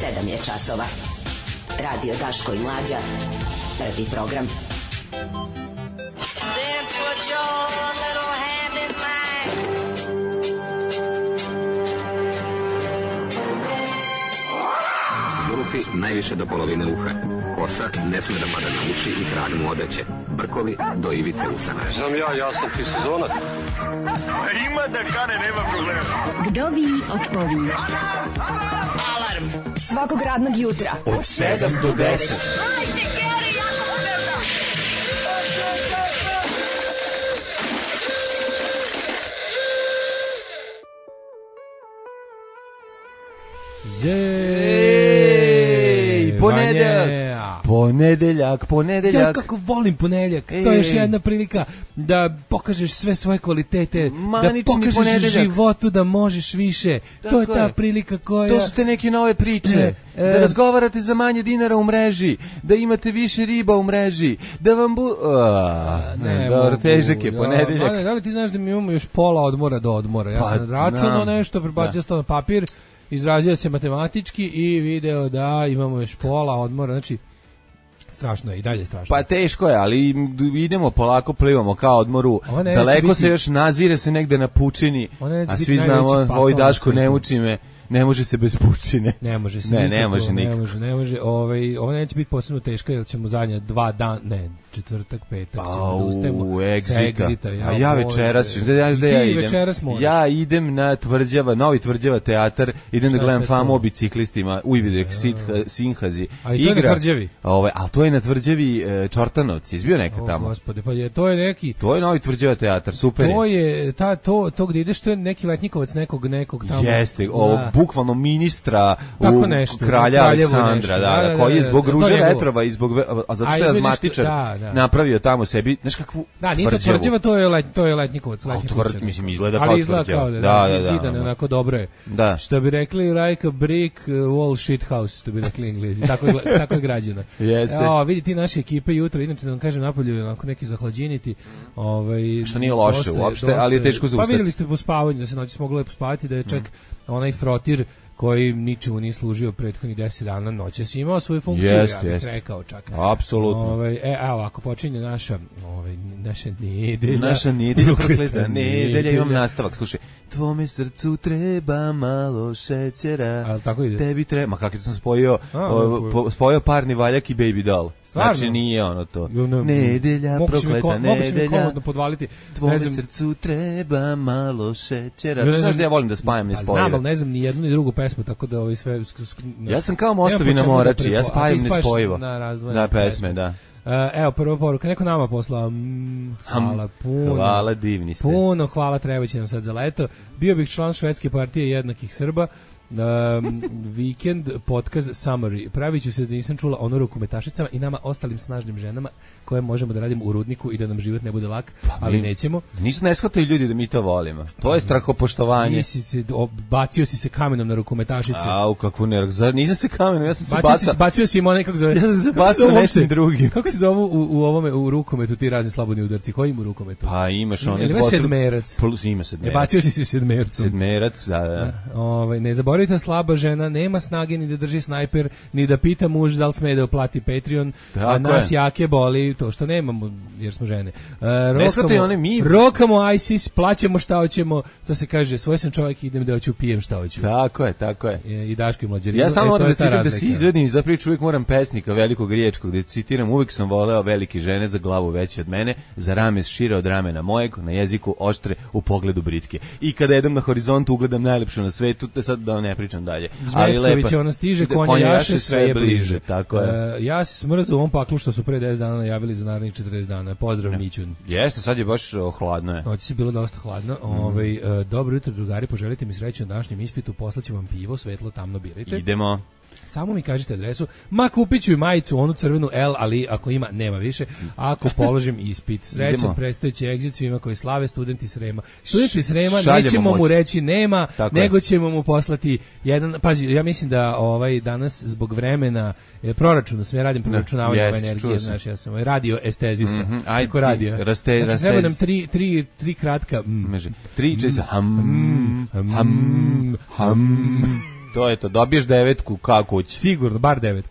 7 je časova. Radio Daško i Mlađa. Prvi program. Then put your little hand in mine. Zulufi najviše do polovine uha. Kosa ne sme da pada na uši i krag mu odeće. Brkovi do ivice usana. Znam ja sam ti sezonac. Ima da kane, nema problema. Vdovi otpovi. Alarm svakog radnog jutra od 7 do 10. Hajde, Geri, jako se velda. Ponedeljak. Ja kako volim ponedeljak. To je još jedna prilika da pokažeš sve svoje kvalitete, da pokažeš životu da možeš više. To je ta prilika koja... To su te neke nove priče. Da razgovarate za manje dinara u mreži, da imate više riba u mreži, da vam dobro, težak je ponedeljak. Da li ti znaš da mi imamo još pola odmora do odmora? Ja sam računao nešto, prebacio sam na papir, izrazio se matematički i video da imamo još pola odmora, znači strašno je, i dalje strašno. Pa teško je, ali idemo polako, plivamo kao odmoru, daleko se još nazire se negde na pučini, a svi znamo, ovoj Daško ne uči me, ne može se bez pučine. Ne može se. Ne može nikako. Ne može. Ovo neće biti posebno teško, jer ćemo zadnja 2 dana, četvrtak, petak, ćemo da ustajemo sa Exita. A ja večeras, ja idem na Novi Tvrđava teatar, idem da gledam Famu o biciklistima, Ujvidek Sinhazi. A i to je na Tvrđavi? Ali to je na Tvrđavi Čortanovci, izbio neka tamo. Gospode, pa to je neki... To je Novi Tvrđava teatar, super je. To je, to gdje ideš, to je neki letnjikovac nekog tamo. Jeste, bukvalno ministra kralja Aleksandra, koji je zbog ruže vetrova i zbog, a zato što je azmatičar napravio tamo sebi, znaš kakvu Tvrđavu. Nije to Tvrđava, to je letnikovac. Mislim, izgleda kao Tvrđava. Da, zidane, onako dobro je. Što bi rekli, like a brick wall shit house, što bi rekli Englezi. Tako je građena. Vidi ti naše ekipe jutro, inače da vam kažem, napolju onako neki zahlađiniti. Što nije loše uopšte, ali je teško zaustati. Pa vidjeli ste po spavanju, da se noći moglo pospavati, da je čak onaj frotir koji ničemu nije služio prethodnih 10 dana, noćas imao svoju funkciju, ja bih rekao čak. Apsolutno. Evo, ako počinje naša nedelja. Naša nedelja, prokleta nedelja, imam nastavak, slušaj. Tvome srcu treba malo šećera. Ali tako ide? Tebi treba, ma kako sam spojio Parni valjak i Baby Doll. Stvarno? Znači nije ono to. Nedelja, prokleta nedelja. Tvome srcu treba malo šećera. Znaš da ja volim da spajam ne spojeve. Znam, ali ne znam ni jednu ni drugu pesmu, tako da ovo sve... Ja sam kao mostovi na Morači, ja spajam ne spojivo. Na pesme, da. Evo, prva poruka, neko nama poslao, hvala puno. Hvala, divni ste. Puno, hvala, treba će nam sad za leto. Bio bih član švedske partije jednakih Srba. Vikend podcast summary. Pravit ću se da nisam čula ono rukometašicama i nama ostalim snažnim ženama koje možemo da radimo u rudniku i da nam život ne bude lak, ali nećemo. Nisu ne shvataju ljudi da mi to volimo. To je strahopoštovanje. Bacio si se kamenom na rukometašice. Au, kakvu nerv. Nisam se kamenom, ja sam se bacio si im onaj, kako zove. Ja sam se bacio nečim drugim. Kako se zovu u ovome u rukometu ti razni slobodni udarci? Koji ima u rukometu? Pa imaš onaj ima sedmerac. Plus ima sedmerac. Bacio si se sedmercom. Sedmerac, da. Ne zaboravite, slaba žena nema snage ni da drži snajper, ni da pita muž da li sme da uplati Patreon, a nas jake boli to što nemamo, jer smo žene. Rokamo ISIS, plaćamo šta hoćemo, to se kaže, svoj sam čovjek, idem da hoću, pijem šta hoću. Tako je. I Daško i Mlađe. Ja stalno moram da citiram da se izvedim i za priču uvijek moram pesnika velikog riječkog, da citiram, uvijek sam voleo velike žene za glavu veće od mene, za rame šire od ramena mojeg, na jeziku oštre, u pogledu britke. I kada jedem na horizontu ugledam najlepšu na svetu, te sad da ne pričam dalje. Zmetković, ona stiže, konja jaše, sve je bliže. Tako je. Ja se smrzu u ovom paklu što su pre 10 dana najavili za narednih 40 dana. Pozdrav, Mićun. Jeste, sad je baš hladno je. Noći si bilo dosta hladno. Dobro jutro, drugari, poželite mi sreću na današnjem ispitu, poslaću vam pivo, svetlo, tamno birajte. Idemo. Samo mi kažite adresu. Ma kupit ću i majicu, onu crvenu L, ali ako ima, nema više. Ako položim ispit. Srećan predstojeći egzit svima koji slave, studenti Srema. Studenti Srema, nećemo mu reći nema, nego ćemo mu poslati jedan... Pazi, ja mislim da danas zbog vremena proračuna, sve radim proračunavanje ove energije, znaš, ja sam radio estezista. Ako radio. Znači, treba nam tri kratka... Tri česa. To je to, dobiješ 9 kao kući. Sigurno, bar 9.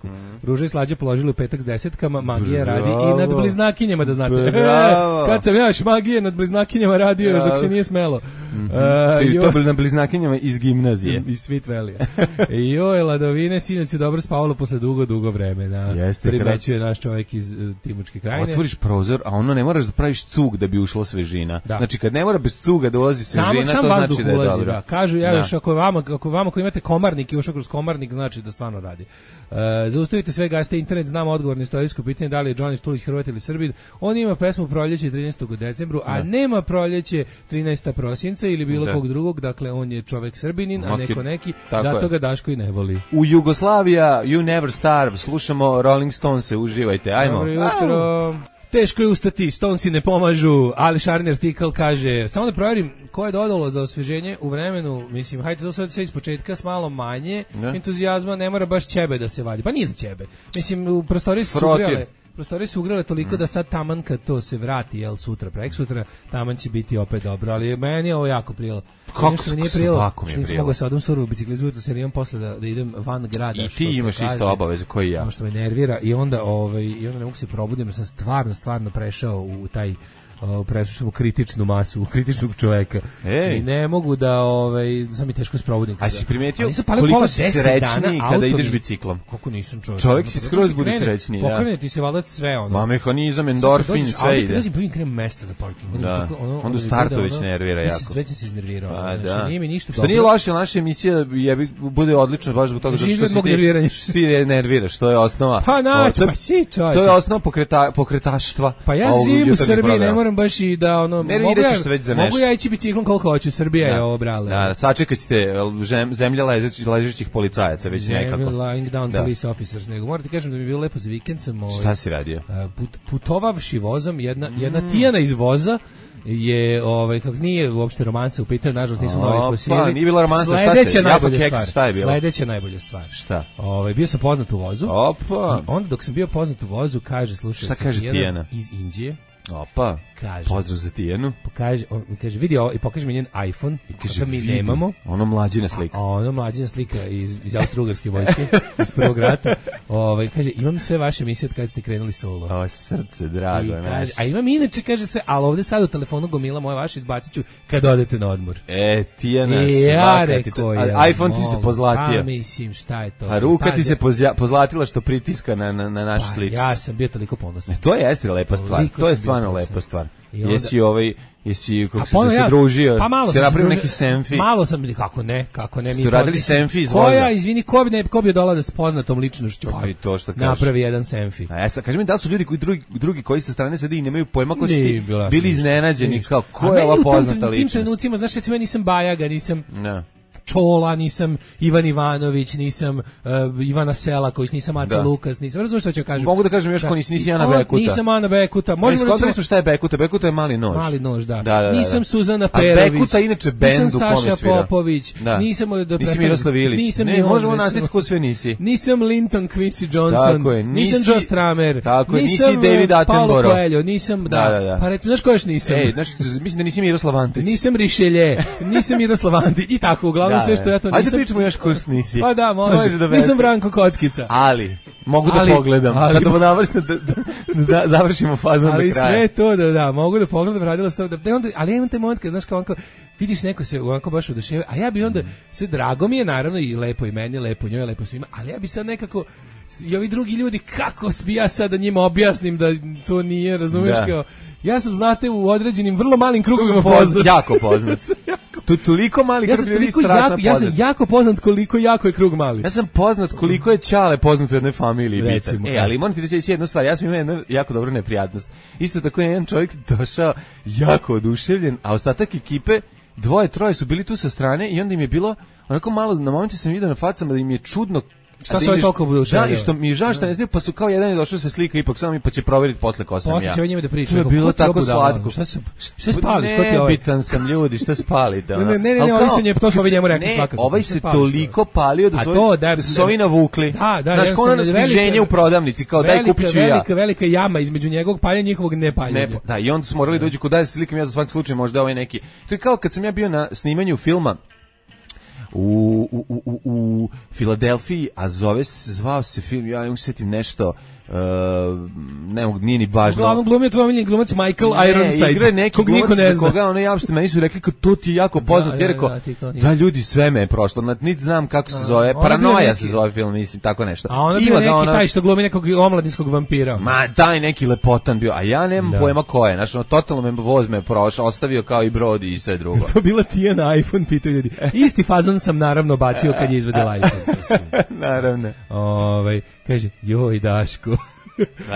Ruža i Slađa položili u petak s 10, magija radi i nad bliznakinjama, da znate. Kad sam ja još magije nad bliznakinjama radio, još dok se nije smelo. To bili na bliznakinjama iz gimnazije. Iz Sweet Valley. Joj, Ladovine, sinoć je dobro spavalo posle dugo vremena. Primećuje naš čovjek iz Timočke krajine. Otvoriš prozor, a ono ne moraš da praviš cug da bi ušla svežina. Da. Znači, kad ne mora bez cuga da ulazi svežina, sam to znači da je ulazi, dobro. Da. Kažu, još ako vama koji imate komarnik i ušao kroz komarnik, znači da stvarno radi. Zaustavite sve, gasite internet, znamo odgovor na istorijsko pitanje da li je Johnny Štulić Hrvat ili Srbin. On ima pesmu Proljeće 13. decembru, a nema Proljeće 13. prosinca ili bilo kog drugog, dakle on je čovek Srbinin, a neko neki, zato ga Daško i ne voli. U Jugoslavija, You Never Starve, slušamo Rolling Stones, uživajte, ajmo. Dobro jutro. Teško je ustati, Stonesi ne pomažu, ali Šarni artikal kaže, samo da provjerim ko je dodalo za osveženje u vremenu, mislim, hajde to sad sve iz početka s malo manje entuzijazma, ne mora baš ćebe da se vadi, pa nije za ćebe. Mislim, u prostoriji su ugrale toliko da sad taman kad to se vrati, jel, sutra, preksutra, taman će biti opet dobro, ali meni je ovo jako prijelo. Kako svako mi je nisam mogao sa odom suru u biciklizmu, to se nijem posle da idem van grada. I ti imaš isto obaveze koji ja. Ono što me nervira i onda ne mogu se probudim, jer sam stvarno prešao u taj prešao u kritičnu masu, u kritičnog čoveka. I ne mogu da sam mi teško sprobudim. A si primetio koliko si srećniji kada ideš biciklom? Koliko nisam čovjek si skroz bude srećniji. Pokrene ti se valjda sve ono. Ma mehanizam, endorfin, sve ide. Ali kada krem mesta da parkim. Onda startu već nervira jako. Sve se iznervirao. Znači nije mi ništa dobro. Što nije loše, naša emisija bude odlična baš zbog toga što si ti nerviraš, to je osnova. Pa naći, pa si čovječe. To je osnova pokretaštva. Pa ja živim u Srbiji, ne moram baš i da mogu ja ići biciklom koliko hoću, Srbija je ovo brale. Da, sačekat ćete zemlja ležećih policajaca već nekako. Lying down police officers, nego morate kažem da mi je bilo lepo za vikend sam Šta si radio? Putovavši vozom, jedna Tijana iz voza je kako nije uopšte romansa u pitanju, nažalost nisu novi fosili. Pa, nije bila romansa, šta je bilo? Sledeća najbolja stvar. Šta? Bio sam poznat u vozu. Opa. Onda dok sam bio poznat u vozu, kaže, slušaj, šta kaže Tijana? Iz Indije. Opa, pozdrav za Tijanu. Kaže, vidi ovo i pokaže mi njen iPhone, kakav mi nemamo. Ono mlađina slika. Ono mlađina slika iz Austro-Ugarske vojske, iz prvog rata. Kaže, imam sve vaše emisije od kada ste krenuli solo. O, srce, drago. Kaže, a imam inače, kaže sve, ali ovde sad u telefonu gomila moje vaše izbacit ću kad odete na odmor. Tijana, svaka ti to. iPhone ti se pozlatio. Pa mislim, šta je to? A ruka ti se pozlatila što pritiska na našu sličicu. Ja sam bio toliko ponosan. To jeste lepa stvar. To je stvarno lepa stvar. Jesi kako si se družio, se napravio neki selfie. Malo sam, kako ne. Ste radili selfie iz voza? Koja, izvini, ko bi dolao da se poznatom ličnošću? Pa i to što kažeš. Napravi jedan selfie. A sad kaži mi da su ljudi drugi koji sa strane sede i nemaju pojma ko si bili iznenađeni, kao ko je ova poznata ličnost. U tim trenucima, znaš, recimo, nisam Bajaga, nisam Čola, nisam Ivan Ivanović, nisam Ivana Selaković, nisam Aca Lukas, nisam, razumiješ što ću kažem? Mogu da kažem još ko nisi Ana Bekuta. Nisam Ana Bekuta. Možemo smo šta je Bekuta? Bekuta je mali nož. Mali nož, da. Nisam Suzana Perović. A Bekuta inače bend u kome svira. Nisam Saša Popović. Nisi Miroslav Ilić. Ne, možemo nastaviti ko sve nisi. Nisam Linton Quincy Johnson. Nisam Joe Stramer. Nisi David Attenborough. Paulo Coelho, nisam, pa recimo, znaš ko još nisam? Mislim da nisi Miroslav Antić. Nisam Richelieu, nisam Miroslav Antić i tako, uglavnom sve što ja to nisam. Pričamo još ko nisi. Pa da, može. Nisam Branko Kockica. Ali, mogu da pogledam. Sad da završimo fazom do kraja. Ali sve to da, mogu da pogledam, radilo se ali ja imam taj moment kad, znaš, kao vidiš neko se onako baš oduševio, a ja bi onda, sve drago mi je, naravno, i lepo i meni, lepo njoj, lepo svima, ali ja bi sad nekako, i ovi drugi ljudi, kako bi ja sad da njima objasnim da to nije, razumiješ, kao, ja sam, znate, u određenim vrlo malim krugovima poznat. Jako poznat. Toliko mali krug ljudi strašno poznat. Ja sam jako poznat koliko jako je krug mali. Ja sam poznat koliko je Ćale poznat u jednoj familiji. Recimo, ali moram ti reći jednu stvar, ja sam imao jednu jako dobru neprijatnost. Isto tako je jedan čovjek došao jako oduševljen, a ostatak ekipe, 2-3 su bili tu sa strane i onda im je bilo, onako malo, na momentu sam vidio na facama da im je čudno. Šta se toliko bude ušao? Da, i što mi je žao što ne znaju, pa su kao jedan je došao se slika ipak samo pa će provjeriti posle ko sam ja. Posle će o njima da priča. To je bilo tako slatko. Šta spališ? Ko ti ovaj? Nebitan sam ljudi, šta spalite? Ne, ovaj se nje, to smo vi njemu rekli svakako. Ovaj se toliko palio da su ovi navukli. Znaš, ono na stiženje u prodavnici, kao daj kupit ću ja. Velika jama između njegovog paljenja i njihovog nepaljenja. Da, i onda su morali dođu kod da se slikam ja za svaki slučaj, možda ovaj neki. To je kao kad sam ja bio na snimanju filma u Filadelfiji, a zvao se film, ja ne sjetim nešto, ne mogu, nije ni važno. Uglavnom glumio tvoj omiljeni glumac Michael Ironside. Igra neki glumac za koga ono javšte, meni su rekli kao to ti je jako poznat, jer rekao, da ljudi sve me je prošlo, niti znam kako se zove, Paranoja se zove film, mislim, tako nešto. A ono bio neki taj što glumi nekog omladinskog vampira. Ma, taj neki lepotan bio, a ja nemam pojma ko je, znači, totalno me voz me prošao, ostavio kao i Brody i sve drugo. To bila ti na iPhone, pitaju ljudi. Isti fazon sam naravno bacio kad je izvedela iPhone. Naravno. Kaže, joj Daško.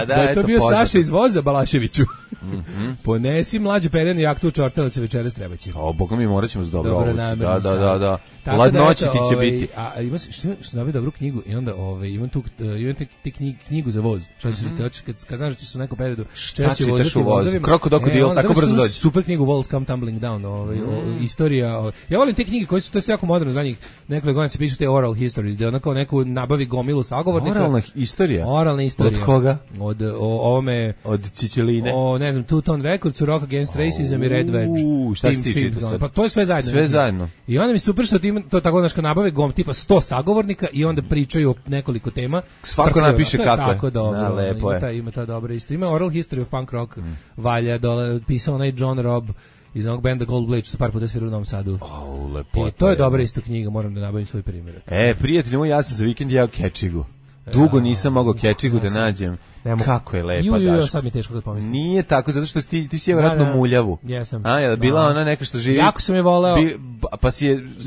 Da je to bio poznato. Saša iz voza Balaševiću. Ponesi mlađe perenu jaktu u Čortanovice večeras treba će. Boga mi morat ćemo s dobro obući. Da. Ladnoći ti će biti. A ima što nabi dobru knjigu i onda imam tu knjigu za voz. Kad znaš da ćeš u nekom periodu češće voziti vozovima. Kroko dok dio, tako brzo dođe. Super knjigu Walls Come Tumbling Down. Istorija. Ja volim te knjige koje su, to je jako moderno za njih. Nekoliko godina se pišu te oral histories, gde onako neku nabavi gomilu sagovornika. Oralna istorija? Oralna istorija. Od koga? Od Ciceline. Ne znam, Two Tone Records, Rock Against Racism i Red Wedge. Šta si ti čitao sad? Pa to je sve zajedno. Sve zajedno. I onda mi super što to tako znaš kad nabave tipa 100 sagovornika i onda pričaju o nekoliko tema. Svako napiše kako je. Tako dobro. Ima ta dobra isto. Ima Oral History of Punk Rock. Valja dole pisao onaj John Robb iz onog benda Gold Blade što se par puta svirao u Novom Sadu. Lepo. I to je dobra isto knjiga, moram da nabavim svoj primjerak. Prijatelji moji, ja sam za vikend jeo kečigu. Dugo nisam mogao kečigu da nađem. Kako je lepa, Daško. Sad mi je teško da pomislim. Nije tako, zato što ti si je vjerojatno muljavu. Jesam. Je bila ona neka što živi... Jako sam je voleo.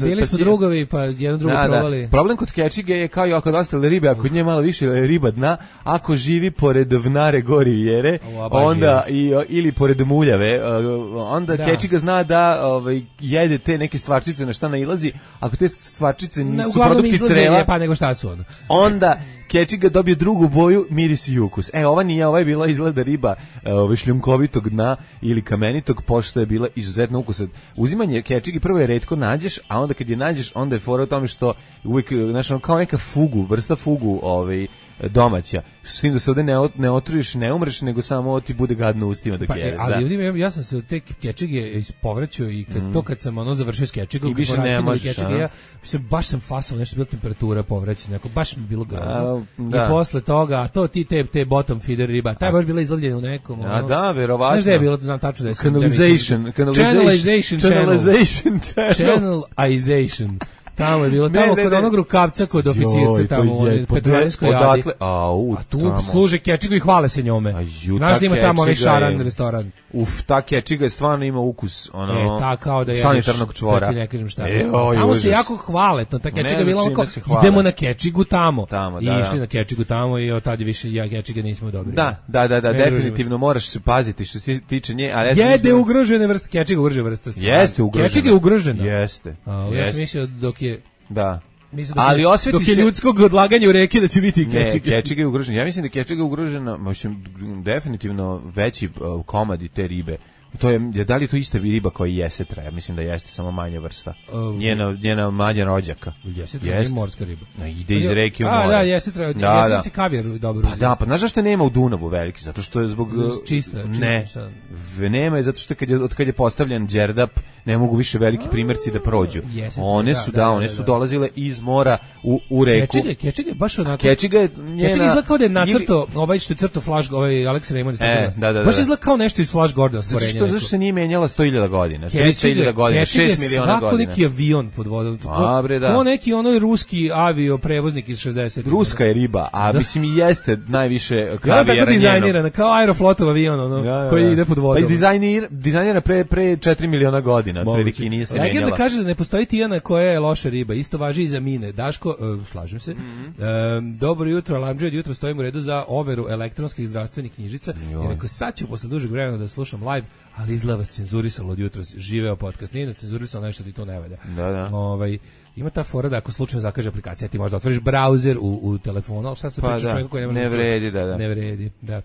Bili smo drugovi, pa jedan drugo provali. Problem kod kečige je kao i kod ostale ribe, ako nje malo više riba dna, ako živi pored vnare gori vjere, onda ili pored muljave, onda kečiga zna da jede te neke stvarčice na šta nailazi. Ako te stvarčice nisu produkti creva, pa nego šta su onda kečiga dobije drugu boju, miris i ukus. Ova nije, ova je bila izgleda riba šljunkovitog dna ili kamenitog, pošto je bila izuzetno ukusa. Uzimanje kečigi prvo je retko nađeš, a onda kad je nađeš, onda je fora u tome što uvijek, znači, kao neka vrsta fugu domaća. S tim da se ovdje ne otruješ, ne umreš, nego samo ti bude gadno ustima dok jedeš. Ali ja sam se od te kečige ispovraćao i kad sam završio s kečigom, kad smo raskinuli kečige, baš sam fasao, nešto bila temperatura povraćanja, neko baš mi bilo grozno. I posle toga, a to ti te bottom feeder riba, taj baš bila izlovljena u nekom. Verovatno. Znaš da je bilo, znam tačno da je Channelization. Tamo je bilo, tamo kod onog rukavca kod oficirca, tamo u Petrovarinskoj jadi. A tu služe kečigu i hvale se njome. Znaš da ima tamo onaj šaran restoran. Ta kečiga je stvarno ima ukus kao da sanitarnog čvora. Da ti ne kažem šta. Tamo se jako hvale, ta kečiga je bila onako, idemo na kečigu tamo. I išli na kečigu tamo i od tada više kečiga nismo dobri. Da, definitivno moraš se paziti što se tiče nje. Jede ugrožene vrste, kečiga ugrožena vrsta. Jeste ugrožena. Kečiga je ugrožena. Jeste. Ja sam mislio dok je... Da. Ali dok je ljudskog odlaganja u reki da će biti i kečiga. Ne, kečiga je ugrožena. Ja mislim da je kečiga ugrožena, definitivno veći komadi te ribe. To je, da li je to ista riba koja je jesetra? Ja mislim da jeste, samo manja vrsta. Njena manja rođaka. Jesetra je morska riba. Ide iz reke u more. Da, jesetra. Jesetra si kavijar dobro uzeti. Pa znaš zašto nema u Dunavu veliki? Zato što je zbog... Čista. Nema je zato što od kad je postavljen đerdap, ne mogu više veliki primjerci da prođu. One su dolazile iz mora u reku. Kečiga je baš onako... Kečiga je izgleda kao da je nacrto, što je crto Flash, Alex Raymond. Baš izgleda kao nešto iz Flash Gordon stvorenja. Zašto se nije menjala 100.000 godina, 300.000 godina, 6 miliona godina. Svako neki avion pod vodom. Kao neki ruski avioprevoznik iz 60. Ruska je riba, a mislim i jeste najviše kavijera njeno. Tako dizajnirana, kao Aeroflotov avion, koji ide pod vodom. Pa dizajnirana pre 4 miliona godina, otprilike nije se menjala. Legenda kaže da ne postoji tijana koja je loša riba, isto važi i za mine. Daško, slažem se, dobro jutro, alarmđe, od jutro stojim u redu za overu elektronskih zdravstvenih knjižica, jer ako sad ću posle dužeg vremena da slušam live, ali izgleda vas cenzurisalo od jutra, živeo podcast, nije cenzurisalo nešto ti to ne valja. Da. Ima ta fora da ako slučajno zakaže aplikacija, ti možda otvoriš brauzer u telefonu, ali šta se priča čovjeku koji ne vredi, da. Ne vredi, da.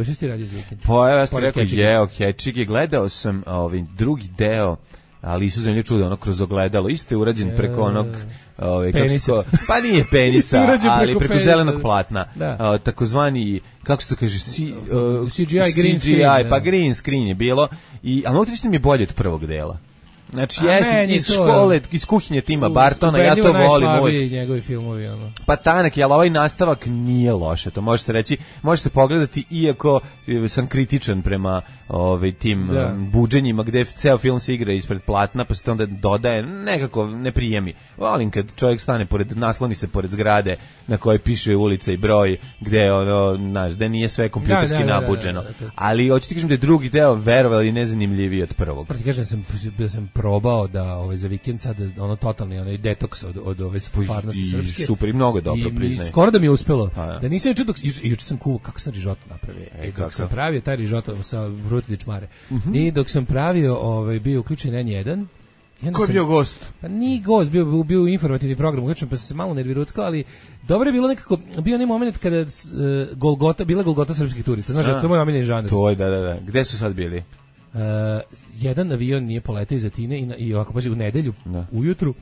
Šta si ti radio za vikend? Pa ja sam rekao, kečige, gledao sam drugi deo, ali Isu zemlje čuda, ono kroz ogledalo, isto je urađen preko onog penisa. Pa nije penisa, ali preko zelenog platna. Takozvani, kako se to kaže, CGI, green screen. Pa green screen je bilo, ali mogu ti reći da mi je bolje od prvog dela. Znači, jeste iz škole, iz kuhinje Tima Bartona, ja to volim. Ubedljivo njegovi filmovi, ono. Pa tanak je, ali ovaj nastavak nije loše, to može se reći, može se pogledati, iako sam kritičan prema tim buđenjima, gde ceo film se igra ispred platna, pa se to onda dodaje, nekako ne prijemi. Volim kad čovjek stane nasloni se pored zgrade na kojoj piše ulica i broj, gde znaš, gde nije sve kompjuterski nabuđeno. Ali hoću ti kažem da je drugi deo, verovali, nezanimljiviji od prvog. Proti kažem da sam probao da za vikend sad totalni detoks od ove stvarnosti srpske. Super, i mnogo dobro, priznajem. Skoro da mi je uspelo. Da nisam juče sam kuvao kako sam rižoto napravio. Dok sam pravio taj rižoto sa Bruti Dičmare. I dok sam pravio, bio uključen N1. Ko je bio gost? Pa nije gost, bio informativni program, uključen, pa sam se malo nerviruckao, ali dobro je bilo nekako, bio onaj moment kada bila Golgota srpskih turista. Znaš, to je moj omiljeni žanr. To je, da. Gde su sad bili? Jedan avion nije poletao iz Atine i ovako paži u nedelju ujutru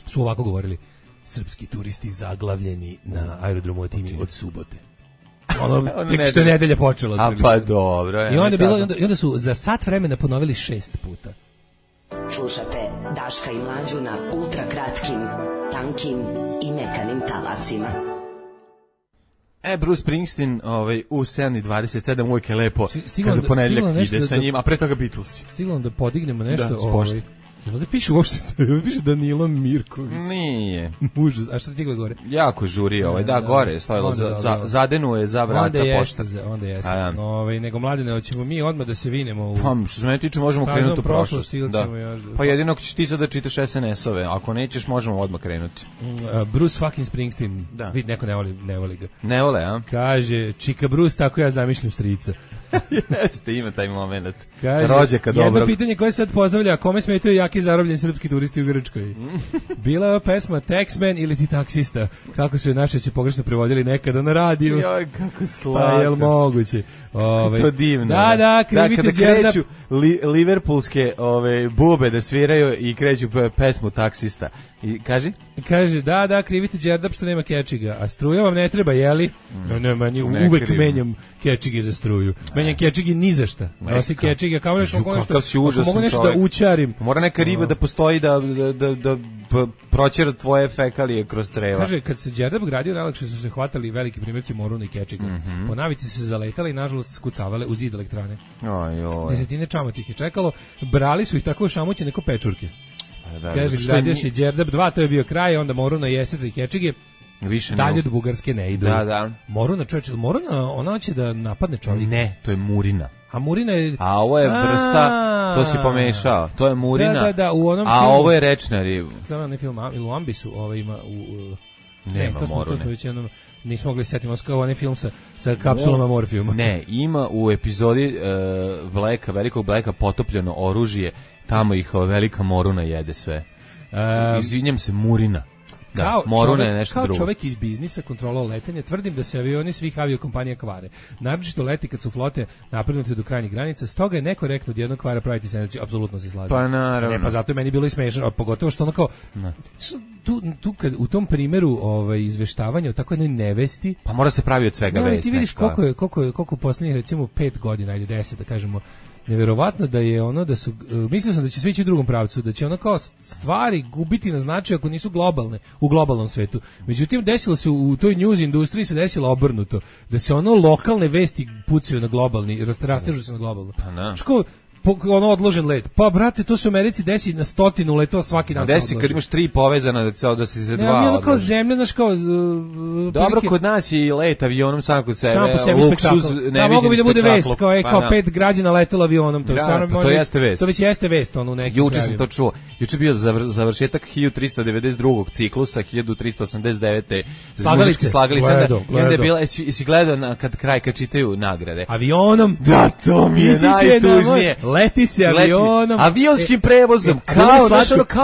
su ovako govorili: srpski turisti zaglavljeni na aerodromu Atini od subote. Tek što je nedelja počela. A pa dobro. I onda su za sat vremena ponovili 6 puta. Slušate Daška i Mlađu na ultra kratkim, tankim i mekanim talasima. Bruce Springsteen u 7:27 uvijek je lepo kada ponedjeljak ide sa njim, a pre toga Beatlesi. Stiglo da podignemo nešto. Jel da piše uopšte, piše Danilo Mirković? Nije. Užas, a šta ti gore? Jako žuri gore je stojilo, zadenu je za vrata pošta. Onda jeste. Nego Mladene, hoćemo mi odmah da se vinemo. Pa, što se mene tiče, možemo krenuti u prošlost. Pa jedino ćeš ti sad da čitaš SNS-ove, ako nećeš, možemo odmah krenuti. Bruce fucking Springsteen, vidi, neko ne voli ga. Ne vole, a? Kaže, Čika Bruce, tako ja zamišljam strica. Jeste, ima taj moment. Rođaka dobrog. Jedno pitanje koje sad pozdravlja, kome smetaju jaki zarobljeni srpski turisti u Grčkoj? Bila je pesma Taxman ili ti taksista? Kako su je naše će pogrešno prevodili nekada na radiju? Joj, kako slatko. Pa jel moguće? To divno. Da, krivite kada kreću liverpoolske bube da sviraju i kreću pesmu taksista. I kaži? Kaže, da, krivite Đerdap što nema kečiga, a struja vam ne treba, jeli? Ne, uvek menjam kečige za struju. Menjam kečige ni za šta. Nosi kečige, kao nešto, mogu nešto da učarim. Mora neka riba da postoji da proćera tvoje fekalije kroz creva. Kaže, kad se Đerdap gradio, najlakše su se hvatali veliki primjerci moruna i kečiga. Po navici se zaletali i nažalost skucavale u zid elektrane. Desetine čamac ih je čekalo, brali su ih tako šamuće neko pečurke. Kaže, gradio se Đerdap 2, to je bio kraj, onda Moruna i Jesetra i Kečige. Više dalje od Bugarske ne idu. Da. Moruna, čovječe, Moruna, ona hoće da napadne čovjeka. Ne, to je Murina. A Murina je... A ovo je vrsta, to si pomešao. To je Murina, da, u onom a filmu, ovo je rečna riba. Znam onaj film, ili u Ambisu, ima... Nema Morune. To smo već jednom... Nismo mogli setiti, kao onaj film sa kapsulama morfijuma. Ne, ima u epizodi velikog Blacka potopljeno oružje, tamo ih velika Moruna jede sve. Izvinjam se, Murina. Da, Moruna je nešto drugo. Kao čovek iz biznisa, kontrola letenja, tvrdim da se avioni svih aviokompanija kvare. Naročito leti kad su flote naprednute do krajnjih granica, stoga je nekorektno od jednog kvara praviti sandvič, apsolutno se slažem. Pa naravno. Ne, pa zato je meni bilo i smešno, a pogotovo što ono kao tu kad u tom primjeru izveštavanja o tako jednoj nevesti, pa mora se pravi od svega vest. Ti vidiš koliko poslednjih recimo 5 godina, ajde 10 da kažemo, neverovatno da je da su, mislio sam da će sve ići u drugom pravcu, da će kao stvari gubiti na značaju ako nisu globalne, u globalnom svetu. Međutim, desilo se u toj news industriji se desilo obrnuto, da se lokalne vesti pucaju na globalni, rastežu se na globalno. Pa na. Odložen let. Pa brate, to se u Americi desi na 100 letova svaki dan. Desi kad imaš 3 povezana da se za 2. Ne, kao zemlja, znaš kao... Dobro, kod nas je i let avionom sam kod sebe. Sam po sebi spektakl. Da, mogu bi da bude vest, kao 5 građana letelo avionom. To, to jeste vest. To već jeste vest, u nekim Juče sam to čuo. Juče bio završetak 1392. ciklusa, 1389. Slagalice. I onda je bila, jesi gledao kad čitaju nagrade. Avionom. Da, to mi je najtužnije. Leti se avionom. Avionskim prevozom.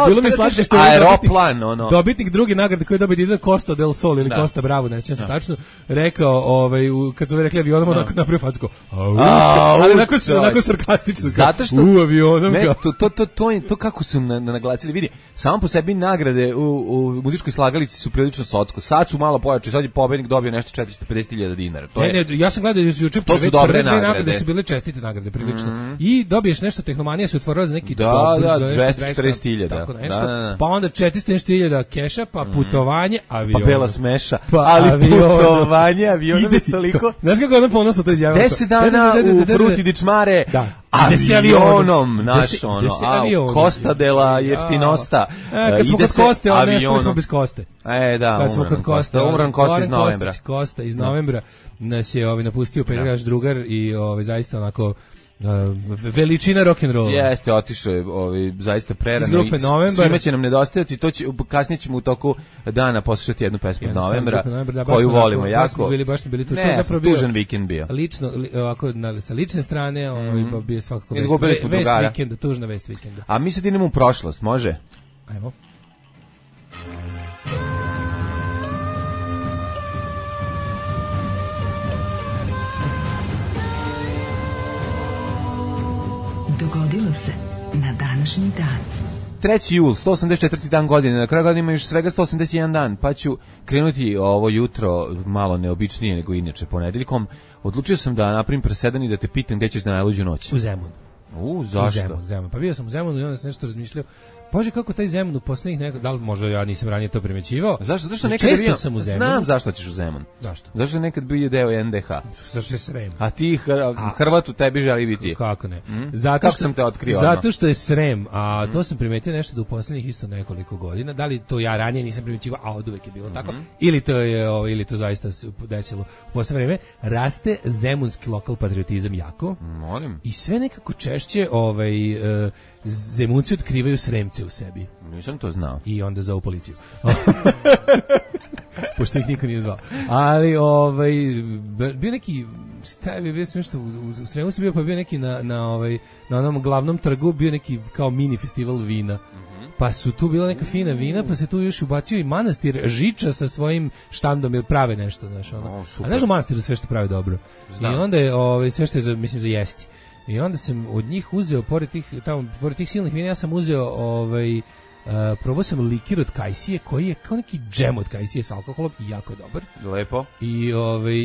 Bilo mi slatko što je aeroplan, dobitnik druge nagrade koji je dobio Dina Costa del Sol ili Costa Bravo, ne sjećam se tačno, rekao, kad su rekli avionom, onako napravio facko. Ali onako sarkastično. Zato što avionom. To kako su naglasili, vidi, samo po sebi nagrade u muzičkoj slagalici su prilično socko. Sad su malo pojače, sad je pobednik dobio nešto 450.000 dinara. Ja sam gledao juče prve nagrade su bile čestite nagrade prilično. I dobiješ nešto tehnomanija se otvorila za neki 240.000. Tako nešto. Pa onda 400.000 keša, pa putovanje, avion. Pa bela smeša, ali putovanje, avion bez toliko. Znaš kako ona ponosno to izjavila? 10 dana u Fruti di Čmare, avionom, naš ono, Costa della Jeftinosta. Kad smo kod Koste, ali nešto smo bez Koste. Da, kad smo kod Koste, umran Kosta iz novembra. Kosta iz novembra nas je napustio naš drugar i zaista onako veličina rock'n'rolla. Jeste, otišao je zaista prerano. Iz grupe Novembar. Svima će nam nedostajati, kasnije ćemo u toku dana poslušati jednu pesmu od Novembra, koju volimo jako. Bili tu, ne, tužan vikend bio. Lično, ovako, sa lične strane, bio svakako vest vikenda, tužna vest vikenda. A mi sad idemo u prošlost, može? Ajmo. Dogodilo se na današnji dan. 3. jul, 184. dan godine, na kraju godine ima još svega 181 dan, pa ću krenuti ovo jutro malo neobičnije nego inače ponedeljkom. Odlučio sam da napravim presedan i da te pitam gde ćeš na najluđu noć. U Zemun. Zašto? U Zemun. Pa bio sam u Zemunu i onda sam nešto razmišljao. Bože, kako taj Zemun u poslednjih da li možda ja nisam ranije to primećivao? Zašto nekad često sam u Zemunu. Znam zašto ćeš u Zemun. Zašto? Zašto nekad bio deo NDH? Zašto je Srem? A ti Hrvat u tebi želi biti. Kako ne? Kako sam te otkrio? Zato što je Srem, a to sam primetio nešto da u poslednjih isto nekoliko godina, da li to ja ranije nisam primećivao, a oduvek je bilo tako, ili to zaista se desilo u poslednje vreme, raste zemunski lokal patriotizam jako. Molim. I sve nekako češće Zemunci otkrivaju Sremce u sebi. Nisam to znao. I onda zovu policiju. Pošto ih niko nije zvao. Ali, bio neki, bio sam nešto, u Sremu sam bio, pa bio neki na onom glavnom trgu, bio neki kao mini festival vina. Pa su tu bila neka fina vina, pa se tu još ubacio i manastir Žiča sa svojim štandom, jer prave nešto, znaš, ono. A znaš u manastiru sve što prave dobro. Znam. I onda je sve što je, mislim, za jesti. I onda sam od njih uzeo, pored tih silnih vina, ja sam uzeo, probao sam likir od kajsije, koji je kao neki džem od kajsije s alkoholom i jako je dobar. Lepo.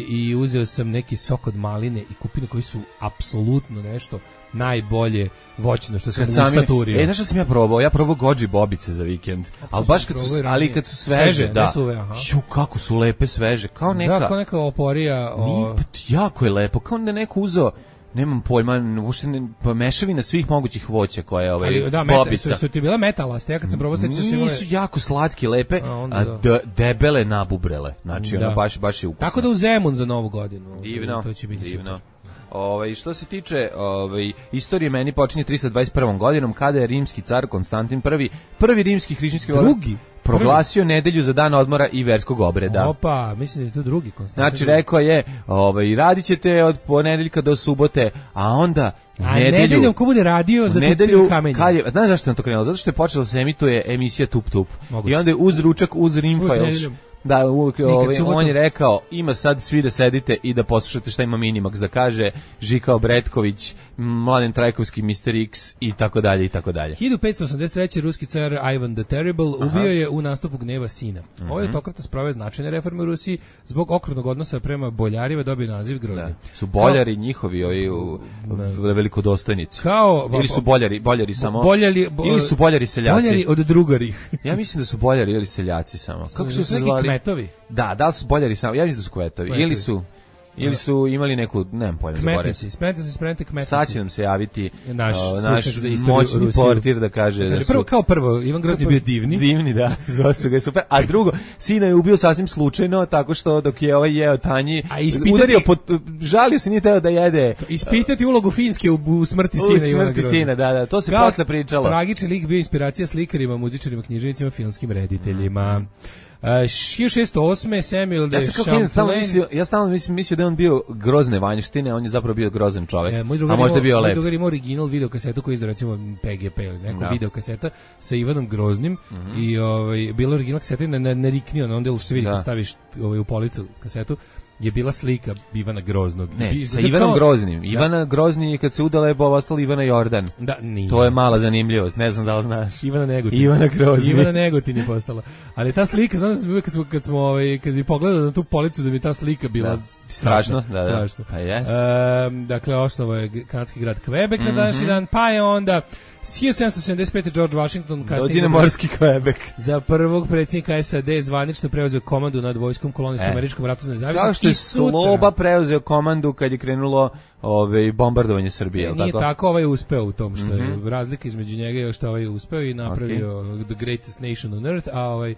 I uzeo sam neki sok od maline i kupine koji su apsolutno nešto najbolje voćno što sam u staturio. Znaš što sam ja probao? Ja probao goji bobice za vikend. Ali kad su sveže, da. Kako su lepe sveže, kao neka. Da, kao neka oporija. Jako je lepo, kao da neko uzeo, nemam pojma, uopšte mešavina svih mogućih voća koja je bobica. Su ti bile metalaste, ja kad sam probao nisu jako slatke, lepe, debele nabubrele. Znači, ono baš je ukusno. Tako da u Zemun za Novu godinu. Divno, to će biti divno. Što se tiče istorije, meni počinje 321. godinom kada je rimski car Konstantin prvi rimski hrišćanski proglasio nedelju za dan odmora i verskog obreda. Opa, mislim da je to drugi Konstantin. Znači, rekao je, radit ćete od ponedeljka do subote, a onda nedeljom ko bude radio za nedelju kamenje. Znaš zašto je to krenulo? Zato što je počela se emituje emisija Tup Tup. I onda je uz ručak, uz Rimfiles. Da, on je rekao, ima sad svi da sedite i da poslušate šta ima Minimax da kaže, Žika Obretković, Mladen Trajkovski, Mr. X i tako dalje i tako dalje. 1583. ruski car Ivan the Terrible ubio je u nastupu gneva sina. Ovo je autokrata sproveo značajne reforme u Rusiji, zbog okrutnog odnosa prema boljarima dobio naziv Grozni. Su boljari njihovi velikodostojnici. Ili su boljari samo? Ili su boljari seljaci? Boljari od drugarih. Ja mislim da su boljari ili seljaci samo. Kako su se zvali? Kmetovi. Da li su boljari samo? Ja mislim da su kmetovi. Ili su imali neku, nemam pojma. Kmetnici, spremite kmetnici. Sad će nam se javiti naš moćni portir da kaže da su... Kao prvo, Ivan Grozni bio divni. Divni, da, zvao su ga super. A drugo, sina je ubio sasvim slučajno, tako što dok je jeo tanji, udario, žalio se, nije teo da jede. Ispitati ulogu Finske u smrti sina Ivana Grozni. U smrti sina, da, to se posle pričalo. Tragični lik bio inspiracija slikarima, muzičarima, književnicima, filmskim rediteljima. 1608. Samuel de Champlain. Ja stalno mislio da je on bio grozne vanjštine, on je zapravo bio grozan čovjek. A možda je bio lep. Moj drugar ima original videokasetu koji izda recimo PGP ili neko videokaseta sa Ivanom Groznim i bilo original kaseta na riknio, na onda što se vidi kad staviš u policu kasetu. je bila slika Ivana Groznog. Ne, sa Ivanom Groznim. Ivana Grozni kad se udala je ostala Ivana Jordan. Da, nije. To je mala zanimljivost, ne znam da li znaš. Ivana Negotin. Ivana Grozni. Ivana Negotin je postala. Ali ta slika, znam da uvijek kad bi pogledao na tu policu da bi ta slika bila strašno. Da. Pa jest. Dakle, osnovo je kanadski grad Quebec na današnji dan, pa je onda 1775. George Washington kasnije morski Quebec. Za prvog predsjednika SAD zvanično preuzeo komandu nad vojskom kolonijskom američkom ratu za nezavisnost. Kao što je Sloba preuzeo komandu kad je krenulo bombardovanje Srbije. Nije tako, ovaj je uspeo u tom što je razlika između njega i što ovaj je uspeo i napravio the greatest nation on earth, a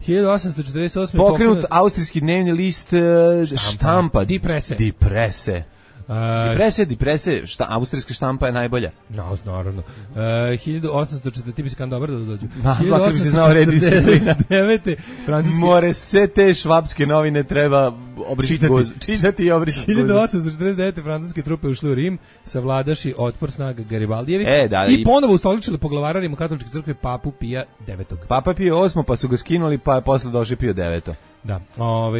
1848. pokrenut austrijski dnevni list štampa. Die Presse. Deprese, austrijska štampa je najbolja. No, naravno. 1840, ti bi se kan dobar da dođu. 1849. francuski... More sve te švapske novine treba čitati i obrisati. 1849. francuske trupe ušli u Rim, savladaši otpor snaga Garibaldijevi i ponovo ustoličili poglavara Rimokatoličke crkve Papu Pija IX. Papa Pio VIII, pa su ga skinuli, pa je posle došao Pio IX. Da,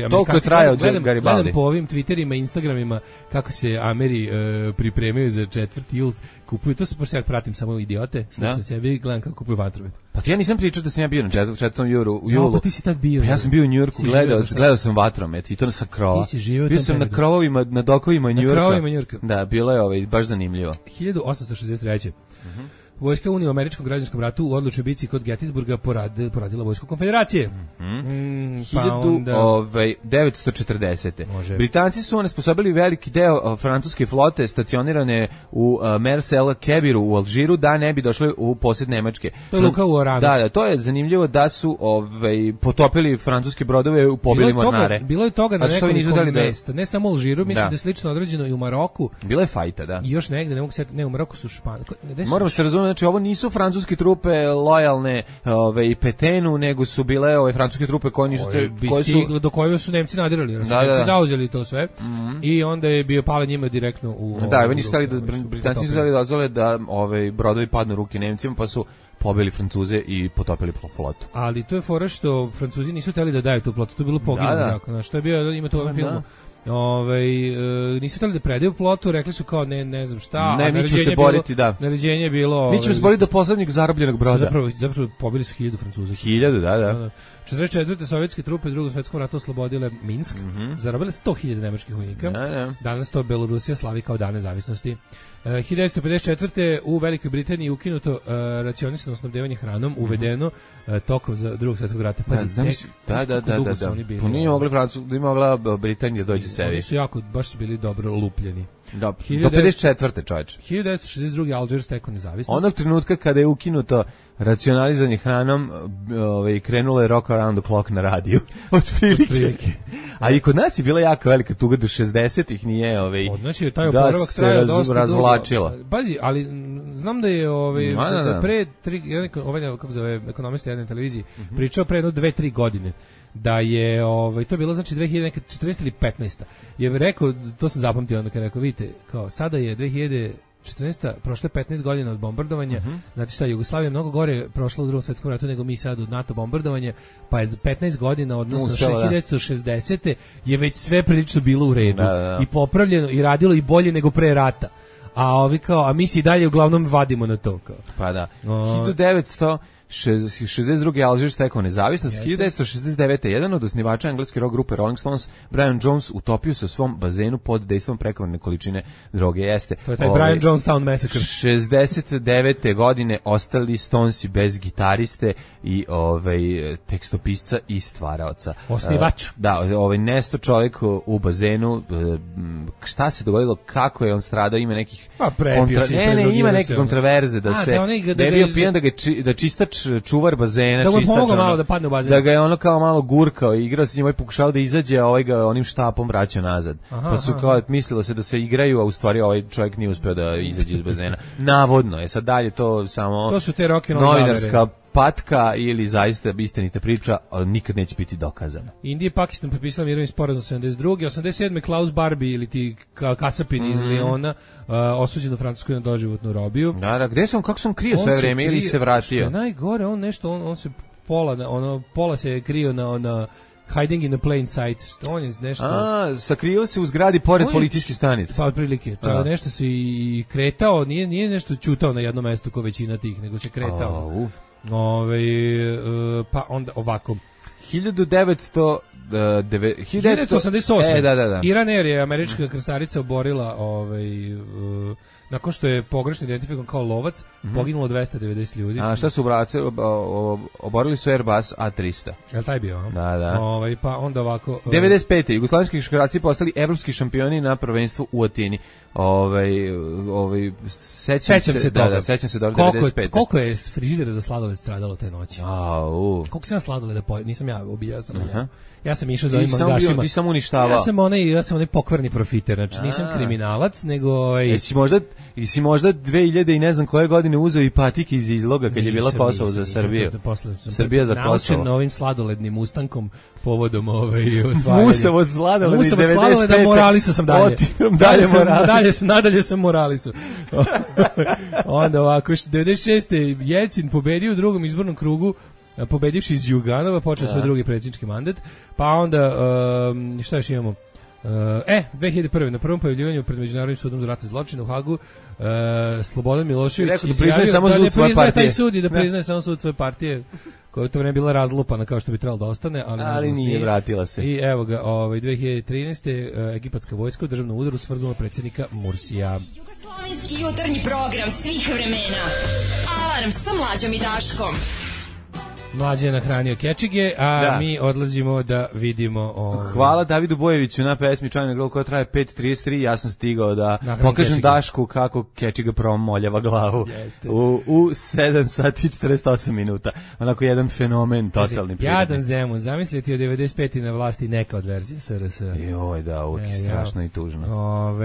toliko je trajao Garibaldi. Gledam po ovim Twitterima, Instagramima kako se Ameri pripremaju za 4. jul, kupuju, to su pošto ja pratim samo idiote, slušam sebi i gledam kako kupuju vatrovete. Pa ja nisam pričao da sam ja bio na 4. julu. Pa ti si tad bio. Pa ja sam bio u Njujorku, gledao sam vatromet i to sa krova. Ti si živio bio sam na krovovima, na dokovima Njujorka. Da, bilo je baš zanimljivo. 1863. Vojska Unije u američkom građanskom ratu u odlučnoj bici kod Gettysburga porazila vojsku konfederacije. 1940. Britanci su onesposobili veliki deo francuske flote stacionirane u Mers el Kebiru u Alžiru da ne bi došli u posjed Nemačke. To je luka u Oranu. Da, to je zanimljivo da su potopili francuske brodove u pobili mornare. Bilo je toga na nekoliko mesta, ne samo u Alžiru, mislim da je slično određeno i u Maroku. Bilo je fajta, da. I još negde, ne mogu se, ne, u Maroku su Španije. Moramo se razumjeti, znači ovo nisu francuske trupe lojalne Petenu, nego su bile francuske trupe koje nisu do koje su Nemci nadirali, jer su Nemci zauzeli to sve i onda je bio pale njima direktno u oni nisu hteli da Britanci su hteli dozvole da brodovi padnu u ruke Nemcima, pa su pobili Francuze i potopili flotu. Ali to je fora što Francuzi nisu hteli da daju tu flotu, to je bilo poginulo, što je bio, ima to u ovom filmu. Nisu hteli da predaju flotu, rekli su kao ne znam šta, mi ćemo se boriti, naređenje je bilo... Mi ćemo se boriti do poslednjeg zarobljenog broda. Zapravo pobili su 1000 Francuza. 1000, da. 44. sovjetske trupe u Drugom svetskom ratu oslobodile Minsk, zarobile 100.000 nemačkih vojnika. Danas to Belorusija slavi kao dan nezavisnosti. 1954. u Velikoj Britaniji ukinuto racionisano snabdevanje hranom, uvedeno tokom za Drugog svjetskog rata. Da. Pa nije mogla Britanija dođe sebi. Oni su baš su bili dobro lupljeni. Do 54. čovječ. 1962. Alžir stekao nezavisnost. Onog trenutka kada je ukinuto racionalizanje hranom, krenulo je Rock Around the Clock na radiju. Otprilike. A i kod nas je bila jako velika tuga do 60-ih, nije znači, taj oporavak se razvlačila. Bazi, ali znam da je pre kako zove ekonomista jedne televiziji pričao pre 2-3 godine da je to bilo znači 2014 ili 15. Je rekao, to sam zapamtio onda kad rekao, vidite, kao sada je 2014. prošle 15 godina od bombardovanja, znači šta, Jugoslavija je mnogo gore prošla u Drugom svjetskom ratu nego mi sad od NATO bombardovanja, pa je za 15 godina, odnosno 1960. je već sve prilično bilo u redu i popravljeno i radilo i bolje nego pre rata. A mi se i dalje uglavnom vadimo na to. Kao. Pa da. 1962. Alžir stekao nezavisnost. 1969. jedan od osnivača engleske rock grupe Rolling Stones, Brian Jones, utopio se u svom bazenu pod dejstvom prekomjerne količine droge. To je taj Brian Jonestown Massacre. 69. godine ostali Stonesi bez gitariste i tekstopisca i stvaraoca. Osnivača. Nesto čovjek u bazenu. Šta se dogodilo, kako je on stradao, ima nekih ima neke kontraverze da se da je bio pijan, da čistač čuvar bazena, da mu pomogao malo da padne u bazen, da ga je ono kao malo gurkao i igrao se njima i pokušao da izađe, a ovaj ga onim štapom vraćao nazad. Pa su kao mislilo se da se igraju, a u stvari ovaj čovjek nije uspeo da izađe iz bazena. Navodno je, sad dalje to samo to su te rock and roll novinarska patka ili zaista istinita priča, ali nikad neće biti dokazana. Indija i Pakistan potpisali mirovni sporazum 72. 87. Klaus Barbie ili ti Kasapin iz Leona osuđen u Francuskoj na doživotnu robiju. Da, gde sam, kako sam krio sve vreme ili se vratio? Najgore, on se pola se je krio na Hiding in a plain sight. Što on je nešto... sakrio se u zgradi pored policijske stanice. Pa otprilike. Nešto se i kretao, nije nešto čutao na jednom mestu kao većina tih, nego se kretao. Pa onda ovako. 1988. Da. Iran Air je američka krstarica oborila nakon što je pogrešno identifikovan kao lovac, poginulo 290 ljudi. A šta su oborili su Airbus A300. Jel taj bio? Da. Pa onda ovako... 95. Jugoslovenski košarkaši postali evropski šampioni na prvenstvu u Atini. Sećam se toga. Sećam se dobro 95. Koliko je frižidera za sladoled stradalo te noći? Koliko sam na sladoleda nisam ja ubijao sam. Ja sam išao za ovim mangašima. Ti sam uništavao. Ja sam onaj pokvarni profiter, znači nisam kriminalac, nego... Jesi možda 2000 i ne znam koje godine uzeo i patike iz izloga kad je bila Kosovo za Srbiju? Srbija za Kosovo. Naučen novim sladolednim ustankom povodom osvajanja. Musav od sladoleda iz 95. Moralisu sam dalje. Nadalje sam moralisu. Onda ovako, 96. Jelcin pobedio u drugom izbornom krugu, pobedivši iz Juganova, počeo svoj drugi predsjednički mandat, pa onda, šta još imamo? 2001. na prvom pojavljivanju pred Međunarodnim sudom za ratne zločine u Hagu, Slobodan Milošević priznaje samo sud svoje partije. Taj sud i da priznaje samo sud svoje partije, koja je to vreme bila razlupana kao što bi trebalo da ostane, ali nije, vratila se. I evo ga, 2013. egipatska vojska u državnom udaru svrdnula predsjednika Mursija. Jugoslovenski jutarnji program svih vremena. Alarm sa Mlađom i Daškom. Mlađe je nahranio kečige, a mi odlazimo da vidimo... Hvala Davidu Bojeviću na pesmi China Girl koja traje 5:33. Ja sam stigao da pokažem kečige. Dašku kako kečiga promoljava glavu u 7 sati 48 minuta. Onako jedan fenomen, totalni prirodni. Jadan Zemun, zamisliti od 95. na vlasti neka od verzije SRS. Joj, da, uvijek strašno i tužno.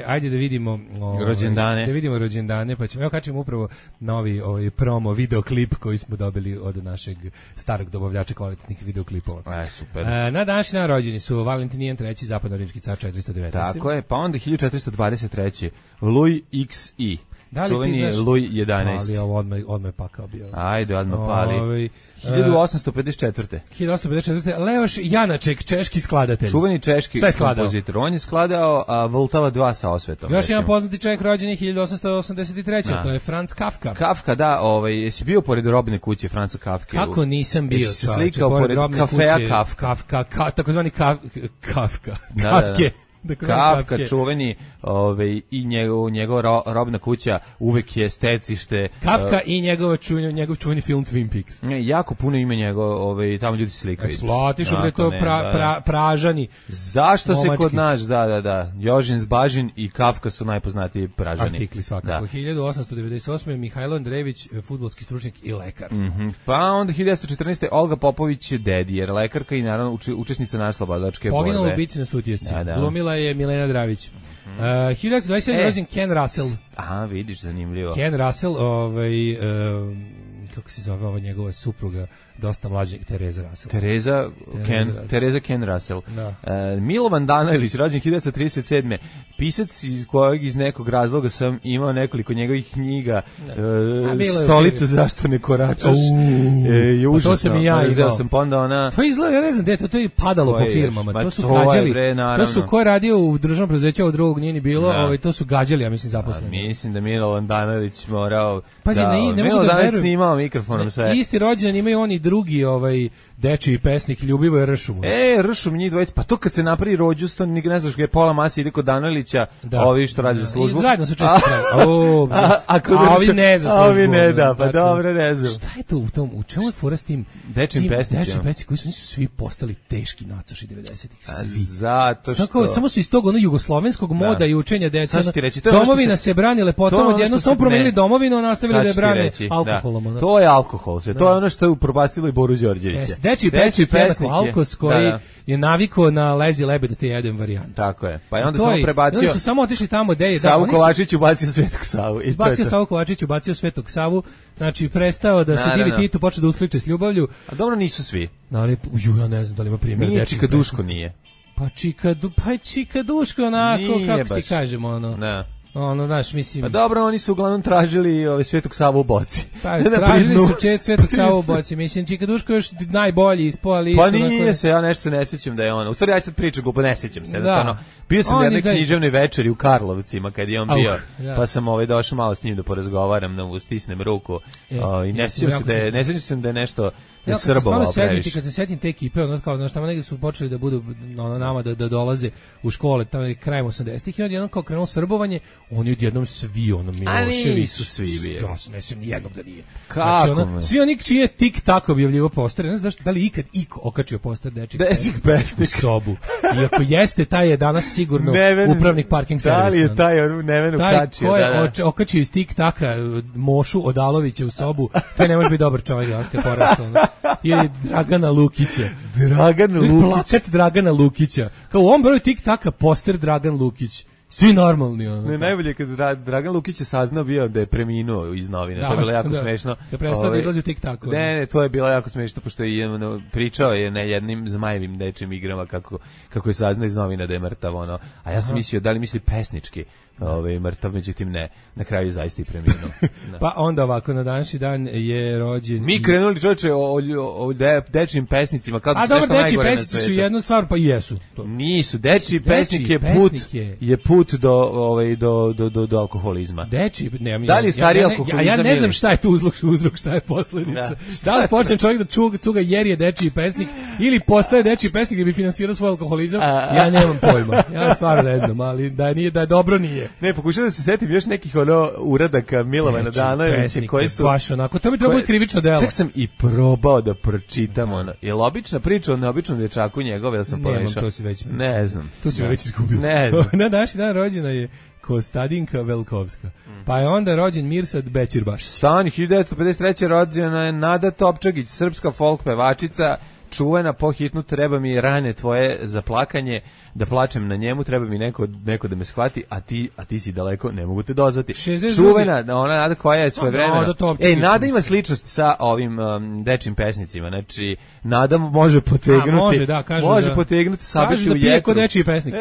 Ajde da vidimo... rođendane. Da vidimo rođendane, pa ćemo... Evo kačemo upravo novi promo videoklip koji smo dobili od našeg starog dobavljača kvalitetnih videoklipova. Super. Na današnji dan rođeni su Valentinijan III, zapadno-rimski car 419. Tako je, pa onda 1423. Louis XI. Čuveni je Louis 11. Ali ovo odmah pakao bio. Ajde, odmah pali. 1854. 1854. Leoš Janaček, češki skladatelj. Čuveni češki kompozitor. On je skladao Voltava 2 sa osvetom. Još jedan poznati čovjek rođen je 1883. To je Franz Kafka. Kafka, da, jesi bio pored robne kuće Franca Kafke? Kako nisam bio, čovječe, slikao pored kafeja Kafka. Takozvani Kafka. Kafke. Kafka, čuveni i njegova robna kuća uvek je stecište. Kafka i njegov čuveni film Twin Peaks. Jako puno ime njegov, tamo ljudi slikaju. Eksploatišu da je to Pražani. Zašto se kod nas, da, Jožin Zbažin i Kafka su najpoznatiji Pražani. Artikli svakako. 1898. Mihajlo Andrejević, fudbalski stručnjak i lekar. Pa onda 1914. Olga Popović, dedijer, lekarka i naravno učesnica narodnooslobodilačke borbe. Poginula u bici na Sutjesci. Glumila je Milena Dravić. 1927. rođen Ken Russell. Aha, vidiš, zanimljivo. Ken Russell, kako se zove ova njegova supruga, dosta mlađeg, Tereza Russell. Tereza Ken Russell. Da. Milovan Danojlić, rođen 1937. Pisac iz kojeg iz nekog razloga sam imao nekoliko njegovih knjiga. Stolica zašto ne koračaš. Je užasno. To sam i ja imao. To izgleda, ja ne znam, to je padalo po firmama. To su gađali. To su ko je radio u državnom preduzeću, od drugog nije ni bilo, to su gađali, ja mislim, zaposleni. Mislim da Milovan Danojlić morao... Pazi, ne mogu da verujem. Snimao mikrofonom sve. Isti rođendan imaju oni drugi dečiji pesnik Ljubivoje Ršum. Ršum njih dvojica, pa to kad se napravi rođusto, ne znaš gdje je pola masi ide kod Danojlića, ovi što radi za službu. Zajedno su često pravi. A ovi ne za službu. A ovi ne, da, pa dobro, ne znam. Šta je to u čemu je fora s tim dečijim pesnicima? Dečiji pesnici koji su svi postali teški nacoši 90-ih. Svi. Zato što... Samo su iz tog jugoslovenskog moda i učenja deca. Domovina se brani lepotom, odjednom samo promenili domovinu, a nastavili da je brane alkoholom. To je alkohol, to je ono što je upropastilo i Boru Đorđevića. Dečiji pesnik Alkos koji je navikao na lezi lebe da te jedem varijant. Tako je. Pa je onda samo prebacio. Oni su samo otišli tamo gde je Savu Kovačić ubacio Svetog Savu. Izbacio Savu Kovačić, ubacio Svetog Savu. Znači prestao da se divi Titu, počeo da uskliče s ljubavlju. A dobro nisu svi. Ali ja ne znam da li ima primjer dečiji. Čika Duško nije. Pa Čika Duško onako, kako ti kažemo, ono. Ne. Ono, znaš, mislim... Pa dobro, oni su uglavnom tražili Svetog Savu u boci. Pa, tražili su Svetog Savu u boci. Mislim, Čika Duško još najbolji ispao, ali isto... Pa nije se, ja nešto se ne sjećam da je ono. U stvari, ja sad pričam glupo, ne sjećam se. Da. Bio sam na jednoj književnoj večeri u Karlovcima kad je on bio, pa sam došao malo s njim da porazgovaram, da stisnem ruku. I ne sjećam se da je nešto... Ja kad se setim te ekipe, ono kao, znaš, tamo negdje su počeli da budu nama da dolaze u škole, tamo krajem 80-ih i odjednom kao krenulo srbovanje, oni odjednom svi, Milošević. A nisu svi bili. Ja se ne sjećam nijednog da nije. Kako? Znači, svi oni čiji je tik-tak objavljivo postere, ne znam zašto, da li ikad iko okačio poster dečih pesnika u sobu. I ako jeste, taj je danas sigurno upravnik parking servisa. Da li je taj Neven okačio? Taj ko je okačio iz tik-taka Mošu Odalovića u sobu, taj ne može biti dobar čovjek, danas kad porastao. Ili Dragana Lukića. Plakat Dragana Lukića. Kao u ovom broju tik-taka poster Dragan Lukić. Svi normalni. Ne, najbolje kad Dragan Lukić je saznao bio da je preminuo iz novina. To je bilo jako smešno. Kad prestao da izlazi u tik-taku. Ne, to je bilo jako smešno, pošto je pričao je na jednim Zmajevim dečjim igrama kako je saznao iz novina da je mrtav. A ja sam mislio, da li misli pesnički mrtav, međutim ne, na kraju je zaista i preminuo. Pa onda ovako, na današnji dan je rođen... Mi krenuli, čovječe, o dečjim pesnicima, kao da su nešto najgore na svijetu. Dečji pesnici su jedna stvar, pa i jesu. Nisu, dečji pesnik je put do alkoholizma. Da li je stari alkoholizam? Ja ne znam šta je tu uzrok, šta je posljedica. Da li počne čovjek da cuga jer je dečji pesnik, ili postaje dečji pesnik da bi finansirao svoj alkoholizam, ja nemam pojma. Ja stvarno ne znam, ali da je dobro nije. Ne, pokušam da se setim još nekih uradaka Milovana Danovića koji su... Baš onako, to mi treba biti krivično delo. Čak sam i probao da pročitam Je li obična priča o neobičnom dječaku njegove, ili sam pomešao? Nemam, to si već... Ne znam. To si već izgubio. Ne znam. Na današnji dan rođena je Kostadinka Velkovska. Pa je onda rođen Mirsad Bećirbaš. Stani, 1953. rođena je Nada Topčagić, srpska folk pevačica, čuvena po hitnu Treba mi rane tvoje za plakanje, da plačem na njemu, treba mi neko da me shvati, a ti si daleko, ne mogu te dozvati. Čuvena, ona Nada koja je svojevremena. Nada ima sličnost sa ovim dečjim pesnicima, znači Nada može potegnuti, potegnuti Sabeću u jetru. Pije kod dečiji pesnik.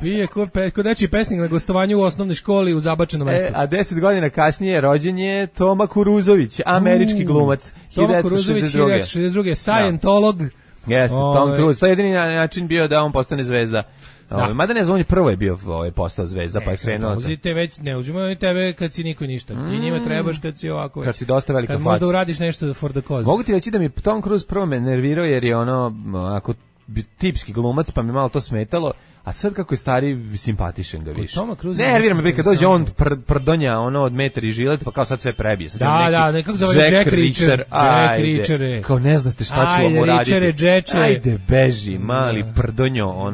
Pije kod dečiji pesnik na gostovanju u osnovnoj školi u zabačenom mestu. A 10 godina kasnije rođen je Toma Kuruzović, američki glumac. Toma Kuruzović, 1962. Scientolog. Jeste, Tom Cruise. To je jedini način bio da on postane zvezda. Mada ne znam, on je prvo je bio postao zvezda, pa je krenuo. Ne uzimaju oni tebe kad si niko ništa. Ti njima trebaš kad si ovako. Kad si dosta velika faca. Kad možda uradiš nešto for the cause. Mogu ti reći da mi Tom Cruise prvo me nervirao jer je ako tipski glumac, pa mi malo to smetalo. A sad kako je stari, simpatišen ga više. Ne, nervira me kad dođe on prdonja od metar i žilet, pa kao sad sve prebije. Da, nekako zove Jack Reacher. Ajde, kao ne znate šta ću vam uraditi. Ajde, beži, mali prdonjo,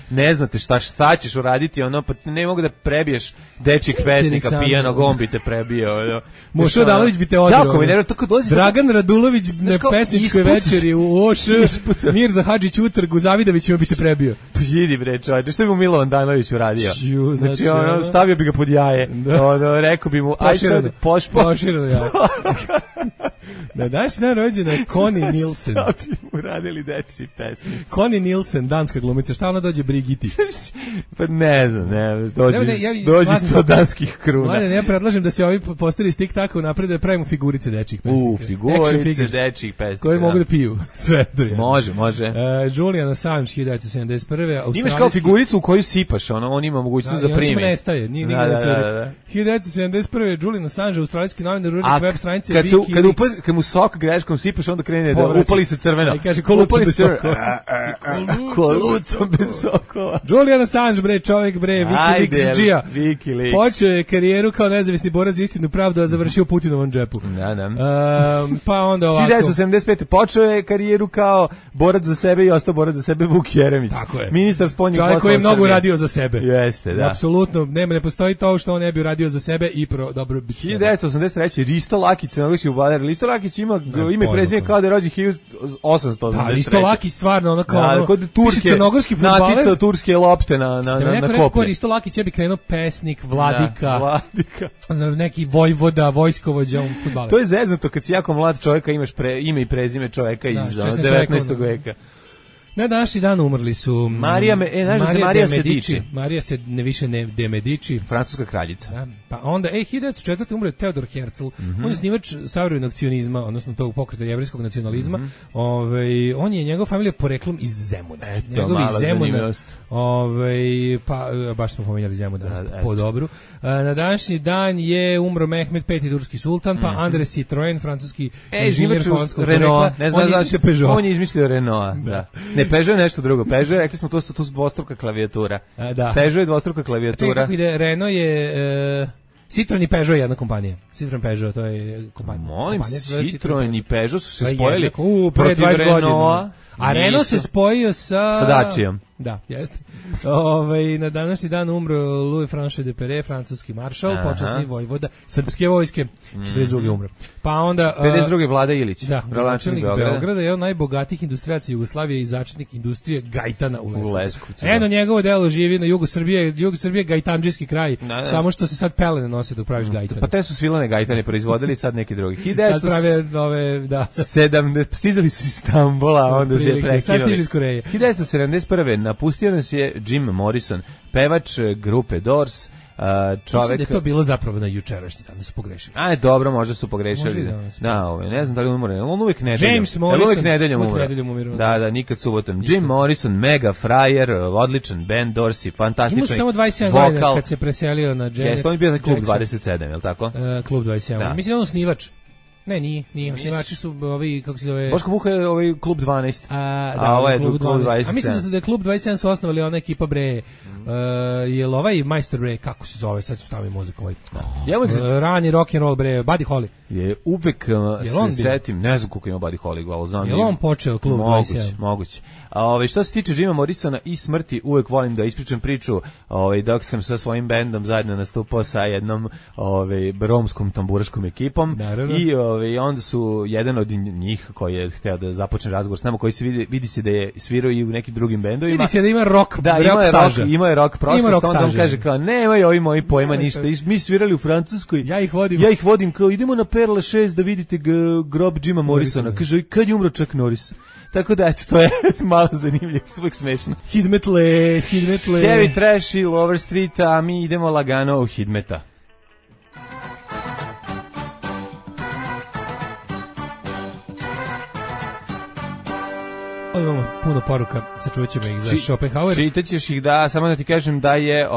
ne znate šta ćeš uraditi, pa ne mogu da prebiješ dečjeg pesnika, pijanog, on bi te prebio. Mošo Dalović bi te odbio. Dragan Radulović na pesničkoj večeri u OŠ, Mirza Hadžić utrgu, Zavidović bi te prebio. Idi bre, čovječe, što bi mu Milovan Danović uradio? Znači, stavio bi ga pod jaje. Rekao bi mu, aj sad poširano jaje. Na današnji dan rođena je Connie Nielsen. Šta bi mu radili dečji pesnici? Connie Nielsen, danska glumica. Šta ona dođe Brigiti? Pa ne znam, dođi 100 danskih kruna. Mladen, ja predlažem da se ovi posteri stik tako napred da pravimo figurice dečjih pesnika. Figurice dečjih pesnika. Koji mogu da piju sve. Može. Julian Assange, 1971. Imaš kao figuricu u koju sipaš, on ima mogućnost da primi. I on samo nestaje, nije nigde da curi. 1971. Julian Assange, australijski novinar, urednik web stranice Wikileaks. Kad mu sok greškom sipaš, onda krene da upali se crveno. I kaže, kolucom bez sokova. Kolucom bez sokova. Julian Assange, bre, čovjek, bre, Wikileaks-đija. Počeo je karijeru kao nezavisni borac za istinu pravdu, a završio Putinovom džepu. Pa onda ovako. 1975. počeo je karijeru kao borac za sebe i ostao borac za sebe Vuk Jeremić. Tako je. Ministar spoljnih poslova. Čovjek koji je mnogo uradio za sebe. Jeste, da. Apsolutno, ne postoji to što on ne bi uradio za sebe i pro dobro biti sebe. 1983. Risto Lakić, crnogorski vladar. Listo Lakić ima ime i prezime kao da je rođen 1883. Da, Risto Lakić stvarno ono kao kod Turske, crnogorski fudbaler. Natica turske lopte na koplje. Risto Lakić je bi krenuo pesnik, vladika. Neki vojvoda, vojskovođa u fudbaler. To je zeznuto kad si jako mlad čovjek, imaš ime i prezime čovjeka iz 19. veka. Na današnji dan umrli su Marija Medici. Marija se ne više ne de Medici, francuska kraljica. Da, pa onda 1904. umre Teodor Herzl. On je snivač savremenog cionizma, odnosno tog pokreta jevrejskog nacionalizma. On je njegov familija poreklom iz Zemuna. Njegovi iz Zemuna. Pa baš smo pomenjali Zemun po dobru. Na današnji dan je umro Mehmed V turski sultan, pa Andres Citroen, francuski inženjer holandskog porekla. Ne znam znači Peugeot. On je izmislio Renault, da. Ne, Peugeot je nešto drugo. Peugeot, rekli smo, to su dvostruka klavijatura. Da. Peugeot je dvostruka klavijatura. Čekaj, kako ide, Renault je... Citroen i Peugeot je jedna kompanija. Citroen Peugeot, to je kompanija. Molim, Citroen i Peugeot su se spojili protiv Renaulta. A Renault se spojio sa Daciom. Da, jeste. Na današnji dan umro Louis Franche de Perret, francuski maršal, počasni vojvoda srpske vojske, 42. umro. Pa onda 52. Vlada Ilić, gradonačelnik Beograda, je on najbogatijih industrijaca Jugoslavije i začetnik industrije gajtana u Leskovcu. Eno njegovo delo živi na jugu Srbije, gajtandžijski kraj, samo što se sad pelene nose dok praviš gajtane. Pa te su svilane gajtane proizvodili, sad neki drugi. Sad prave ove, da. Stizali su iz Stambula, onda se je prekinuli. Sad stiže iz Koreje. 1971. Napustio nas je Jim Morrison, pevač grupe Doors, čovek... Mislim da je to bilo zapravo na jučerašnji dan, da su pogrešili. Dobro, možda su pogrešili. Ne znam da li umre, on uvijek nedeljom. James Morrison. Uvijek nedeljom umre. Da, nikad subotom. Jim Morrison, mega frajer, odličan band, Doorsi, fantastičan vokal. Imao samo 27 godina kad se preselio na Janet. Jeste, on je bio za Klub 27, je li tako? Klub 27. Mislim da on snivač. Ne, nije. Snivači su ovi, kako se zove... Boško Buha je ovaj Klub 12. Ovo je Klub 27. A mislim da je Klub 27 su osnovali ona ekipa bre... Jel ovaj majstor bre, kako se zove, sad ću staviti muziku ovaj. Rani rock and roll bre, Buddy Holly. Je uvek se setim, ne znam koliko ima Buddy Holly, ali znam. Je on počeo Klub 27? Moguće. Što se tiče Jima Morrisona i smrti, uvek volim da ispričam priču, dok sam sa svojim bendom zajedno nastupao sa jednom romskom tamburaškom ekipom. I onda su jedan od njih koji je hteo da započne razgovor s nama, koji se vidi se da je svirao i u nekim drugim bendovima. Vidi se da ima rock, ima je rock prošlost, onda on kaže kao, nemaju ovi moji pojma ništa, mi svirali u Francuskoj, ja ih vodim kao, idemo na Perla 6 da vidite grob Jima Morrisona, kaže, kad je umro Chuck Norris? Tako da, eto, to je malo zanimljivo, uvijek smešno. Hidmetle. Heavy Trash i Lower Street, a mi idemo lagano u Hidmeta. Imamo puno poruka, sačuvat ćemo ih za Schopenhauer. Čitaćeš ih, da, samo da ti kažem da je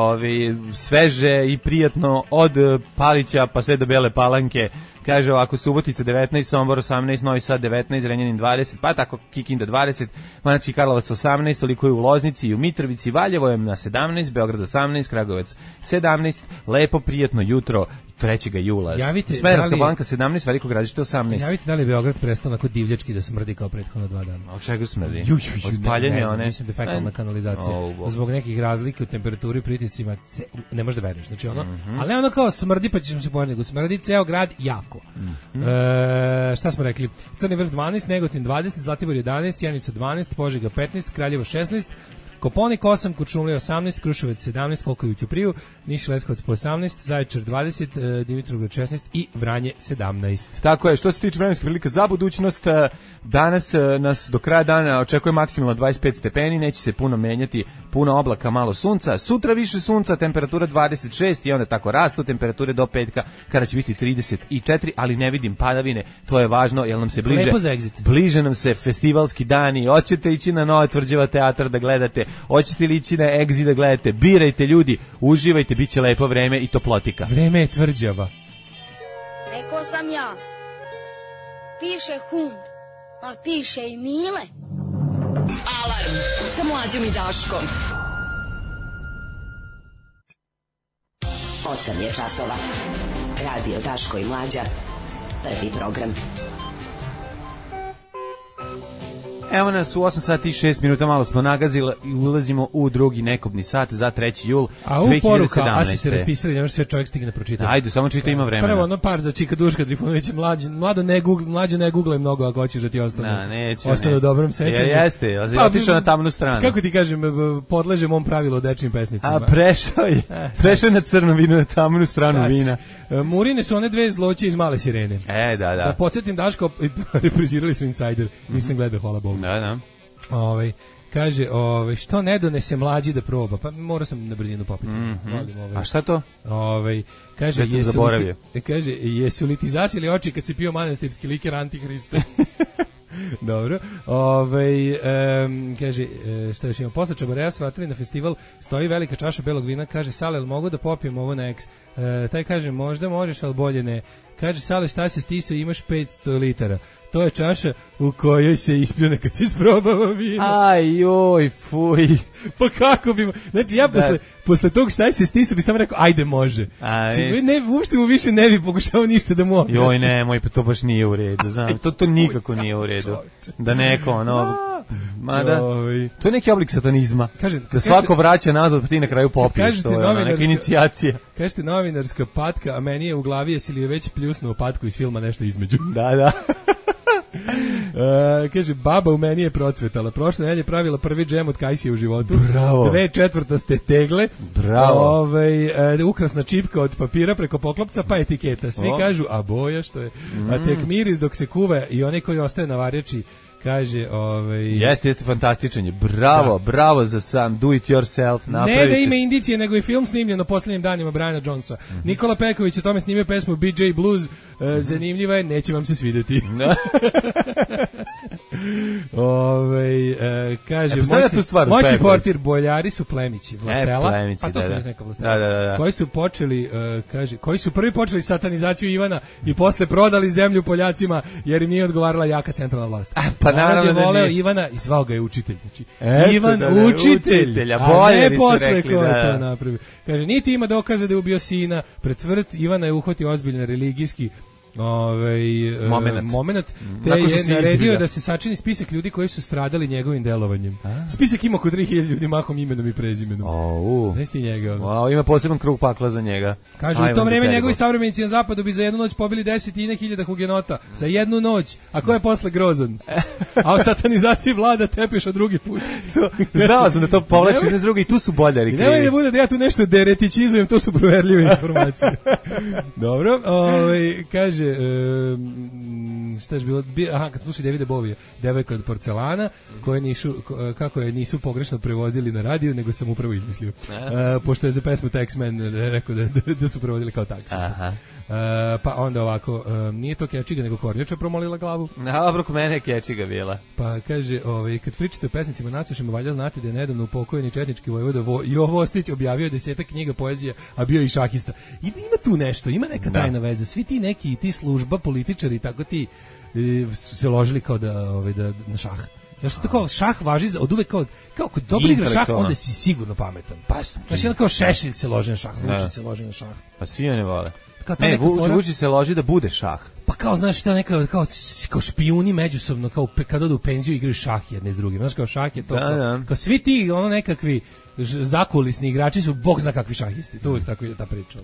sveže i prijatno od Palića pa sve do Bele Palanke. Kaže ovako, Subotica 19, Sombor 18, Novi Sad 19, Renjanin 20, pa tako Kikinda 20, Banatski Karlovac 18, toliko je u Loznici i u Mitrovici, Valjevo je na 17, Beograd 18, Kragujevac 17, lepo prijatno jutro 3. jula. Smederevska Palanka 17, Veliko Gradište 18. Javite da li Beograd prestao onako divljački da smrdi kao prethodno 2 dana. A od čega smrdi? Od spaljenja one? Mislim da je fekalna kanalizacija. Zbog nekih razlike u temperaturi i pritiscima ne možeš da veruješ. Znači ono, ali ne ono kao smrdi pa ćemo se pojaviti, nego smrdi ceo grad jako. Šta smo rekli? Crni vrh 12, Negotin 20, Zlatibor 11, Sjenica 12, Požega 15, Kraljevo 16, Koponik 8, Kuršumlija 18, Kruševac 17, koliko je u Ćupriju, Niš i Leskovac po 18, Zaječar 20, Dimitrovgrad 16 i Vranje 17. Tako je, što se tiče vremenske prilike za budućnost, danas nas do kraja dana očekuje maksimalno 25 stepeni, neće se puno menjati, puno oblaka, malo sunca, sutra više sunca, temperatura 26 i onda tako rastu temperature do petka kada će biti 34, ali ne vidim padavine, to je važno jer nam se bliže nam se festivalski dani, hoćete ići na Nova Tvrđava teatar da gledate, hoćete li ići na Exit da gledate, birajte ljudi, uživajte, bit će lepo vreme i toplotika. Vreme je tvrđava. Rekao sam ja, piše hum, a piše i Mile. Alarm sa Mlađom i Daškom. 8 je časova. Radio Daško i Mlađa. Prvi program. Evo nas u 8 sati i 6 minuta, malo smo nagazili i ulazimo u drugi nekobni sat za 3. jul 2017. A u poruka, a si se raspisali, nemaš sve čovjek stigne pročitati. Ajde, samo čita, ima vremena. Prvo ono par za Čika Duška Trifunovića, mlađo ne googlaj mnogo ako hoćeš da ti ostane u dobrom sećanju. Jeste, otišao na tamnu stranu. Kako ti kažem, podležem ovom pravilu o dečnim pesnicima. A prešao je na crno vino, na tamnu stranu vina. Murine su one dve zloće iz Male sirene. Da. Da podsjetim Daško, reprizirali smo Insider, nisam gledao, hvala Bogu. Da. Kaže, što ne donese mlađi da proba? Pa morao sam na brzinu popiti. A šta to? Kaže, jesu li ti zasjeli oči kad si pio manastirski liker Antihrista? Dobro. Kaže, šta još ima? Posle Čabareja svatili na festival, stoji velika čaša belog vina, kaže, Sale, jel mogu da popijem ovo na eks? Taj kaže, možda možeš, ali bolje ne. Kaže, Sale, šta se stisao, imaš 500 litara. To je čaša u kojoj se ispljune kad se isprobava vino. Aj, joj, fuj. Pa kako bi... Znači, ja posle tog šta se stisao bi samo rekao, ajde, može. Uopšte mu više ne bi pokušao ništa da mu objasni. Joj, nemoj, pa to baš nije u redu, znam. To nikako nije u redu. Da neko, mada, to je neki oblik satanizma. Da svako vraća nazad, pa ti na kraju popiješ. To je neka inicijacija. Kažete novinarska patka, a meni je u glavi, jesi li je već pljusnuo patku iz filma nešto između. Da. Kaže, baba u meni je procvetala. Prošle nedelje pravila prvi džem od kajsije u životu. Bravo. 2/4 tegle. Bravo. Ukrasna čipka od papira preko poklopca, pa etiketa. Svi kažu, a boja što je. A tek miris dok se kuva i onaj koji ostaje na varjači kaže, Jeste fantastičan je. Bravo za sam do it yourself. Ne da ima indicije, nego i film snimljen na posljednjim danima Briana Jonesa. Nikola Peković o tome snimio pesmu BJ Blues. Zanimljiva je, neće vam se svidjeti. Kaže, moći portir, boljari su plemići. Vlastela, pa to smo neka Vlastela. Koji su počeli, kaže, koji su prvi počeli satanizaciju Ivana i posle prodali zemlju Poljacima jer im nije odgovarala jaka centralna vlast. Pa naravno je voleo Ivana i zvao ga je učitelj. Znači, Ivan učitelj, a ne posle ko je to napravio. Kaže, niti ima dokaza da je ubio sina, pred smrt Ivana je uhvatio ozbiljan religijski moment, te je naredio da se sačini spisak ljudi koji su stradali njegovim delovanjem. Spisak ima oko 3000 ljudi, mahom imenom i prezimenom. Znaš ti njega? Ima poseban krug pakla za njega. Kaže, u to vreme njegovi savremenici na zapadu bi za jednu noć pobili 10.000 hugenota. Za jednu noć. A ko je posle grozan? A o satanizaciji vlada tepeš od drugi put. Znao sam da to povlači iz drugi i tu su boljari krivi. Nemoj da bude da ja tu nešto deretičizujem, to su proverljive informacije. Dobro, kaže, šta je bilo? Kad slušali Davida Bovija, devojka od porcelana, koje kako je nisu pogrešno prevodili na radiju, nego sam upravo izmislio. Pošto je za pesmu Taxman rekao da su prevodili kao taksista. Pa onda ovako, nije to Kečiga, nego Kornjača promolila glavu. Dobro, kod mene je Kečiga bila. Pa kaže, kad pričate o pesnicima Nacušima, valja znati da je nedavno upokojeni četnički vojvoda Jovo Ostić objavio 10 knjiga poezije, a bio i šahista. I ima tu nešto, ima neka tajna veza. Svi ti neki, ti služba, političari, tako ti su se ložili kao da na šah. Znaš, to kao šah važi od uvek kao kod dobro igra šah, onda si sigurno pametan. Znaš, jedan kao Šešelj se loži na šah, Vučić se loži na šah. Pa svi one vole. Ne, Vučić se loži da bude šah. Pa kao, znaš, to neka, kao špijuni međusobno, kao kad odu u penziju igraju šah jedne s drugim. Znaš, kao šah je to, kao svi ti, nekakvi zakulisni igrači su, bog zna kakvi šahisti. To uvijek tako ide ta priča.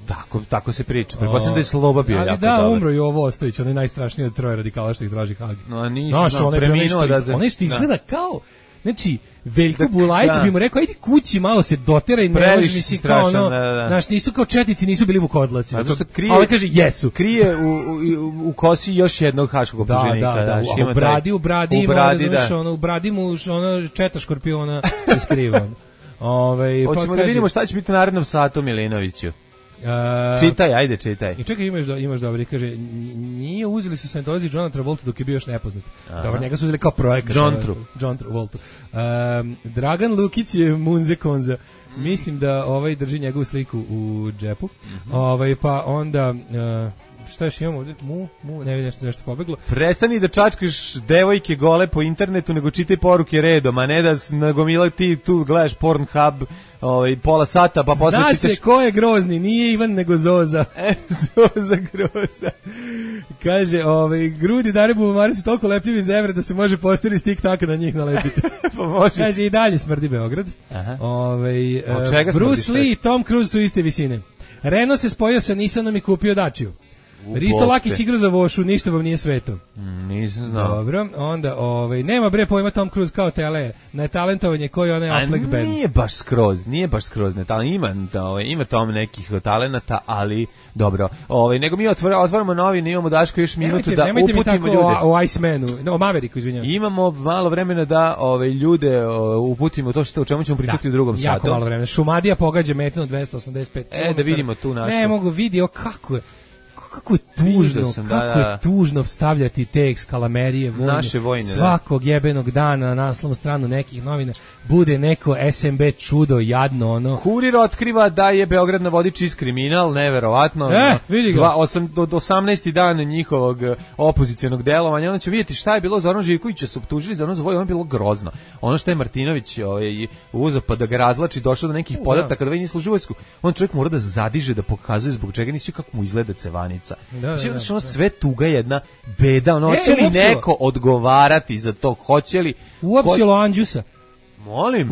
Tako se priča. Pretpostavljam da je Sloba bio jako dobar. Da, umro Jovo Ostojić, on je najstrašniji od troje radikala što ih traži Hag. No, nisu, preminuo da... Ono što izgleda kao... Znači, Veljko Bulajić bi mu rekao, ajde kući malo se dotera i ne može, mislim, kao ono, znaš, nisu kao četnici, nisu bili vukodlaci. A ovaj kaže, jesu. Krije u kosi još jednog haškog optuženika. Da, u bradi mu četa škorpiona se skriva. Hoćemo da vidimo šta će biti u narednom satu Milinoviću. Čitaj. I čekaj, imaš dobri, kaže, nije uzeli su Scientology Johna Travolta dok je bio još nepoznat. Dobro, njega su uzeli kao projekat. John Travolta. Dragan Lukić je Munze Konza. Mislim da drži njegovu sliku u džepu. Pa onda... šta još imamo ovdje? Ne vidim nešto pobeglo. Prestani da čačkaš devojke gole po internetu, nego čitaj poruke redom, a ne da nagomila ti tu gledaš Pornhub pola sata, pa posle čitaš... Zna se ko je grozni, nije Ivan, nego Zoza. Zoza groza. Kaže, grudi Dare Bubamare su toliko lepljivi iz evre da se može posteri stik taka na njih nalepiti. Pa može. Kaže, i dalje smrdi Beograd. Bruce Lee i Tom Cruise su iste visine. Renault se spojio sa Nissanom i kupio Dacia. Risto Lakić igra za Vošu, ništa vam nije sveto. Nisam znao. Dobro, onda, nema bre pojma Tom Cruise kao tele, na talentovanje koji onaj Affleck band. Nije baš skroz ima tamo nekih talenata, ali dobro. Nego mi otvaramo novine, imamo Daško još minutu da uputimo ljude. Nemojte mi tako o Icemanu, o Maveriku, izvinjavam se. Imamo malo vremena da ljude uputimo to o čemu ćemo pričati u drugom satu. Jako malo vremena. Šumadija pogađa metinu 285 km. Da vidimo tu našu. Ne mogu vidio kako je tužno stavljati te ekskalamerije naše vojne svakog jebenog dana na naslovnu stranu nekih novina bude neko SMB čudo jadno ono. Kurir otkriva da je Beograd na vodi čist kriminal, neverovatno. Vidi ga. Od 18. dana njihovog opozicionog delovanja, onda će vidjeti šta je bilo. Zoran Živkovića su optužili za ono za ono je bilo grozno. Ono što je Martinović uzeo pa da ga razvlači, došao do nekih podataka da nije služio vojsku. On čovjek mora da zadiže, da pokazuje zbog čega nisi kako mu izgleda cevanica. Sve tuga jedna beda, hoće li neko odgovarati za to, hoće li... Uopćelo Anđusa. Molim.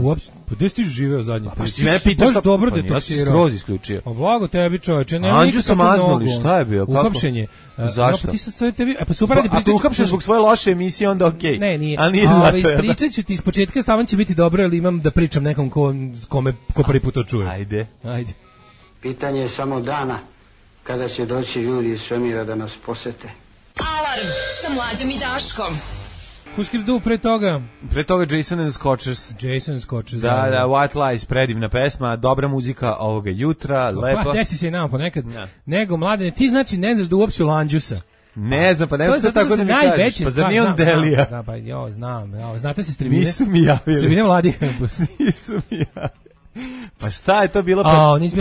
Pa gde si ti živeo zadnje? Pa ti me pitaš baš dobro detoksirao. Ja sam skroz isključio. Pa blago tebi čoveče. Anđu sam maznuli, šta je bio? Uhapšenje. Zašto? Pa super radi pričati. Ako uhapšen zbog svoje loše emisije, onda okej. Ne, nije. A nije zato. Pričat ću ti iz početka, stavan će biti dobro, ali imam da pričam nekom ko prvi put to čuje. Ajde. Pitanje je samo dana kada će doći ljudi iz svemira da nas posete. Alarm sa Mlađom i Daškom. Huskirdu pre toga Jason and Scotchers. Da, White Lies, predivna pesma, dobra muzika ovoga jutra, lepa. Pa desi se i nama ponekad. Nego, Mladene, ti znači ne znaš da uopće Lanđusa. Ne znam, pa ne znam tako da mi kažeš. Pa zar nije on Delija? Da, pa znam. Znate se Stribine? Nisu mi javili. Stribine mladih. Nisu mi javili. Pa šta je to bilo?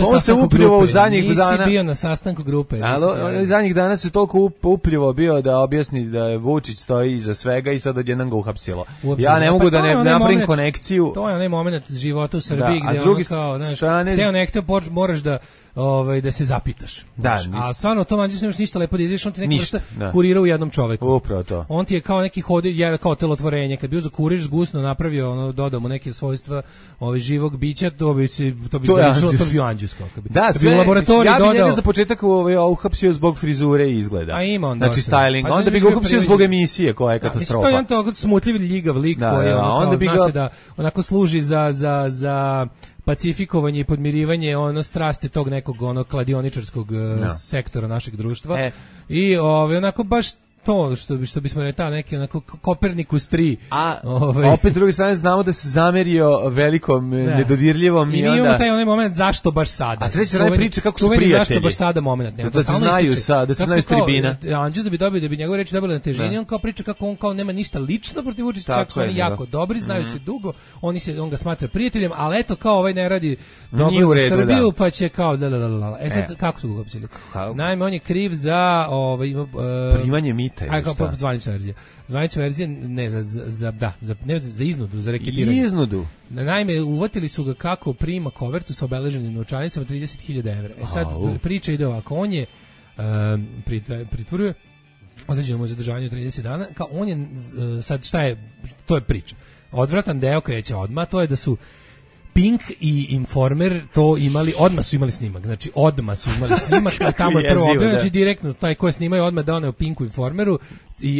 On se upljivo u zadnjih dana. Nisi bio na sastanku grupe. Ali zadnjih dana se toliko upljivo bio da objasni da je Vučić stoji iza svega i sad odjednom ga uhapsilo. Ja ne mogu da ne napravim konekciju. To je onaj moment života u Srbiji gdje ono kao, znaš, hteo nekto moraš da se zapitaš. A stvarno, to Anđus nemaš ništa lepo da izviš, on ti neki vrsta kurira u jednom čoveku. Upravo to. On ti je kao neki kao telotvorenje. Kad bi uzeo kurir zgusno napravio, dodao mu neke svojstva živog bića, to bi zaličilo, to bi Anđus. Da, sve, ja bi njega za početak uhapsio zbog frizure i izgleda. A ima on znači styling. Onda bi ga uhapsio zbog emisije koja je katastrofa. To je jedan tako smutljiv ljigav lik koji zna se da onako služi za pacifikovanje i podmirivanje strasti tog nekog kladioničarskog sektora našeg društva. I onako baš to što bismo rekli neki onako Kopernikus 3. A opet s druge strane znamo da se zamerio velikom nedodirljivom i onda imamo taj onaj moment zašto baš sada. A treći radi priče kako su prijatelji. Zašto baš sada moment. Da se znaju da se znaju s tribina. Anđus da bi njegove reči dobile na težini, on kao priča kako on kao nema ništa lično protiv Vučića, čak su oni jako dobri, znaju se dugo, on ga smatra prijateljem, ali eto kao ovaj ne radi dobro za Srbiju, pa će kao sad kako su ga uhapsili? Naime, on je kriv za primanje mita. Zvanična verzija. Zvanična verzija za iznudu, za reketiranje. Iznudu. Naime, uvatili su ga kako prima kovertu sa obeleženim novčanicama 30.000 evra. Sad priča ide ovako, on je pritvorio određeno mu zadržavanje 30 dana, kao on je, sad šta je, to je priča. Odvratan deo kreće odmah, to je da su Pink i Informer to odmah su imali snimak, znači odmah su imali snimak, tamo je prvo objavljeno, znači direktno taj ko je snimao odmah doneo Pinku Informeru,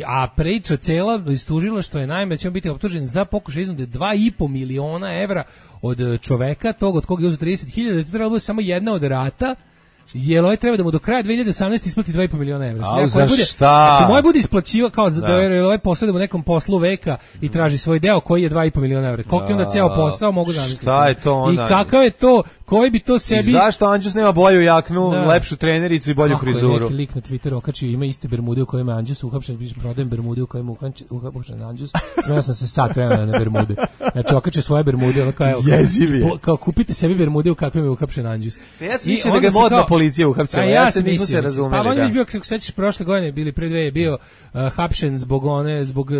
a priča cela istužila što je naime će on biti optužen za pokušaj iznude 2,5 miliona evra od čoveka, tog od koga je uzeo 30.000, da je to trebalo biti samo jedna od rata, jer ovaj treba da mu do kraja 2018 isplati 2,5 miliona evra. Ako moj bude isplaćivao kao da je ovaj posao u nekom poslu veka i traži svoj deo koji je 2,5 miliona evra. Koliko je onda ceo posao mogu zamisliti. Šta je to onda? I kakav je to, koji bi to sebi... I zašto Anđus nema bolju jaknu, lepšu trenericu i bolju frizuru? Kako je neki lik na Twitteru okačio, ima iste bermude u kojima je Anđus uhapšen, prodajem bermude u kojima je uhapšen Anđus, smeo sam se sat vremena na bermude. Znači okačio svoje bermude, kao kupite sebi bermude u kakvim je uhapšen Anđus. Ja sam mislio da ga modna policija uhapsila, ja se nismo se razumeli. Pa on je bio, kako se sećaš, prošle godine bili pre 2 je bio hapšen zbog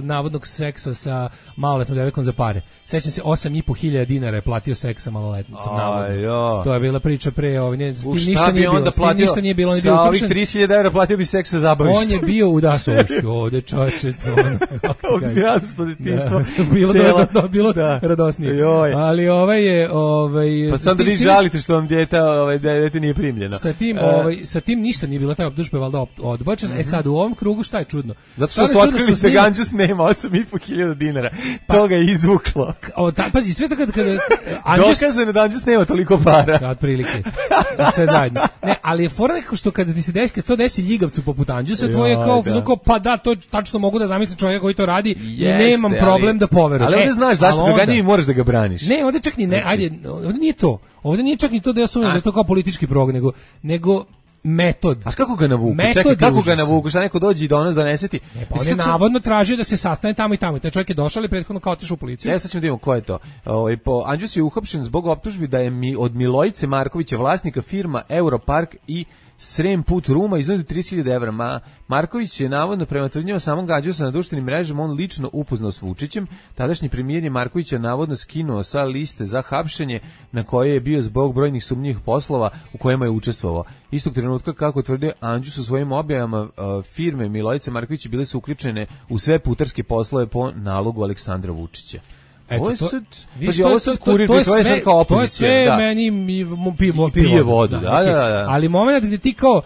navodnog seksa sa maloletnom devojkom za pare. Sećam se, 8.500 dinara je platio seks sa maloletnicom. navodno. To je bila priča pre ovdje. Šta bi onda platio? Ništa nije bilo, on je bio sa ovih uhapšen. 30.000 evra platio bi seks sa zabavišta. On je bio u Dasovišću, ovde čoveče, to odbijatstvo detinjstvo. Bilo radosnije. Ali pa sad da vi žalite što vam dete nije primljeno. Sa tim ništa nije bilo, taj optužba je valjda odbačen. E sad u ovom krugu šta je čudno? Zato što su otkrili da Ganđus nema 8.500 dinara. To ga je izvuklo. Pazi, sve to kada dokazano da Ganđus nema toliko para. Otprilike. Sve zajedno. Ne, ali je fora nekako što kada ti se desi ljigavcu poput Anđusa, to je kao pa da, to tačno mogu da zamislim čovjeka koji to radi i nemam problem da poverujem. Ali ovdje znaš zašto ga ganjaju i moraš da ga braniš. Ne, ovdje čak ni ne, ajde, ovdje nije to. Ovdje nije čak ni to da ja sumnjam da je to kao politički prog, nego metod. A kako ga navuku? Čekaj, kako ga navuku? Šta neko dođe i donese ti? Pa on je navodno tražio da se sastane tamo i tamo. Taj čovjek je došao ali prethodno kao otišao u policiju. Sad ćemo da vidimo ko je to. Anđus je uhapšen zbog optužbi da je od Milojice Markovića, vlasnika firma Europark i Srem Put Ruma, iznudio 30.000 evra. Marković je navodno prema tvrdnjama samog Ganđusa na društvenim mrežama on lično upoznao s Vučićem. Tadašnji premijer je Markovića navodno skinuo sa liste za hapšenje na koje je bio zbog brojnih sumnjivih poslova u kojima je učestvovao. Istog trenutka, kako tvrdio Anđus u svojim objavama, firme Milojice Markovića bile su uključene u sve putarske poslove po nalogu Aleksandra Vučića. Eto, to je sve da. Meni pije vodu. Da. Ali moment gdje ti kao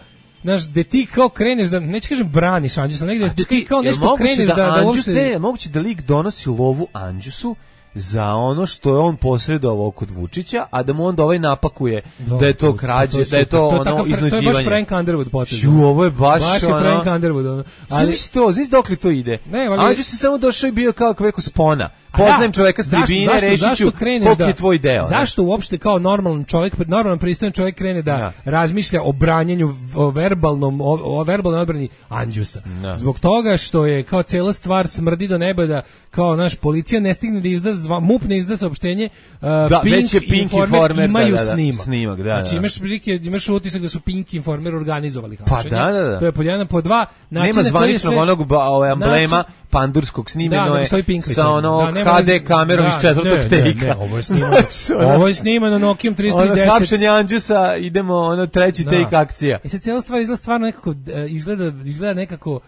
gde ti kao kreneš da, neću kažem braniš Anđusa, negdje gde ti kao nešto kreneš da uopšte... Moguće da lik donosi lovu Anđusu za ono što je on posredovao kod Vučića, a da mu onda ovaj napakuje da je to krađe, da je to ono iznuđivanje. To je baš Frank Underwood potez. Ovo je baš ono... Frank Underwood. Znaš dokle to ide? Anđus se samo došao i bio kao neko spona. Poznajem čoveka s tribine, reći ću koliko je tvoj deo. Zašto uopšte kao normalan čovjek, normalan pristojan čovjek krene da razmišlja o branjenju, o verbalnoj odbrani Anđusa? Zbog toga što je kao cijela stvar smrdi do neba, da kao naš policija ne stigne da izda, MUP ne izda saopštenje, Pink Informer imaju snimak. Znači imaš utisak da su Pink Informer organizovali hapšenje. Pa da. To je pod jedan, pod dva. Nema zvaničnog onog emblema pandurskog snimeno je sa ono HD kamerom iz četvrtog tejka. Ovo je snimano Nokiom 310. Hapšenje Anđusa, idemo treći tejk akcija. I sad cijela stvar izgleda stvarno nekako, izgleda nekako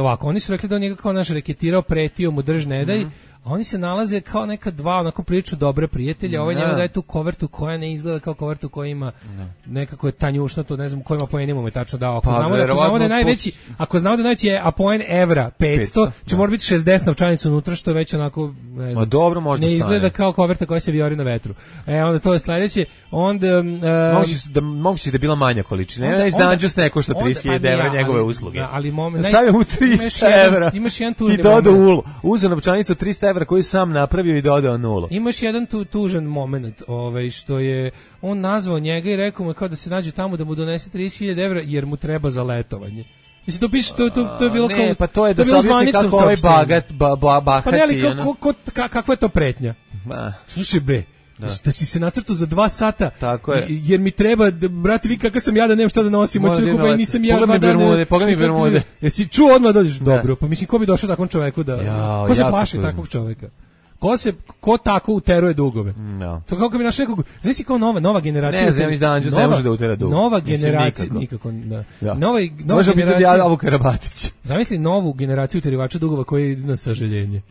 ovako, oni su rekli da on njega kao naš reketirao, pretio mu drž ne daj, a oni se nalaze kao neka dva onako prilično dobre prijatelja, ovaj njemu daje tu kovertu koja ne izgleda kao kovertu koja ima nekako je tanjušno, to ne znam kojima poenima mu je tačno dao. Ako znamo da je najveći, ako znamo da je najveći a poen evra 500, će mora biti 60 novčanica unutra, što je već onako ne znam, dobro, možda ne izgleda kao koverta koja se vijori na vetru. Onda to je sledeće, onda moguće da je bila manja količina. Ne znam, Anđus neko što 30.000 evra njegove usluge. Ali stavio mu 300 evra imaš jedan tužni i dodao ulu. Uzeo novčanicu 300 evra koju sam napravio i dodao nulu. Imaš jedan tužan moment, što je on nazvao njega i rekao mu kao da se nađe tamo da mu donese 30.000 evra jer mu treba za letovanje. Mislim, to piše, to je bilo kao... Ne, pa to je da se objasni kako ovaj bahati. Pa ne, ali kakva je to pretnja? Slušaj bre, da si se nacrtao za 2 sata, jer mi treba, brate, vi kakav sam ja da nemam šta da nosim, nisam ja 2 dana. Pogledaj mi Bermude. Jesi čuo odmah dođeš? Dobro, pa mislim, ko bi došao takvom čoveku da... Ko se plaši takvog čoveka? Ko tako uteruje dugove? To kako bi našao nekog, znaš si kao nova generacija. Ne znam, da Anđus ne može da utera dugove. Nova generacija, nikako. Može biti da Abu Karabatić. Zamisli novu generaciju uterivača dugova koji je na sažaljenje.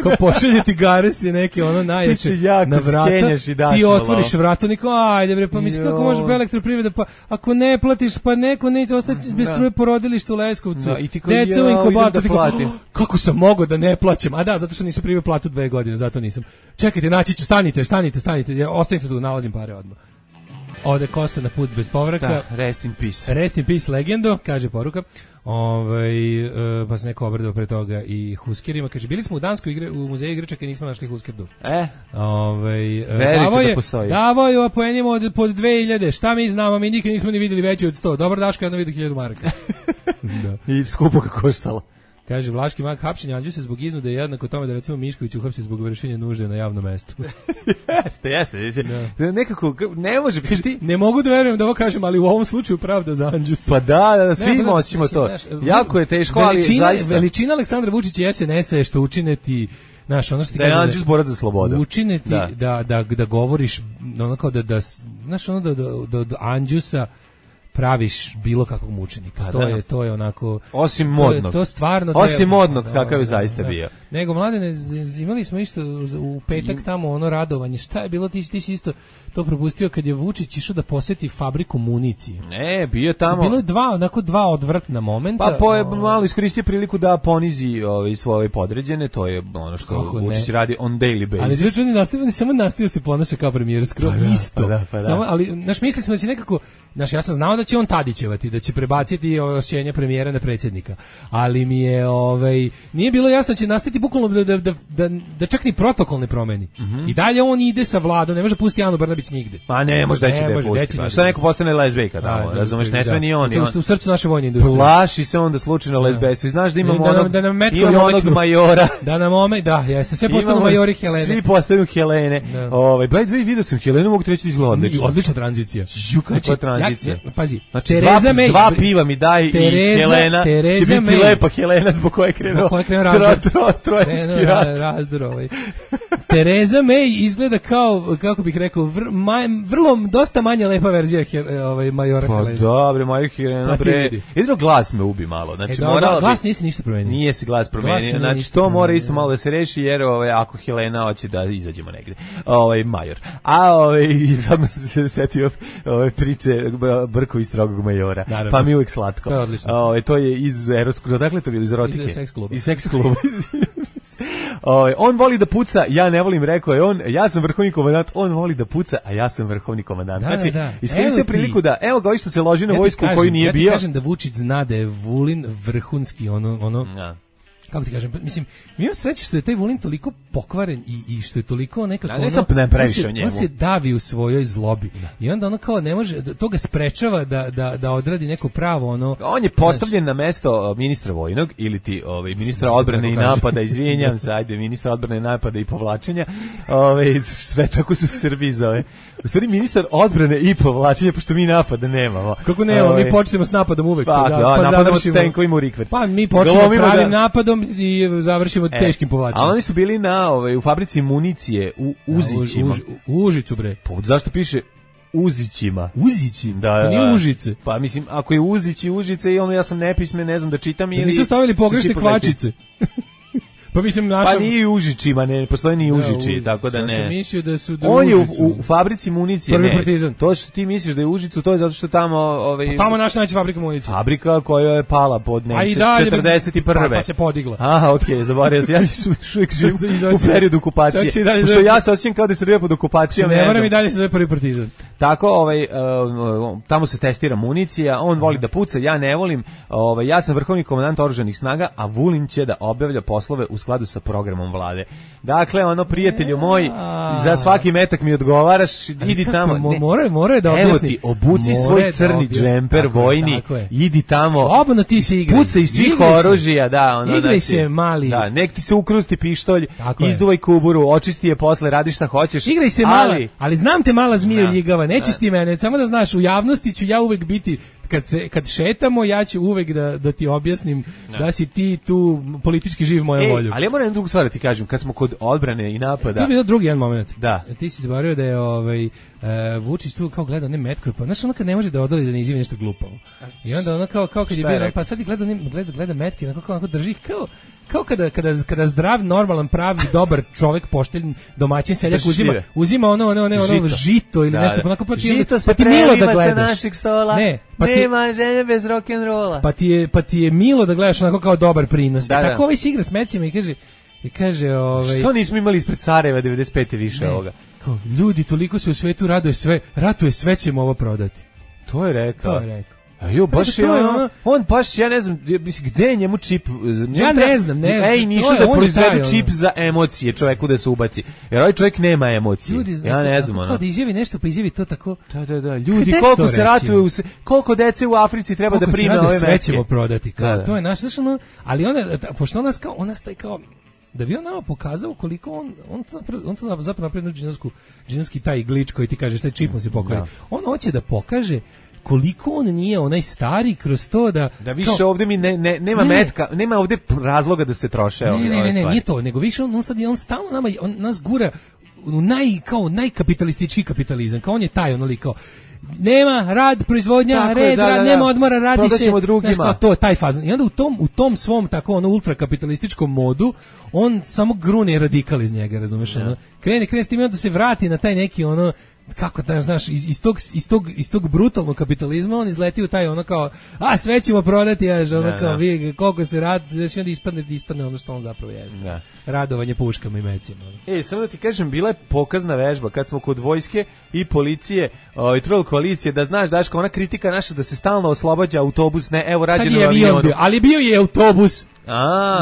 Kao pošaljeti gares i neke ono najjače na vrata. Ti otvoriš vrata, niko, ajde bre, pa misli kako može elektroprivreda, pa ako ne platiš, pa neko neće ostati bez struje porodilišta u Leskovcu. Deca u inkubatoru. Kako sam mogao da ne plaćam? A da, zato što nisam primio platu 2 godine. Zato nisam. Čekajte, naći ću, stanite. Ostanite tu, nalazim pare odmah. Ode Kosta na put bez povraka. Da, rest in peace. Rest in peace, legendo, kaže poruka. Pa se neko obradao pre toga i huskerima. Kaže, bili smo u Danskoj u muzeju igračaka i nismo našli huskerdu. Verite da postoji. Davao je poenima pod 2000. Šta mi znamo, mi nikad nismo ni vidjeli veći od 100. Dobro, Daško, ja vidio 1000 maraka. I skupo kako je stalo. Kaže, Vlaški mag hapšenja Anđusa zbog iznude jednako tome da recimo Mišković uhapsi zbog vršenja nužde na javnom mestu. Jeste. Nekako, ne može biti. Ne mogu da verujem da ovo kažem, ali u ovom slučaju pravda za Anđusa. Pa da, svi moćimo to. Jako je teško, ali zaista. Veličina Aleksandra Vučića i SNS-a je što učine ti Znaš, ono što ti da je kaže Anđus borac za slobodu. Učine ti da govoriš ono kao znaš ono da Anđusa praviš bilo kakvog mučenika. To je onako osim modnog. To stvarno osim modnog kakav je zaista bio. Nego mladene, imali smo isto u petak tamo ono radovanje. Šta je bilo, ti si isto to propustio kad je Vučić išao da poseti fabriku municije. Ne, bio tamo. Bilo je dva odvratna momenta. Pa malo iskoristio priliku da ponizi svoje podređene, to je ono što Vučić radi on daily basis. Ali drugi on samo nastavio se ponaša kao premijer skoro isto. Pa da. Samo, ali mislili smo da će nekako, ja sam znao da će on Tadićevati, da će prebaciti ovlašćenja premijera na predsjednika. Ali mi je nije bilo jasno da će nastaviti bukvalno da čak ni protokol ne promeni. I dalje on ide sa Vladom, ne može pustiti Anu Brnabić nigde. Pa ne može da će pustiti. Šta neko postane lezbejka tamo, razumeš, ne sme ni on. U srcu naše vojne industrije. Plaši se onda slučajno lezbejstva. Znaš da imamo onog majora. Da nam jeste, sve postanu majori Helene. Svi postanu Helene. By the way, vidio sam Helenu, mogu ti reći da izgleda odlično. Odlična tranzicija. Kakva tranzicija. Pazi, znači, dva piva mi daj i Helena će biti lepa Helena zbog koje krenuo trojanski rat. Tereza May izgleda kao, kako bih rekao, vrlo dosta manje lepa verzija majora Helena. Pa dobre, major Helena, bre. Jedino glas me ubi malo. Znači, glas nisi ništa promenio. Nije se glas promenio. Znači, to mora isto malo da se reši, jer ako Helena hoće da izađemo negde. Major. Sad se setio priče Brko i strogog majora. Naravno. Pa mi uvijek slatko. To je odlično. To je iz erotskog, dakle to je bilo iz erotike. Iz seks kluba. Iz seks kluba. On voli da puca, ja ne volim, rekao je on, ja sam vrhovni komandant, on voli da puca, a ja sam vrhovni komandant. Znači, iskoristio priliku da, evo ga što se loži na vojsku u koju nije bio. Ja ti kažem da Vučić zna da je Vulin vrhunski, kako ti kažem, mislim, mi imamo sreće što je taj Vulin toliko pokvaren i što je toliko nekako on se davi u svojoj zlobi i onda ono kao ne može, to ga sprečava da odradi neko pravo on je postavljen na mesto ministra vojnog ili ti ministra odbrane i napada, izvinjam se, ajde, ministra odbrane i napada i povlačenja, sve tako su u Srbiji zove. U stvari ministar odbrane i povlačenja, pošto mi napada nemamo. Kako nemamo, mi počnemo s napadom uvek, napadamo s tenkovima u rikverc. Pa mi počnemo pravim napadom i završimo teškim povlačenjem. A oni su bili u fabrici municije u Uzićima. U Užicu, bre. Pa zašto piše Uzićima? Uzići? Da, to nije Užice. Pa mislim, ako je Uzić i Užice, i ja sam nepismen, ne znam da čitam ili... Nisu stavili pogrešne kvačice. Pa mislim Pa nije Užićima, ne postoji ni Užići, tako da ne. Ja sam mislio da su on je u fabrici municije, Prvi Partizan. To što ti misliš da je Užicu, to je zato što tamo tamo naša najveća fabrika municije. Fabrika koja je pala pod Nemce 41. Pa se podigla. Aha, okej, zaboravio sam. Ja uvijek živim u periodu okupacije. Pošto ja se osjećam kao da se Srbija pod okupacijom. Ne moram i dalje se zove Prvi Partizan. Tako, tamo se testira municija, on voli da puca, ja ne volim. Ja sam vrhovni komandant oružanih snaga, a Vulin će da obavlja poslove u skladu sa programom vlade. Dakle, prijatelju moj, za svaki metak mi odgovaraš, idi tamo. More da objasni. Evo ti, obuci svoj crni džemper vojni, idi tamo. Slobodno ti se igraj. Pucaj svih oružja, igraj se, mali. Da, nek ti se ukrusti pištolj, izduvaj kuburu, očisti je posle, radi šta hoćeš. Igraj se mala, ali znam te mala zmija ljigava, nećeš ti mene, samo da znaš, u javnosti ću ja uvek biti, kad šetamo, ja ću uvek da ti objasnim da si ti tu politički živ mojom voljom. Ali ja moram jednu drugu stvar da ti kažem, kad smo kod odbrane i napada... To je bio drugi jedan moment. Da. Ti si zaboravio da je Vučić tu kao gleda metko, pa znaš kad ne može da odoli da ne izjavi nešto glupavo. I onda kao kad je bio, pa sad gleda metke, onako drži kao kada zdrav, normalan, pravi, dobar čovjek, pošten, domaćin seljak uzima ono žito ili nešto, onako žito se preliva sa našeg stola, nema želje bez rock'n'rolla. Pa ti je milo da gledaš onako kao dobar prinos. Tako ovaj se igra s mecima i kaže što nismo imali ispred Sarajeva 95. više ovoga? Ljudi, toliko se u svetu ratuje, sve ćemo ovo prodati. To je rekao. Baš je on baš, ja ne znam, gde je njemu čip? Ja ne znam, nisu da proizvedu čip za emocije čoveku da se ubaci. Jer ovaj čovjek nema emocije. Ja ne znam. Kao da izjavi nešto, pa izjavi to tako. Da. Ljudi, koliko se ratuje, koliko dece u Africi treba da prime ove meke. Sve ćemo prodati. To je naš, ali pošto ona staje kao, da bi on nama pokazao koliko on to zapravo napravio džinovski taj glič koji ti kažeš, taj čip mu se pokvari. On hoće da pokaže koliko on nije onaj stari kroz to da više kao, ovde mi nema metka, nema ovde razloga da se troše ne, nije to, nego više on stalno nama, on nas gura u najkapitalistički kapitalizam, kao on je taj onoliko kao nema rad, proizvodnja, red, nema odmora, radi se drugima. To je taj fazon. I onda u tom svom tako ultrakapitalističkom modu on samo grune radikal iz njega, razumeš? Krene s tim da se vrati na taj neki kako da znaš iz tog brutalnog kapitalizma on izleti u taj kao sve ćemo prodati, kao vi koliko se radi, znači onda ispadne ono što on zapravo je. Radovanje puškama i mecima. Samo da ti kažem, bila je pokazna vežba kad smo kod vojske i policije i trojel koalicije, da znaš Daško, ona kritika naša da se stalno oslobađa autobus, ne, evo rađeno u avionu. Ali bio je autobus.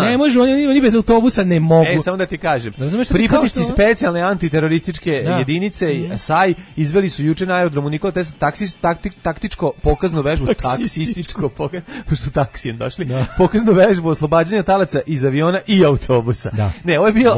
Ne može, oni bez autobusa ne mogu. Samo da ti kažem, pripadnici specijalne antiterorističke jedinice SAI izveli su juče na aerodromu Nikola Tesla taktičko pokaznu vežbu, taksističko pošto taksijem došli, pokaznu vežbu oslobađanja talaca iz aviona i autobusa. Ne, ovo je bio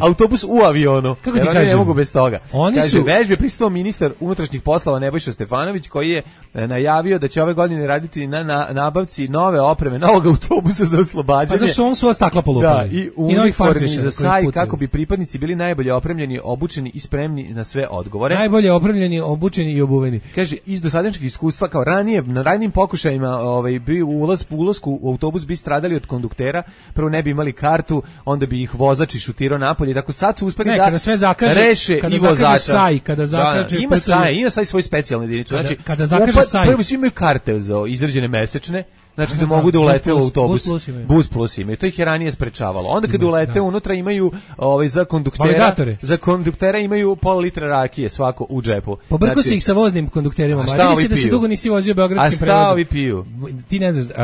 autobus u avionu. Kako ti kažem? Ne mogu bez toga. Kaže, vežbe prisutvovao ministar unutrašnjih poslova Nebojša Stefanović, koji je najavio da će ove godine raditi na nabavci nove opreme, novog autobusa za oslobađanje. Pa zašto on su ova stakla polupali? Da, i uniformi za SAI kako bi pripadnici bili najbolje opremljeni, obučeni i spremni na sve odgovore. Najbolje opremljeni, obučeni i obuveni. Kaže, iz dosadašnjeg iskustva, kao ranije, na ranijim pokušajima bi ulasku u autobus bi stradali od konduktera, prvo ne bi imali kartu, onda bi ih vozač šutirao napolje, tako sad su uspeli da reše i vozača. SAI, kada zakaže ima SAI svoju specijalnu jedinicu. Znači, kada zakaže SAI. Prvo svi imaju karte za izrađene mesečne, znači da mogu da ulete u autobus. Bus plus ima. I to ih je ranije sprečavalo. Onda kad ulete unutra imaju za konduktera imaju pola litra rakije svako u džepu. Pobrko se ih sa voznim kondukterima. Vidi se da se dugo nisi vozio beogradskim prevozom. A šta ovi piju? Ti ne znaš,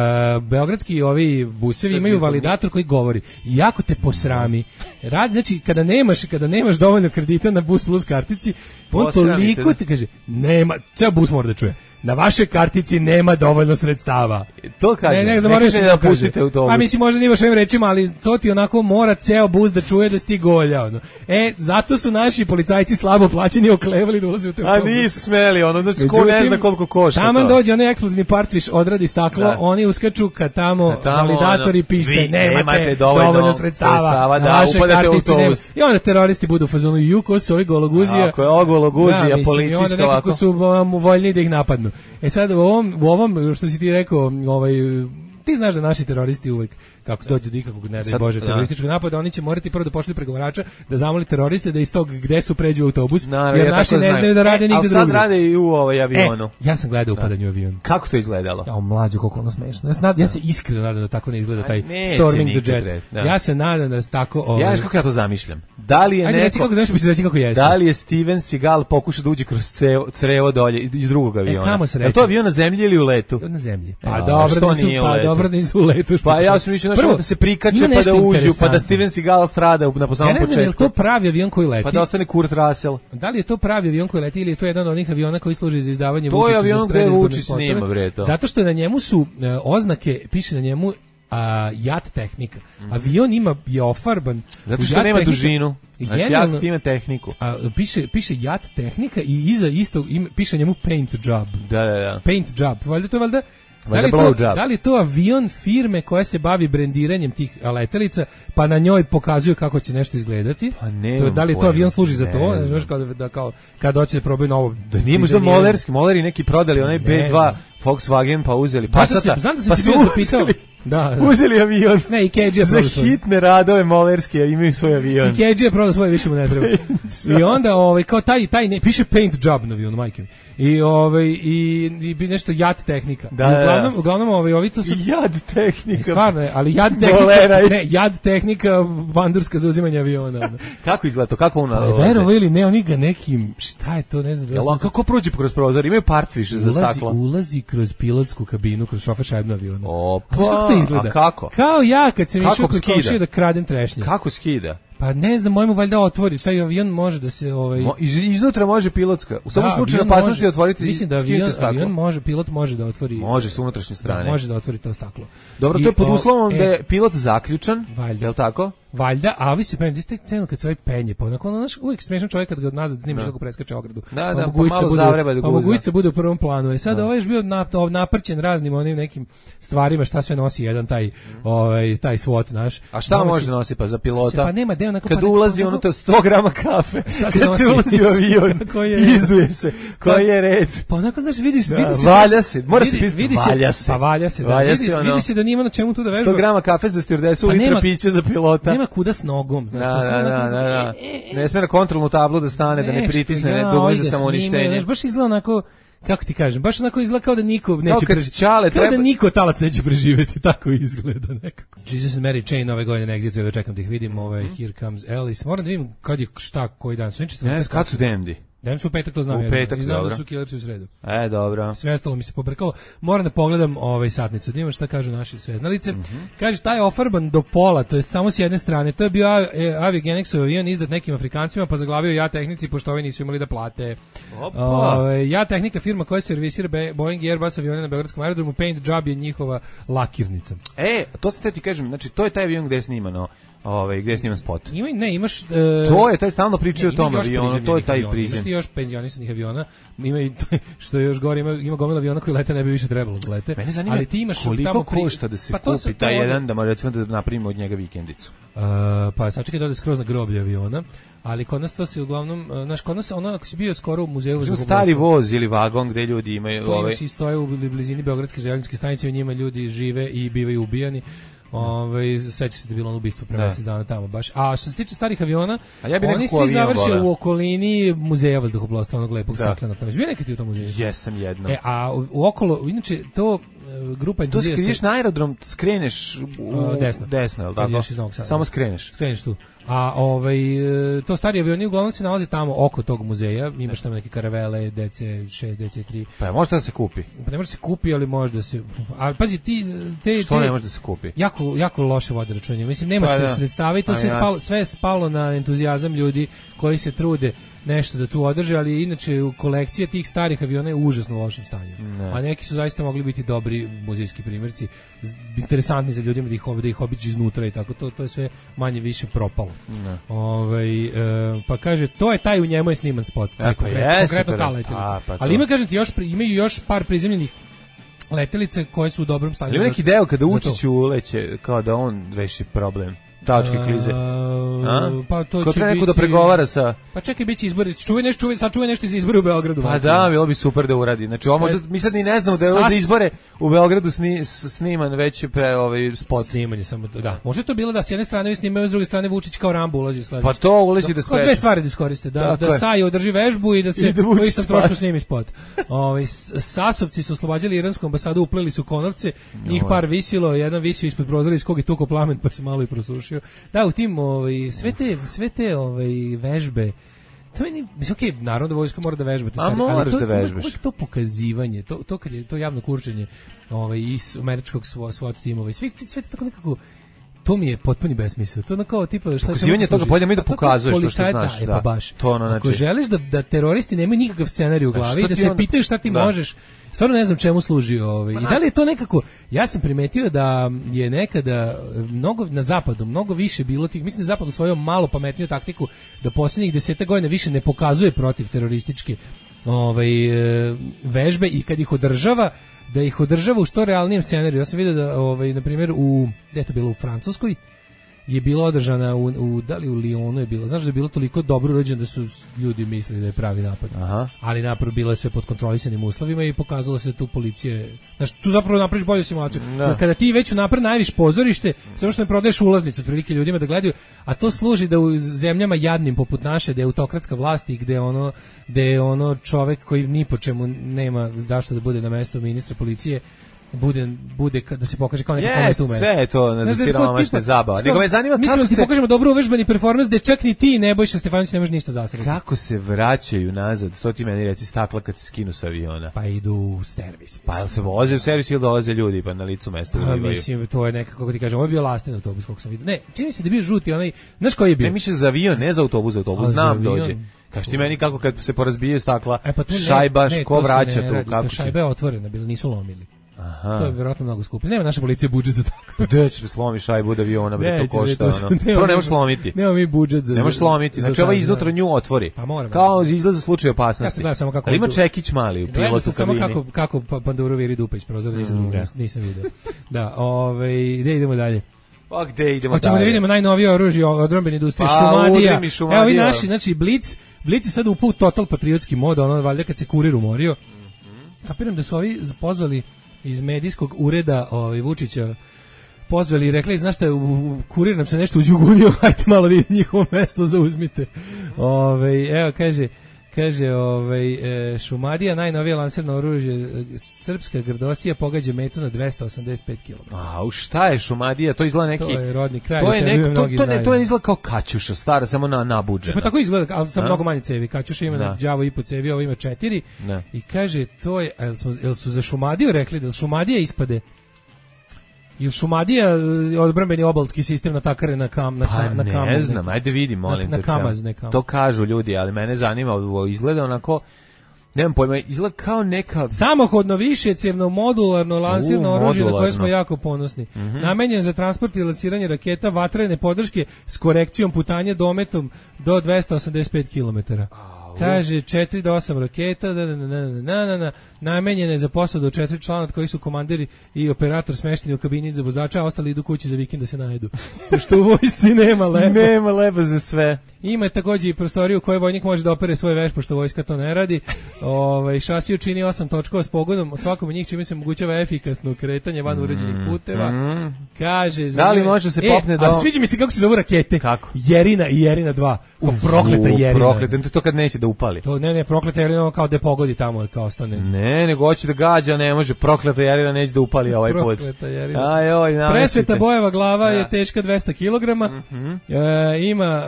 beogradski ovi busevi imaju validator koji govori jako te posrami. Znači kada nemaš dovoljno kredita na Bus plus kartici, on toliko ti kaže, nema, ceo bus mora da čuje. Na vašoj kartici nema dovoljno sredstava. To kaže. Ne da pustite autobus. A mislim možda nije baš ovim rečima, ali to ti onako mora ceo bus da čuje da si ti golja. Zato su naši policajci slabo plaćeni oklevali da ulaze u te autobus. A nisu smeli, znači ko ne zna koliko košta. Tamo dođe onaj eksplozivni partviš, odradi staklo, oni uskaču kad tamo validatori pište, nemate dovoljno sredstava na vašoj kartici. I onda teroristi budu u fazonu, ko su ovi gologuzija. Ako je ovo gologuzija, policijska ovako. Nekako su voljni da ih napadnu. Sad u ovom što si ti rekao, ti znaš da naši teroristi uvek kako dođe do ikakvog ne daj Bože terorističkog napada, oni će morati prvo da pošalju pregovarača da zamoli teroriste da iz tog gde su pređu autobus, jer naši ne znaju da rade nigde drugdje. Ali sad rade i u avionu. Ja sam gledao upadanje u avion. Kako to izgledalo? Ja, mlađo, koliko ono smešno. Ja se iskreno nadam da tako ne izgleda taj Storming the Jet. Ja se nadam da tako... Ja kako ja to zamišljam. Da li je Da li je Steven Seagal pokušao da uđe kroz crevo dolje iz drugog aviona? Je to avion na zemlji ili u letu? Na zemlji. Dobro nisu u letu. Pa ja sam mislio da se prikače pa da uđu, pa da Steven Seagal strada na samom početku. Ja ne znam, je li to pravi avion koji leti? Pa da ostane Kurt Russell. Da li je to pravi avion koji leti ili je to jedan od onih aviona koji služi za izdavanje Vučića? To je avion gde Vučić snima, bre, to. Zato što na njemu su oznake, piše na njemu jat tehnika. Avion je ofarban. Zato što nema dužinu. Znači jat ima tehniku. Piše jat tehnika i iza istog piše njemu paint job. Da. Paint job. Valjda to valjda. Da li je to avion firme koja se bavi brendiranjem tih letelica, pa na njoj pokazuju kako će nešto izgledati? Pa ne. Da li to avion služi za to? Znaš kao kad hoće da probaju novo. Da nije možda moleri neki prodali onaj B2 Volkswagen pa uzeli Passata. Znam da se bio zapitao. Uzeli avion. Ne, i KG za hitne radove molerske imaju svoj avion. I KG je prodao svoje, više mu ne treba. I onda kao taj piše paint job na avionu, majke mi. I nešto jad tehnika. Uglavnom ovi to su jad tehnika. Stvarno, ali jad tehnika, ne, jad tehnika vandurska za uzimanje aviona. Kako izgleda to? Kako on verovo ili ne, oni ga nekim, šta je to, ne znam. Kako prođe kroz prozor? Imaju partviš za staklo. Ulazi kroz pilotsku kabinu, kroz šofer šajbnu aviona. Opa, a kako? Kao ja kad sam išao kod komšije da kradem trešnje. Kako skida? Pa ne znam, mojemu valjda otvori, taj avion može da se... Iznutra može pilotska. U samom slučaju opasnosti otvoriti. Mislim da pilot može da otvori... Može s unutrašnje strane. Može da otvori to staklo. Dobro, to je pod uslovom da je pilot zaključan, je li tako? valjda, a ovi se penju, te cenu kad se ovaj penje, pa onako, uvijek smešan čovjek kad ga nazad snimiš kako preskače ogradu. Da, pa malo zavreba da guza. Pa mogućica bude u prvom planu. I sad ovaj je bio naprćen raznim onim nekim stvarima, šta sve nosi jedan taj SWAT naš. A šta može da nosi pa za pilota? Pa nema deo kad ulazi ono to 100 grama kafe. Kad se ulazi u avion, izuje se. Koji je red? Pa onako, znaš, vidi se. Valja se, mora se pitati, valja se. Pa valja se, vidi se da nima na čemu tu da vežba. 100 grama kafe za stjuardesu, litra pića za pilota. Nema kuda s nogom, znaš. Da. Ne sme na kontrolnu tablu da stane, da ne pritisne, ne dugme za samouništenje. Znaš, baš izgleda onako, kako ti kažem, baš onako izgleda kao da niko neće preživjeti. Kao da niko talac neće preživjeti, tako izgleda nekako. Jesus and Mary Chain ove godine na Exitu, čekam da ih vidim, Here Comes Alice. Moram da vidim kad je šta, koji dan. Ne, kad su DMD? Dajem su u petak, to znam. U petak, znam dobro. Da su Killersi u sredu. Dobro. Sve ostalo mi se pobrkalo. Moram da pogledam satnicu. Da imam šta kažu naši sveznalice. Kaže, taj je ofarban do pola, to je samo s jedne strane. To je bio Aviagenexov avion izdat nekim Afrikancima, pa zaglavio Ja Tehnici, pošto ovi nisu imali da plate. Ja Tehnika, firma koja servisira Boeing i Airbus avione na Beogradskom aerodromu, Paint Job je njihova lakirnica. To se ti kažem, znači to je taj avion gde je snimano. Gde je sniman spot? Imaš... to je, taj stalno pričaju o tom avionu, to je taj prizem. Imaš ti još penzionisanih aviona, što je još gore, ima gomila aviona koji lete, ne bi više trebalo da lete. Mene zanima koliko košta da se kupi taj jedan, da recimo da napravimo od njega vikendicu. Pa sačekaj da ode skroz na groblje aviona, ali kod nas to se uglavnom, znaš, kod nas ono, ako si bio skoro u muzeju... Stari voz ili vagon gde ljudi imaju... To imaš i stoje u blizini Beogradske željezničke stanice, u njima ljudi žive i bivaju ubijani. Seća se da je bilo ono ubistvo pre mesec dana tamo baš. A što se tiče starih aviona, oni svi završe u okolini muzeja vazduhoplovstva, onog lepog staklenog. Tamo je bio nekad ti u tom muzeju? Jesam jedno. A u okolo, inače, to grupa entuzijasta... To skriješ na aerodrom, skreneš desno, je li tako? Samo skreneš. Skreneš tu. A to stari avioni uglavnom se nalaze tamo oko tog muzeja, imaš tamo neke karavele, DC6, DC3. Pa može da se kupi? Pa ne može da se kupi, ali može da se... A pazi, što ne može da se kupi? Jako loše vode računje. Mislim, nema se sredstava i to sve je spalo na entuzijazam ljudi koji se trude nešto da tu održe, ali inače kolekcija tih starih aviona je u užasno lošem stanju. A neki su zaista mogli biti dobri muzejski primjerci, interesantni za ljudima da ih obiđu iznutra i tako, to je sve manje više propalo. Pa kaže, to je taj, u njemu je sniman spot. Konkretno ta letelica. Ali imaju još par prizemljenih letelice koje su u dobrom stanju. Ima neki deo kada Vučić uleće, kao da on reši problem. Tačke klize. Pa to ko treba neko da pregovara sa... Pa čekaj, biće izbori. Sačuvaj nešto za izbore u Beogradu. Pa da, bilo bi super da uradi. Znači, možda mi sad ni ne znamo da je za izbore u Beogradu sniman već spot. Snimanje samo, da. Može to bilo da s jedne strane snimaju, s druge strane Vučić kao Rambo ulazi sledeće. Pa to ulazi da spreči. Dve stvari da iskoriste. Da Saja održi vežbu i da se po istom trošku snimi spot. Sasovci su oslobađali iransku ambasadu, upleli su konovce, njih par visilo, jedan visio ispod prozora iz kog je tukao plamen pa se malo i prosušio. Da, u tim sve te vežbe, to meni, okej, naravno da vojska mora da vežba, ali uvijek to pokazivanje, to kad je to javno kurčenje iz američkog SWAT timova i sve to tako nekako, to mi je potpuni besmisao. To kao tipa šta pokazivanje toga bolje mi da pokazuješ što znaš, pa baš. Ako želiš da teroristi nemaju nikakav scenarij u glavi i da se pitaju šta ti možeš, stvarno ne znam čemu služi i da li je to nekako, ja sam primetio da je nekada mnogo na zapadu, mnogo više bilo tih, mislim da zapad usvojio malo pametniju taktiku da posljednjih 10 godina više ne pokazuje protiv terorističke vežbe i kad ih održava, da ih održava u što realnijem scenariju. Ja sam vidio da, na primjer, gde je to bilo, u Francuskoj, je bila održana da li u Lyonu je bilo, znaš da je bilo toliko dobro urađeno da su ljudi mislili da je pravi napad. Ali napravo bilo je sve pod kontrolisanim uslovima i pokazalo se da tu policije, znaš, tu zapravo napraviš bolju simulaciju. Kada ti već napred najaviš pozorište, samo što ne prodaješ ulaznicu otprilike ljudima da gledaju, a to služi da u zemljama jadnim poput naše, da je autokratska vlast i gde je ono čovek koji ni po čemu nema zašto da bude na mestu ministra policije, bude da se pokaže kao neka kometa u mestu. Sve je to na siromašne zabava. Nego me zanima kako se... Mi pokažemo dobro uvežbani performans da čak ni ti Nebojša Stefanović ne može ništa zasrati. Kako se vraćaju nazad? To ti meni reci, stakla kad se skinu sa aviona. Pa idu u servis. Pa jel se voze u servis ili dolaze ljudi pa na licu mesta ulivaju? Mislim, to je nekako, kako ti kažem, ovo je bio lasten autobus koliko sam vidio. Ne, čini se da je bio žuti onaj, znaš koji je bio? Ne, mi će za avion, ne za autobus, znam dođe. Kaži ti meni kako kad se porazbije stakla, šajba, ko vraća tu? Šajba je otvorena, nisu lomili. Aha. To je vjerojatno mnogo skuplje. Nema naša policija budžet za tako. Gde ćeš da slomiš šajbu od aviona, bre, to košta, ono. Prvo ne možeš slomiti. Nema mi budžet za... Ne možeš slomiti, znači ova iznutra nju otvori. Pa moram. Kao izlaz za slučaj opasnosti. Ja sam gledao samo kako... Ali ima čekić mali u pilotu kabini. Samo kako Panduro viri dupa iz prozora, nisam vidio. Da, gde idemo dalje? Pa gde idemo dalje? Hoćemo da vidimo najnovije oružje odbrambene industrije, Šumadija. Evo vi naši, znači Blic je sad upao u total patriotski mod, ono valjda kad se kurir umorio. Kapiram da su ovi pozvali iz medijskog ureda Vučića, pozvali i rekli, znaš šta, kurir nam se nešto uzjugunio, hajte malo vi njihovo mesto zauzmite. Evo, kaže Šumadija, najnovije lansirno oružje, srpska grdosija pogađa metu na 285 km. A šta je Šumadija? To izgleda neki... To je rodni kraj. To je izgleda kao Kaćuša, stara, samo nabuđena. Pa tako izgleda, ali sa mnogo manje cevi. Kaćuša ima na đavo i po cevi, ovo ima 4. I kaže, to je, jel su za Šumadiju rekli, da Šumadija ispade? Ili Šumadija odbrambeni obalski sistem natakare na kamaz? Pa ne znam, ajde vidim, molim te. Na kamaz nekam. To kažu ljudi, ali mene zanima, izgleda onako, nemam pojma, izgleda kao neka... Samohodno višecjevno modularno lansirno oružje na koje smo jako ponosni. Namenjen za transport i lansiranje raketa vatrene podrške s korekcijom putanja dometom do 285 km. Kaže 4 do 8 raketa, namenjene je za posadu od 4 člana od kojih su komandiri i operator smešteni u kabini za vozača, a ostali idu kući za vikend da se najedu. Pošto u vojsci nema leba. Nema leba za sve. Ima također i prostoriju u kojoj vojnik može da opere svoj veš, pošto vojska to ne radi. Šasiju čini 8 točkova s pogodom, od svakog od njih čime se omogućava efikasno kretanje van uređenih puteva. Kaže, da li može se popne do... A sviđa mi se kako se zovu rakete. Kako? Jerina i Jerina 2. Prokleta Jerina. Prokleta, to kad neće da upali. To ne, prokleta Jerina kao da pogodi tamo, kao ostane. Ne, nego hoće da gađa, ne može. Prokleta Jerina neće da upali ovaj put. Prokleta Jerina. Presveta Bojeva glava je teška 200 kg. Ima...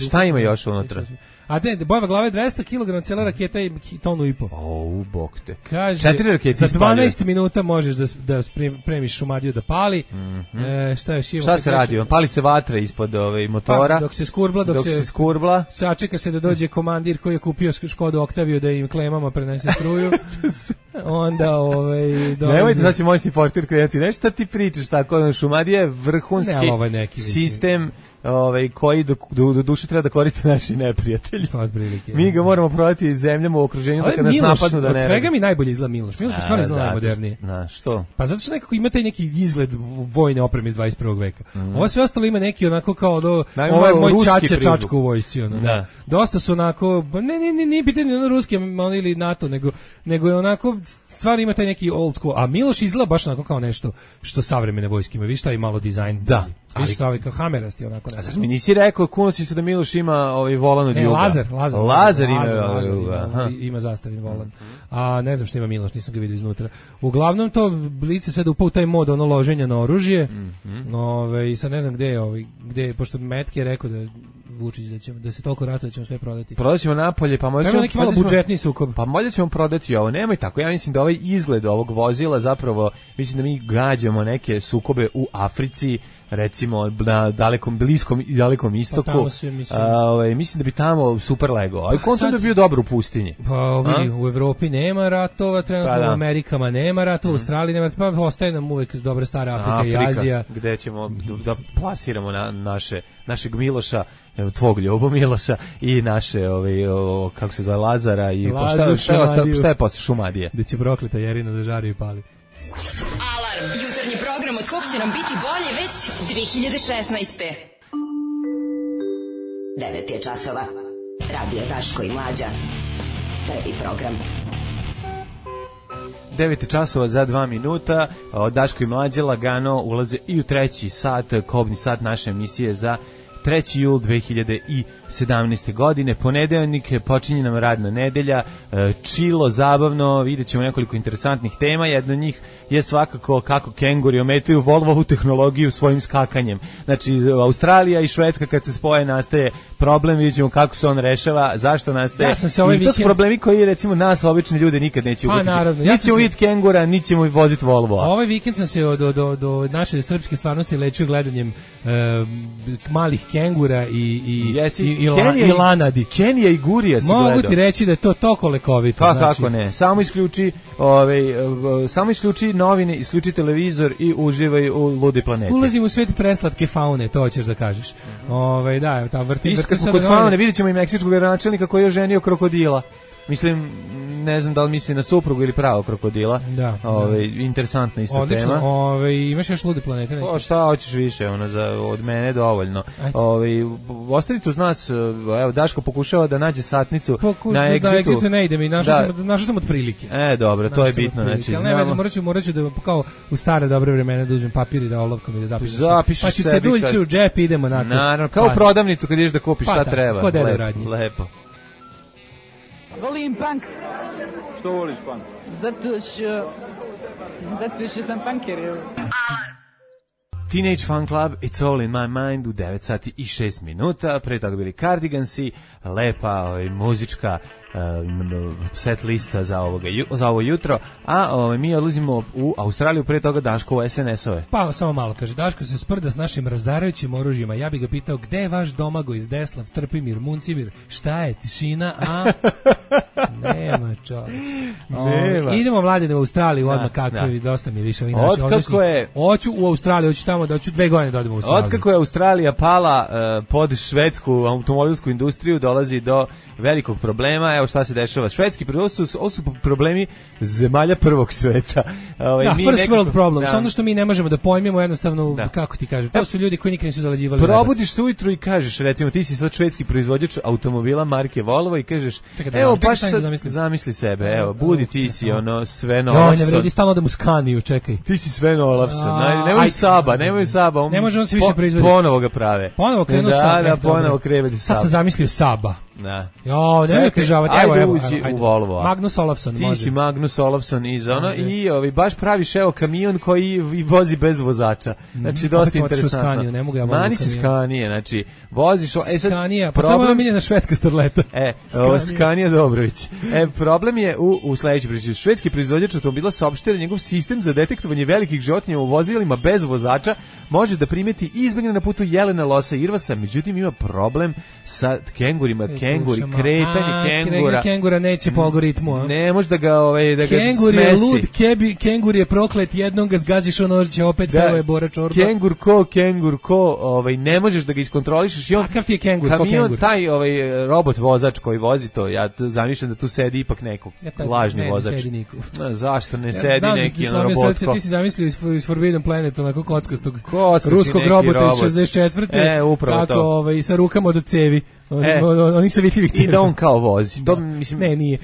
Šta ima još unutra? A Bojeva glava je 200 kg, cijela raketa je tonu i po. Bog te. Kaže, 4 rakete za 12 minuta možeš da spremiš Šumadiju da pali. Šta se radi? Pali se vatra ispod motora. Dok se skurbla. Sačeka se da dođe komandir koji je kupio Škodu Oktaviju da im klemama prenese struju. Onda nemojte da će moj supporter krenuti. Nešto ti pričaš tako, Šumadija je vrhunski sistem koji do duše treba da koriste naši neprijatelji. Mi ga moramo prodati zemljama u okruženju da kad nas napadnu da ne. Od svega mi najbolje izgleda Miloš. Miloš je stvarno izgleda najmodernije. Što? Pa zato što nekako ima taj neki izgled vojne opreme iz 21. veka. Ovo sve ostalo ima neki onako kao ovo je moj čačka u vojsci. Dosta su onako, nije pitanje ono ruski ili NATO, nego je onako, stvari ima taj neki old school. A Miloš izgleda baš onako kao nešto što savremene vojske ima. Viš šta je malo dizajn. Da. Viš stavi kao hamerasti onako. A znaš mi nisi rekao, kuno si se da Miloš ima volan od juga. Lazar ima zastavljen volan. A ne znam što ima Miloš, nisam ga vidio iznutra. Uglavnom to Blice sad upao u taj mod loženja na oružje. I sad ne znam gde, pošto Metke je rekao da Vučić da se toliko ratuje da ćemo sve prodati. Prodaćemo napolje, pa možda ćemo neki malo budžetni sukob. Pa možda ćemo prodati ovo. Nemoj tako. Ja mislim da ovaj izgled ovog vozila zapravo, mislim da mi gađamo neke sukobe u Africi, recimo na bliskom i dalekom istoku. Mislim da bi tamo super lego. A kontent bi bio dobro u pustinji. Pa vidi, u Evropi nema ratova, trenutno u Amerikama nema ratova, u Australiji nema ratova, pa ostaje nam uvek dobra stara Afrika i Azija. Gde ćemo da plasiramo našeg Miloša, tvog Ljubo Miloša i naše kako se zove Lazara i šta je posle Šumadije. Gde će prokleta Jerina da žari i pali. Alarm, jutarnji program od kog će nam biti bolje već 2016. 9 je časova. Radio Daško i Mlađa. Prvi program. 9 časova za 2 minuta. Daško i Mlađa lagano ulaze i u treći sat, kobni sat naše emisije za 3. jul 2017. godine, ponedeljnik, počinje nam radna nedelja, čilo, zabavno, vidjet ćemo nekoliko interesantnih tema, jedna od njih je svakako kako kenguri ometaju Volvovu tehnologiju svojim skakanjem. Znači, Australija i Švedska kad se spoje nastaje problem, vidjet ćemo kako se on rešava, zašto nastaje. I to su problemi koji recimo nas, obični ljude, nikad neće uvijeti. Niti ćemo vidjeti kengura, niti ćemo voziti Volvo. Ovaj vikend sam se do naše srpske stvarnosti lečio gledanjem malih kengura i lanadi. Kenija i Gurija si gledao. Mogu ti reći da je to toliko lekovito. Pa kako ne, samo isključi novine, isključi televizor i uživaj u ludi planeti. Ulazim u svet preslatke faune, to hoćeš da kažeš. Da, ta vrti kod faune, vidjet ćemo i meksičkog gradonačelnika koji je ženio krokodila. Mislim, ne znam da li misli na suprugu ili pravo krokodila. Da. Interesantna isto odlično, tema. Imaš još lude planete? O, šta hoćeš više, od mene dovoljno. Ostavite uz nas, evo, Daško pokušava da nađe satnicu na Exitu. Na Exitu ne idem i našao sam otprilike. Dobro, to je bitno. Znači, ne vezam, morat ću da kao u stare dobre vremena da uzmem papir i da olovkom i da zapišem. Zapišeš sebi. Pa ću ceduljcu u džep, idemo na to. Naravno, kao u prodavnicu kad ideš da kupiš šta treba. Kod dede radnji. Lepo. Volim punk. Što voliš punk? Zato što sam punker. Teenage Fan Club, It's All in My Mind u 9 sati i 6 minuta. Pre toga bili Cardigansi, lepa muzička set lista za ovo jutro, a mi odlazimo u Australiju, pre toga Daško u SNS-ove. Pa samo malo, kaže, Daško se sprda s našim razarajućim oružjima, ja bih ga pitao gde je vaš Domagoj iz Deslav, Trpimir, Muncimir, šta je, tišina, a? Nema čovječ. Idemo mladine u Australiju, odmah kakve, dosta mi je više. Hoću u Australiju, hoću tamo da hoću 2 godine da odem u Australiju. Otkako je Australija pala pod švedsku automobilsku industriju, dolazi do velikog problema. Evo šta se dešava. Švedski ovo su problemi zemalja prvog sveta. First world problems. Ono što mi ne možemo da pojmimo jednostavno, kako ti kažem. To su ljudi koji nikad nisu zalađivali. Probudiš se ujutru i kažeš, recimo ti si sad švedski proizvođač automobila marke Volvo i kažeš, evo baš sad zamisli sebe, evo, budi ti si Sven Olafsson. Ne vredi stalno da mu Skaniju, čekaj. Ti si Sven Olafsson. Nemoj Saba. Ne može on se više proizvoditi. Ponovo ga prave. Ponovo krenuo Saba. Da, ponovo krevedi Saba. Sad sam zamislio Saba. Da. Nemoj težavati. Ajde ući u Volvo. Magnus Olafsson može. Ti si Magnus Olafsson i baš praviš kamion koji vozi bez vozača. Znači dosta interesantno. Mani si Skanije, znači voziš Skanija, pa to je miljena švedska starleta. Skanija Dobrović. Problem je u sledećoj priči. Švedski proizvođač automobila saopštio da njegov sistem za detektovanje velikih životinja u vozilima bez vozača može da primeti izbegne na putu jelena, losa i irvasa, međutim ima problem sa kengurima. Kengura neće po algoritmu, a? Ne može da ga Kengur je lud, kengur je proklet, jednom ga zgaziš, on će opet pevuje Bora Čorba. Kengur ko, ne možeš da ga iskontrolišeš i on... Kakav ti je kengur, ko kamion, kengur? Taj robot vozač koji vozi to, ja zamišljam da tu sedi ipak neko lažni vozač. Ne sedi niko. Zašto ne sedi neki robotko? Ti si zamislio iz Forbidden Planet, onako kockastog ruskog robota iz 64. Kako sa rukama od cevi. Onih savitljivih cena. I da on kao vozi. To, mislim, ne, nije.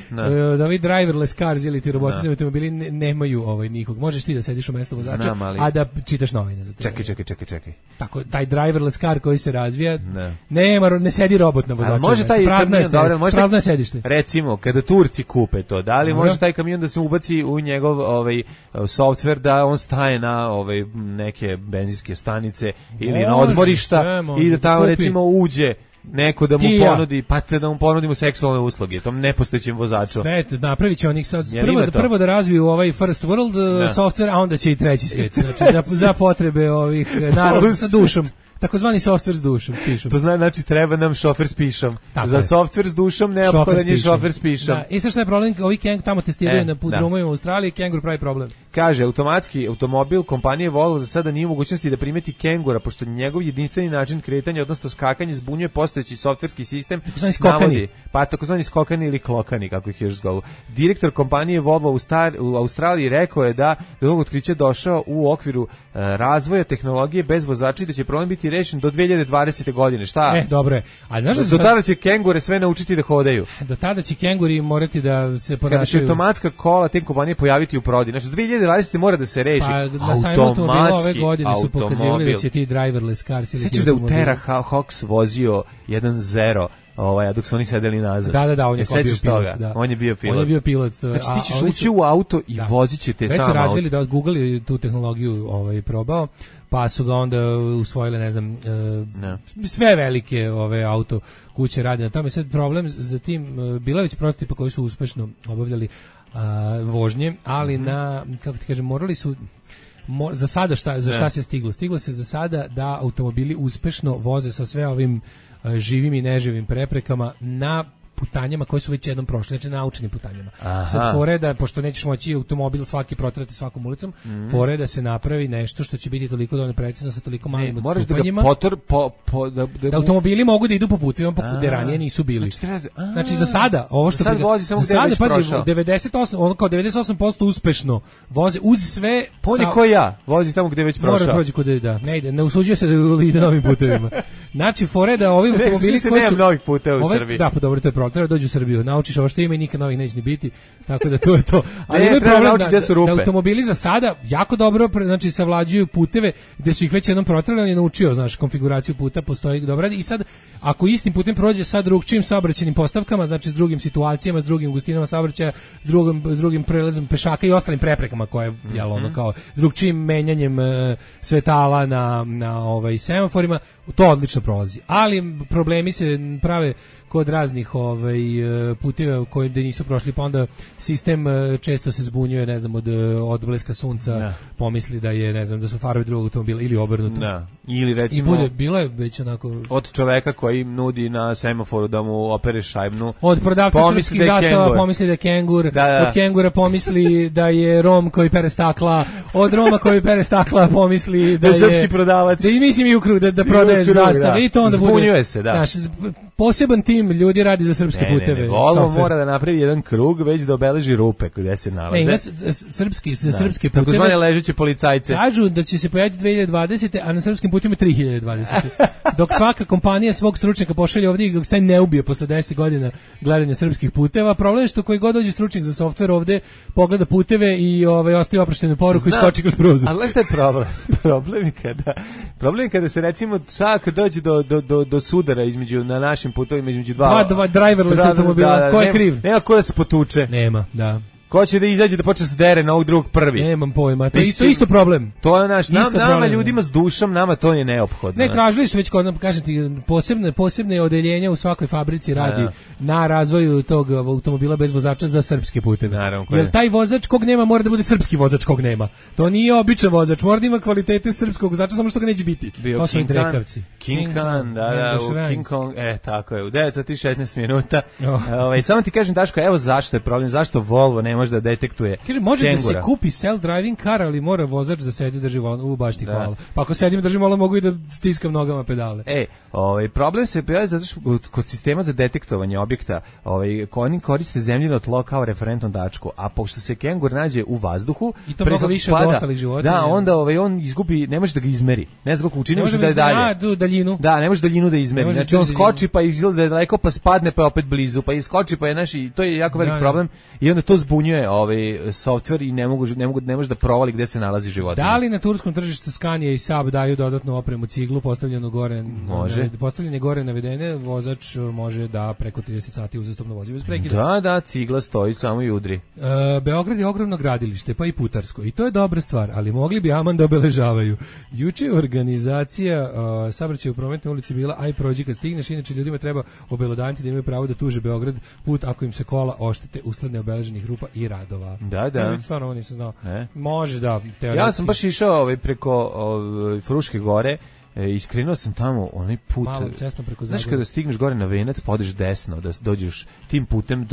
Da ovi driverless cars ili ti robotizni automobili nemaju nikog. Možeš ti da sediš u mesto vozača, a da čitaš novine za to. Čekaj. Tako, taj driverless car koji se razvija, ne sedi robot na vozaču. Može taj prazno je sedište. Recimo, kada Turci kupe to, da li može taj kamion da se ubaci u njegov softver da on staje na neke benzinske stanice ili na odmorišta i da tamo recimo uđe neko da mu ponudi, pa da mu ponudimo seksualne usluge, tom nepostojećem vozaču. Svet, napravit će onih sad, prvo da razviju ovaj first world software, a onda će i treći svijet, znači za potrebe ovih naroda sa dušom. Takozvani softver s dušom, pišom. To znači treba nam šofer s pišom. Za softver s dušom neophodan je šofer s pišom. Da. I sad šta je problem? Ovi kengur tamo testiraju na drumovima u Australiji, kengur pravi problem. Kaže, automatski automobil kompanije Volvo za sada nije u mogućnosti da primeti kengura, pošto njegov jedinstveni način kretanja, odnosno skakanje, zbunjuje postojeći softverski sistem. Takozvani skokani ili klokani, kako ih još zovu. Direktor kompanije Volvo u Australiji rekao je da do ovog otkrića došao u okviru razvoja tehnologije bez vozača i da će problem biti rešen do 2020. godine. Šta? Dobro je. Do tada će kengure sve naučiti da hodaju. Do tada će kenguri morati da se ponašaju. Kada će automatska kola te kompanije pojaviti u prodaji. Znači, 2020. mora da se reši. Pa na sajmu automobila ove godine su pokazivali da će ti driverless cars ili sećaš da u Terra Hawks vozio 1.0 dok su oni sedeli nazad. Da, on je bio pilot. On je bio pilot. On je bio pilot. Znači ti ćeš ući u auto i vozit će te sam auto. Već su razvili da Google je tu tehnologiju probao, pa su ga onda usvojile, ne znam, sve velike auto kuće rade na tome. Sad problem za tim, bila već prototipa koji su uspešno obavljali vožnje, ali kako ti kažem, morali su za sada šta se stiglo? Stiglo se za sada da automobili uspešno voze sa sve ovim živim i neživim preprekama na putanjama koje su već jednom prošle, znači naučenim putanjama. Sad fore da, pošto nećeš moći automobil svaki protrati svakom ulicom, fore da se napravi nešto što će biti toliko dovoljno precizno sa toliko malim odstupanjima. Da automobili mogu da idu po putevima gde ranije nisu bili. Znači za sada, ovo što sad vozi samo gde već prošao. 98% uspešno voze uz sve. Poni ko ja, vozi tamo gde već prošao. Mora prođi kod ne ide, ne usuđuje se da ide novim putevima. Znači fore da ovi automobili koji su novih puteva u Srbiji. Da, pa dobro, to je problem. Treba dođi u Srbiju, naučiš ovo što ima i nikad novih neće ni biti, tako da to je to. Ali ima problem da automobili za sada jako dobro, znači savlađuju puteve gde su ih već jednom protrali, on je naučio, znaš, konfiguraciju puta, postoji dobro. I sad, ako istim putem prođe sa drugčijim saobraćajnim postavkama, znači s drugim situacijama, s drugim gustinama saobraćaja, s drugim prelazom pešaka i ostalim preprekama koje je ono kao drugčijim menjanjem svetala na semaforima, to odlično prolazi. Ali problemi se prave kod raznih puteva koji da nisu prošli, pa onda sistem često se zbunjuje, ne znam, od odbleska sunca, pomisli da je, ne znam, da su farovi drugog automobila ili obrnuto. Da. Ili recimo bilo je već onako od čoveka koji nudi na semaforu da mu opere šajbnu. Od prodavca srpskih zastava pomisli da je kengur, od kengura pomisli da je Rom koji pere stakla, od Roma koji pere stakla pomisli da je srpski prodavac. Da i mislim i u krug da prodaješ zastave i to onda bude. Zbunjuje se, da. Znaš, poseban tim ljudi radi za srpske puteve. Volvo mora da napravi jedan krug već da obeleži rupe gde se nalaze. Ne, srpske puteve. Tako zvane ležeće policajce. Kažu da će se pojaviti 2020. a na srpskim putevima 3020. Dok svaka kompanija svog stručnjaka pošalje ovdje i dok se ne ubije posle 10 godina gledanja srpskih puteva, problem je što koji god dođe stručnjak za softver ovdje pogleda puteve i ostaje oproštenu poruku i skoči kroz prozor. Ali šta je problem? Problem je kada se recimo kad dođe do sudara između na našim putovima između dva driverless automobila, ko je kriv? Nema ko da se potuče. Nema, da. Ko će da izađe da počne se dere na ovog drugog prvi? Nemam pojma, to je isto problem. To je nama ljudima s dušom, nama to je neophodno. Ne, tražili su već kod nam, kažem ti, posebne odeljenja u svakoj fabrici radi na razvoju tog automobila bez vozača za srpske puteve. Jer taj vozač kog nema mora da bude srpski vozač kog nema. To nije običan vozač, mora da ima kvalitete srpskog vozača, samo što ga neće biti. To su drekavci. King Khan, King Kong, tako je, u 9:16 minuta. Samo ti kažem, Daško, evo zašto je problem, zašto Volvo ne može da detektuje. Kaže, može da se kupi self-driving car, ali mora vozač da sedi drži volan. Baš ti hvala. Pa ako sedim držim volan, mogu i da stiskam nogama pedale. Problem se pojavio zato što kod sistema za detektovanje objekta, oni koriste zemljino tlo kao referentnu tačku, a pošto se kengur nađe u vazduhu, i to mnogo više od ostalih životinja. Da, onda on izgubi, ne može da ga izmeri. Ne znam kako učini se da je dalje. Daljinu. Da, ne može daljinu da izmeri. Znači on skoči pa izgleda da je daleko, pa spadne pa je opet blizu, pa iskoči pa je to je jako velik problem i onda to zbunjuje softver i ne može da provali gde se nalazi životinja. Da li na turskom tržištu Scania i Saab daju dodatnu opremu ciglu postavljenu gore? Može. Postavljene gore navedene, vozač može da preko 30 sati uzastopno vozi bez prekida. Da, cigla stoji samo i udri. Beograd je ogromno gradilište, pa i putarsko. I to je dobra stvar, ali mogli bi aman da obeležavaju. Juče je organizacija saobraćaja u prometnoj ulici bila aj prođi kad stigneš, inače ljudima treba obelodaniti da imaju pravo da tuže Beograd put ako im se kola oštete usled neobeleženih rupa i radova. Da. Stvarno ovo nisam znao. Može da. Teoretski. Ja sam baš išao preko Fruške gore, iskrenuo sam tamo onaj put. Malo česno preko Zagora. Znaš kada stigneš gore na Venac, pa odeš desno, da dođeš tim putem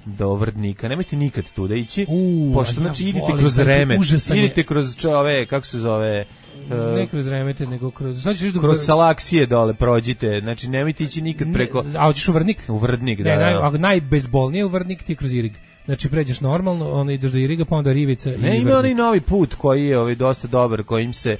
do Vrdnika. Nemojte nikad tu da ići, pošto znači idite kroz Remet, idite kroz kako se zove... ne kroz Remete, nego kroz... Kroz Salaksije dole prođite, znači nemojte ići nikad preko... A hoćeš u Vrdnik? U Vrdnik, da. Najbezbolnije u Vrdnik ti kroz Irig. Znači pređeš normalno, onda ideš do Iriga, pa onda Rivica i Vrdnik. Ima onaj novi put koji je dosta dobar, kojim se...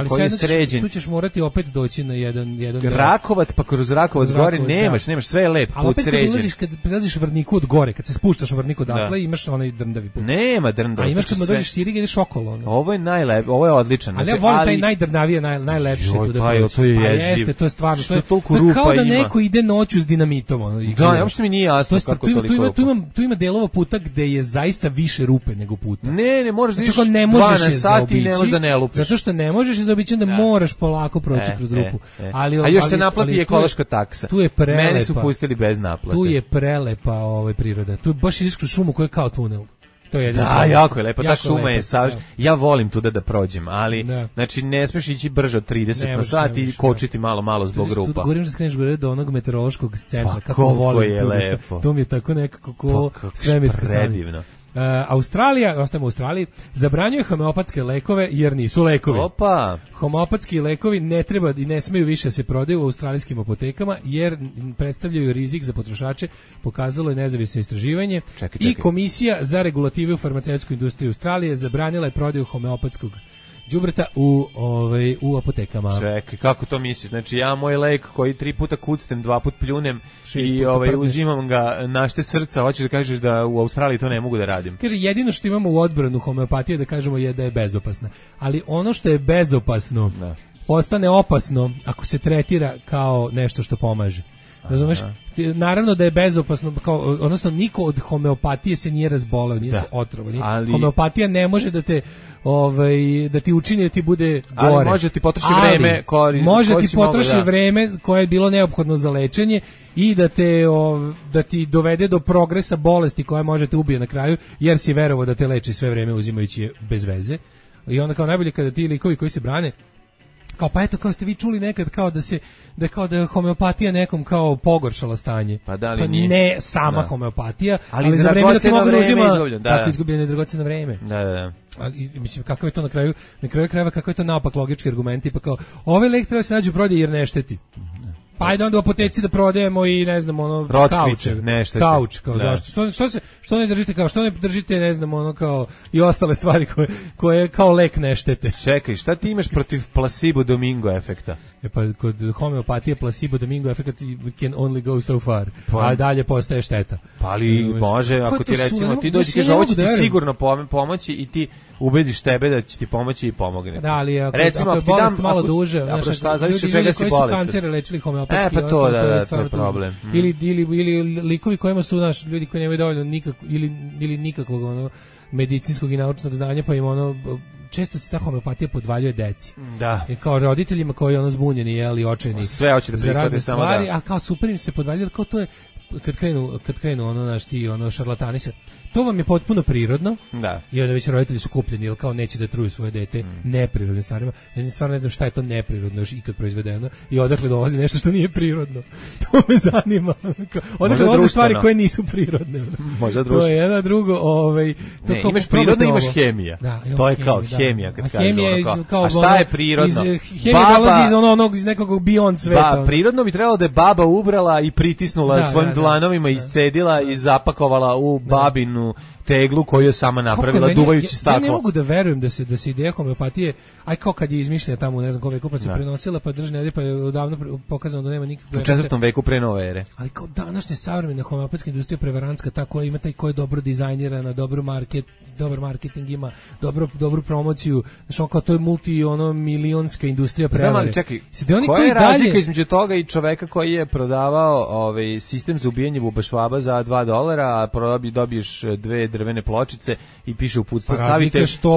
koji je sređen. Tu ćeš morati opet doći na jedan Rakovac, pa kroz Rakovac gore nemaš sve je lep put sređen. Ali opet kad prelaziš Vrdniku od gore, kad se spuštaš u Vrdniku odatle, imaš onaj drndavi put. Nema drndavi. A imaš kad dođeš Iriga, ideš okolo. Ovo je najlep, ovo je odličan. Ali ja volim taj najdrnavije, najlepše tu da prođeš. To je jeziv. Jeste, to je stvarno. To je kao da neko ide noću s dinamitom. Da, uopšte mi nije jasno kako toliko. Tu ima delova puta gde je zaista više rupe nego puta. Ne, možeš da ideš 12 sati i ne možeš da ne lupiš. Zato što ne možeš zaobići, onda moraš polako proći kroz rupu. A još se naplati ekološka taksa. Tu je prelepa. Mene su pustili bez naplate. Tu je prelepa priroda. Tu baš ideš kroz šumu koja je kao tunel. To je da, jako je lepo, ta šuma lepo, je savršena. Ja volim tuda da prođem, ali znači ne smeš ići brže od 30 na sat i kočiti malo zbog rupa. Tu govorim da skreneš gore do onog meteorološkog centra, kako volim je lepo. To mi je tako nekako ko svemirska stanica. Australija, ostajemo u Australiji, zabranjuje homeopatske lekove jer nisu lekovi. Opa! Homeopatski lekovi ne treba i ne smeju više se prodaju u australijskim apotekama jer predstavljaju rizik za potrošače, pokazalo je nezavisno istraživanje. Čekaj. I Komisija za regulativu farmaceutsku industriju Australije zabranila je prodaju homeopatskog đubreta u apotekama. Čekaj, kako to misliš? Znači ja moj lek koji 3 puta kucnem, 2 put pljunem i uzimam ga našte srca, hoćeš da kažeš da u Australiji to ne mogu da radim? Kaže, jedino što imamo u odbranu homeopatije da kažemo je da je bezopasna. Ali ono što je bezopasno postane opasno ako se tretira kao nešto što pomaže. Razumeš? Naravno da je bezopasno, odnosno niko od homeopatije se nije razboleo, nije se otrovao. Homeopatija ne može da te da ti učini da ti bude gore. Ali može ti potroši vreme može ti potroši vreme koje je bilo neophodno za lečenje i da ti dovede do progresa bolesti koja može te ubije na kraju, jer si verovao da te leči sve vreme uzimajući je bez veze. I onda kao najbolje kada ti likovi koji se brane kao pa eto, kao ste vi čuli nekad kao da je homeopatija nekom kao pogoršala stanje. Pa da li pa nije? Ne sama homeopatija, ali za vreme da ti mogu da uzima tako izgubljeno dragoceno vreme. Da. Ali mislim kako je to na kraju krajeva, kako je to naopak logički argumenti, pa kao ovaj lek treba se nađe u prodaji jer ne šteti. Pa ajde onda u apoteci da prodajemo i ne znam kauč kao zašto što ne držite kao što ne držite ne znam ono kao i ostale stvari koje kao lek ne štete. Čekaj, šta ti imaš protiv placebo domingo efekta? Pa kod homeopatije placebo domingo efekt can only go so far, a dalje postaje šteta. Pa ali može, ako ti recimo ti dođi kaže ovo će ti sigurno pomoći i ti ubediš tebe da će ti pomoći i pomogne. Da, ali recimo ako ti dam malo duže, šta zavisi od čega si bolestan. Koji su kancere lečili homeopatski, pa to je problem. Ili likovi kojima su naši ljudi koji nemaju dovoljno ili nikakvog medicinskog i naučnog znanja, pa im često se ta homeopatija podvaljuje deci. Da. I kao roditeljima koji zbunjeni i očajni. Sve hoće da prihvate samo stvari, a kao super im se podvaljuje, kao to je kad krenu šarlatani se. To vam je potpuno prirodno. Da. I onda već roditelji su kupljeni, jer kao neće da truju svoje dete neprirodnim stvarima. Ja stvarno ne znam šta je to neprirodno još ikad proizvedeno i odakle dolazi nešto što nije prirodno. To me zanima. Odakle dolaze stvari koje nisu prirodne. Možda društveno. To je jedno drugo. Ne, imaš prirodno, imaš hemija. To je kao hemija kad kažeš ono. A šta je prirodno? Hemija dolazi iz nekog beyond sveta. Prirodno bi trebalo da je baba ubrala i pritisnula svojim dlanovima, iscedila i zapakovala u babinu teglu koju je sama napravila duvajući staklo. Ja ne mogu da verujem da se ideja homeopatije, aj kao kad je izmišljena tamo, ne znam kome kupa se prenosila, pa držne, pa je odavno pokazano da nema nikakve. U 4. veku pre nove ere. Ali kao današnja savremena homeopatska industrija prevarantska, ta koja ima taj ko je dobro dizajnirana, dobar marketing ima, dobru promociju, znači kao to je milionska industrija prevare. Znam, ali čekaj, koja je razlika između toga i čoveka koji je prodavao sistem za ubijanje bubašvaba za $2, a dobiješ 2 drvene pločice i piše uputstvo,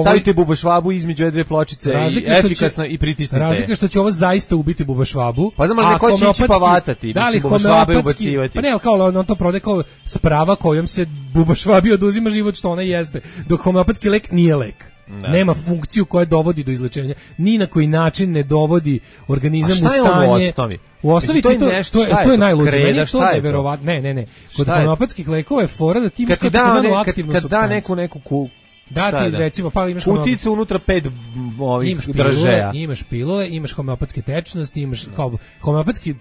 stavite bubašvabu između 2 pločice i efikasno i pritisnite. Razlika što će ovo zaista ubiti bubašvabu. Pa znam, ali neko će ići pa vatati, mislim, bubašvabe ubacivati. Pa ne, kao on to prodaje kao sprava kojom se bubašvabi oduzima život što ona jeste, dok homeopatski lek nije lek. Da. Nema funkciju koja dovodi do izlečenja, ni na koji način ne dovodi organizam u stanje. U osnovi to je najluđe. Meni je to neverovatno. Ne. Kod homeopatskih lekova je fora da ti imaš takozvanu aktivnu supstancu. Kad da neku da ti recimo pa imaš kuticu unutra 5 držaja. Imaš pilule, imaš homeopatske tečnosti, imaš kao homeopatski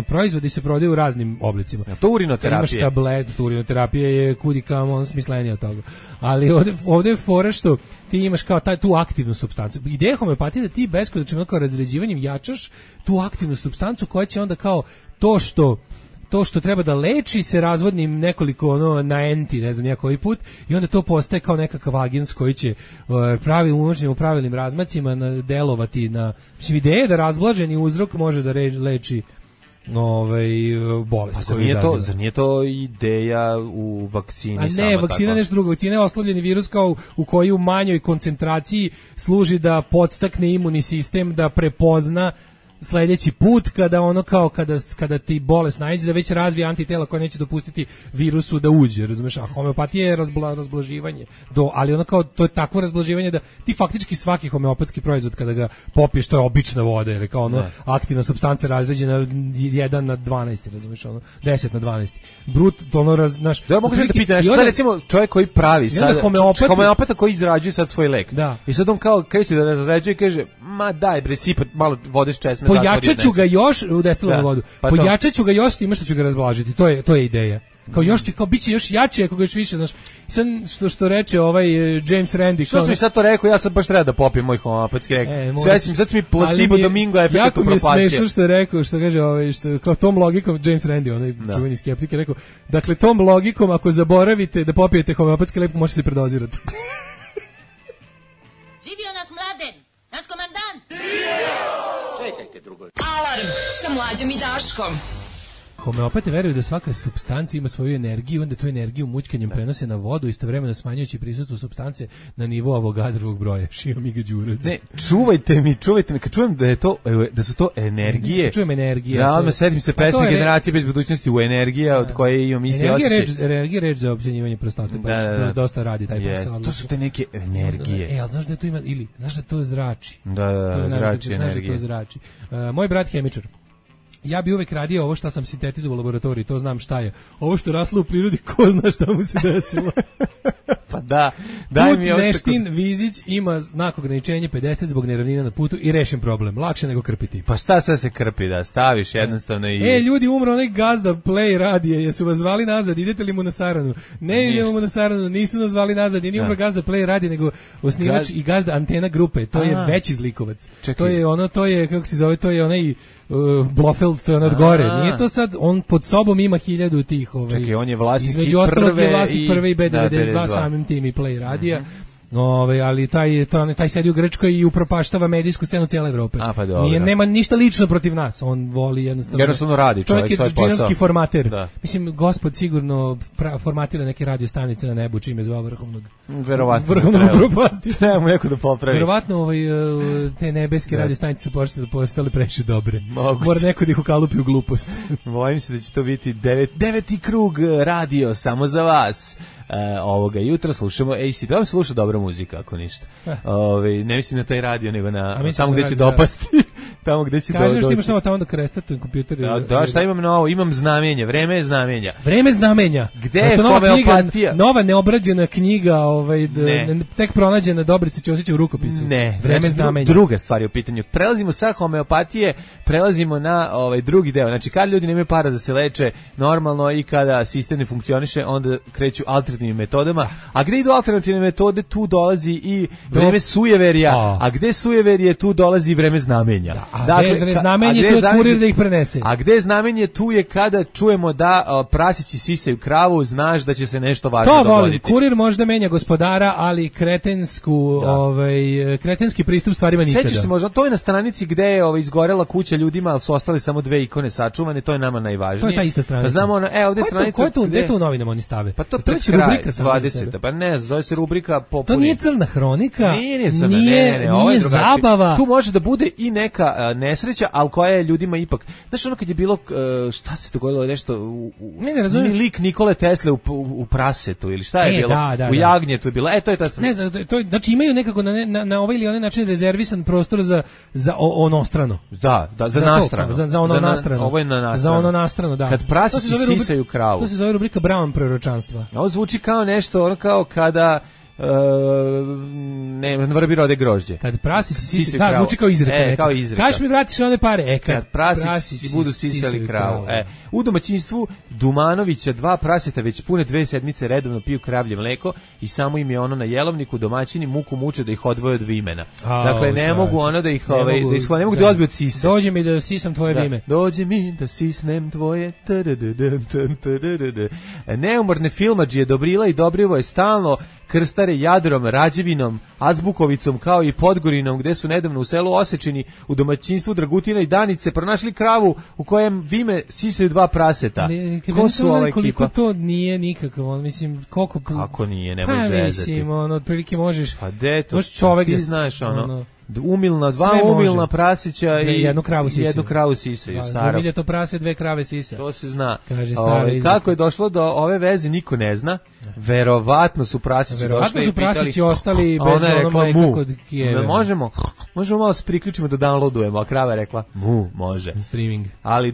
proizvodi se prodaju u raznim oblicima. To urinoterapija. Imaš tablet, urinoterapija je kudikamo smislenija od toga. Ali ovde je fora što ti imaš kao tu aktivnu supstancu. Ideja homeopatije da ti beskonačno kao razređivanjem jačaš tu aktivnu supstancu koja će onda kao to što treba da leči se razvodnim nekoliko na enti, ne znam ja koji put, i onda to postaje kao nekakav agens koji će u pravilnim razmacima delovati na. Mislim, ideja je da razblaženi uzrok može da leči bolest. Zar nije to ideja u vakcini? A ne, vakcina je nešto drugo. Vakcina je oslabljeni virus kao u koji u manjoj koncentraciji služi da podstakne imunni sistem da prepozna sledeći put kada ono kao kada ti bolest naiđe da već razvije antitela koja neće dopustiti virusu da uđe, razumeš? A homeopatija je razblaživanje. Ali ono kao to je takvo razblaživanje da ti faktički svaki homeopatski proizvod kada ga popiješ to je obična voda ili kao ono aktivna supstanca razređena 1 na 12, razumeš, ono 10 na 12. Brut ono znaš. Da mogu da te pitam, šta recimo čovjek koji pravi sad homeopata koji izrađuje sad svoj lek. Da. I sad on kao kreće da razređuje i kaže: "Ma daj bre, sipa malo vode s česme." Pojačaću ga još u destilanu vodu. Pa pojačaću ga još time što ću ga razblažiti. To je ideja. Kao još će, kao biće još jače ako ga još više, znaš. Sad što reče ovaj James Randi, što sam mi sad to rekao, ja sad baš treba da popijem moj homeopatski lek. Sad mi placebo domingo efekt propastio. Jako mi je smešno što je rekao, što kaže ovaj, što kao tom logikom James Randi, onaj čuveni skeptik, je rekao, dakle tom logikom ako zaboravite da popijete homeopatski lek, možete se predozirati. Živio naš Mladen, naš komandant. Čekajte drugo. Alarm sa Mlađom i Daškom. Homeopati veruju da svaka supstanca ima svoju energiju, onda tu energiju mućkanjem prenose na vodu, istovremeno smanjujući prisustvo supstance na nivo Avogadrovog broja. Šio mi ga Đurac. Ne, čuvajte mi, kad čujem da su to energije. Čujem energije. Ja odmah setim se pesme Generacije bez budućnosti u energija, od koje imam isti osjećaj. Energija reč za općenjivanje prostate, baš dosta radi taj posao. To su te neke energije. Ali znaš da to ima, ili znaš da to zrači. Da, zrači energije. To zrači. Moj brat hemičar. Ja bi uvek radio ovo što sam sintetizovao u laboratoriji, to znam šta je. Ovo što raslo u prirodi, ko zna šta mu se desilo. Pa da, daj mi ovo Neštin Vizić ima znak ograničenja 50 zbog neravnina na putu i rešen problem. Lakše nego krpiti. Pa šta sad se krpi, da staviš jednostavno i... ljudi, umro onaj gazda Play radije, jesu vas zvali nazad, idete li mu na saranu? Ne idemo mu na saranu, nisu nas zvali nazad, nije umro gazda Play radije, nego osnivač i gazda Antena grupe, to je veći zlikovac. Čekaj. To je, kako se zove, to je onaj... Blofeld, to je od gore. Nije to sad, on pod sobom ima 1000 tih. Čekaj, on je vlasnik između ostalog je vlasnik prve i B92 samim tim i Play radija. Ali taj sedi u Grčkoj i upropaštava medijsku scenu cijele Evrope. Nema ništa lično protiv nas, on voli jednostavno radi čovjek svoj posao. Čovjek je džinovski formater. Mislim, gospod sigurno formatira neke radio stanice na nebu čime zvao vrhovnog. Verovatno. Vrhovnog upropastiti. Treba mu neko da popravi. Verovatno te nebeske radio stanice su postale previše dobre. Mora neko da ih ukalupi u glupost. Bojim se da će to biti 9. krug radio samo za vas. Ovoga jutra slušamo AC, da se sluša dobra muzika ako ništa. Ne mislim na taj radio nego na tamo gdje će dopasti. Tamo gdje će kažeš ti imaš novo tamo da krestatujem kompjuter. Da, šta imam novo? Imam znamenja, vreme je znamenja. Vreme znamenja. Gde je homeopatija? Nova neobrađena knjiga, tek pronađena Dobrica Ćosića u rukopisu. Ne, vreme znamenja. Druga stvar je u pitanju. Prelazimo sa homeopatije, prelazimo na drugi deo. Znači kad ljudi nemaju para da se leče normalno i kada sistem ne funkcioniše, onda kreću alternativnim metodama. A gde idu alternativne metode, tu dolazi i vreme sujeverja. A gde sujeverje, tu dolazi i vreme znamenja. A gde znamenje, tu je kurir da ih prenese. A gde znamenje, tu je kada čujemo da prasići sisaju kravu, znaš da će se nešto važno dogoditi. To volim. Kurir možda menja gospodara, ali kretenski pristup stvarima nikada. Sećaš se možda, to je na stranici gde je izgorela kuća ljudima, ali su ostale samo 2 ikone sačuvane, to je nama najvažnije. To je ta ista stranica. Znamo ovde stranica. Gde to u novinama oni stave? Pa to je rubrika 20. Pa ne, zove se rubrika popuni. To nije crna hronika. Nije crna, nije zabava. Tu može da bude i neka nesreća, ali koja je ljudima ipak. Znaš, ono kad je bilo, šta se dogodilo, nešto ne razumijem. Lik Nikole Tesle u prasetu ili šta je bilo? Da, u jagnjetu je bilo. To je ta strana. Ne, to znači imaju nekako na ovaj ili onaj način rezervisan prostor za onostrano. Da, za nastrano. Za ono nastrano. Ovo je na nastrano. Za ono nastrano, da. Kad prasići sisaju kravu. To se zove rubrika Brown proročanstva. Ovo zvuči kao nešto, ono kao kada ne vrbi rode grožđe. Kad prasići sisaju kravu. Da, zvuči kao izreka. Kao izreka. Kaš mi vratiš one pare. Kad prasići budu sisali kravu. U domaćinstvu Dumanovića 2 praseta već pune 2 sedmice redovno piju kravlje mleko i samo im je ono na jelovniku, domaćini muku muče da ih odvoje od vimena. Dakle, ne mogu ono da ih ne mogu da odbiju od sisa. Dođe mi da sisam tvoje vime. Dođe mi da sisnem tvoje. Neumorne filmadžije Dobrila i Dobrivo je stalno krstare Jadrom, Rađevinom, Azbukovicom kao i Podgorinom gde su nedavno u selu Osečini u domaćinstvu Dragutina i Danice pronašli kravu u kojem vime sisaju 2 praseta. Ko su ova ekipa? Koliko to nije nikakav, mislim, koliko... Kako nije, nemoj zezati. Mislim, otprilike možeš... Pa de to, čovek ti znaš, Dva umilna prasića i jednu kravu sisaju. Staro. Umiljeto prase, 2 krave sisa. To se zna. Kaže kako je došlo do ove veze, niko ne zna. Verovatno su prasići došli i pitali. Ostali bez ono mleka kod Kijeva. Možemo malo se priključimo da downloadujemo, a krava je rekla može. Streaming. Ali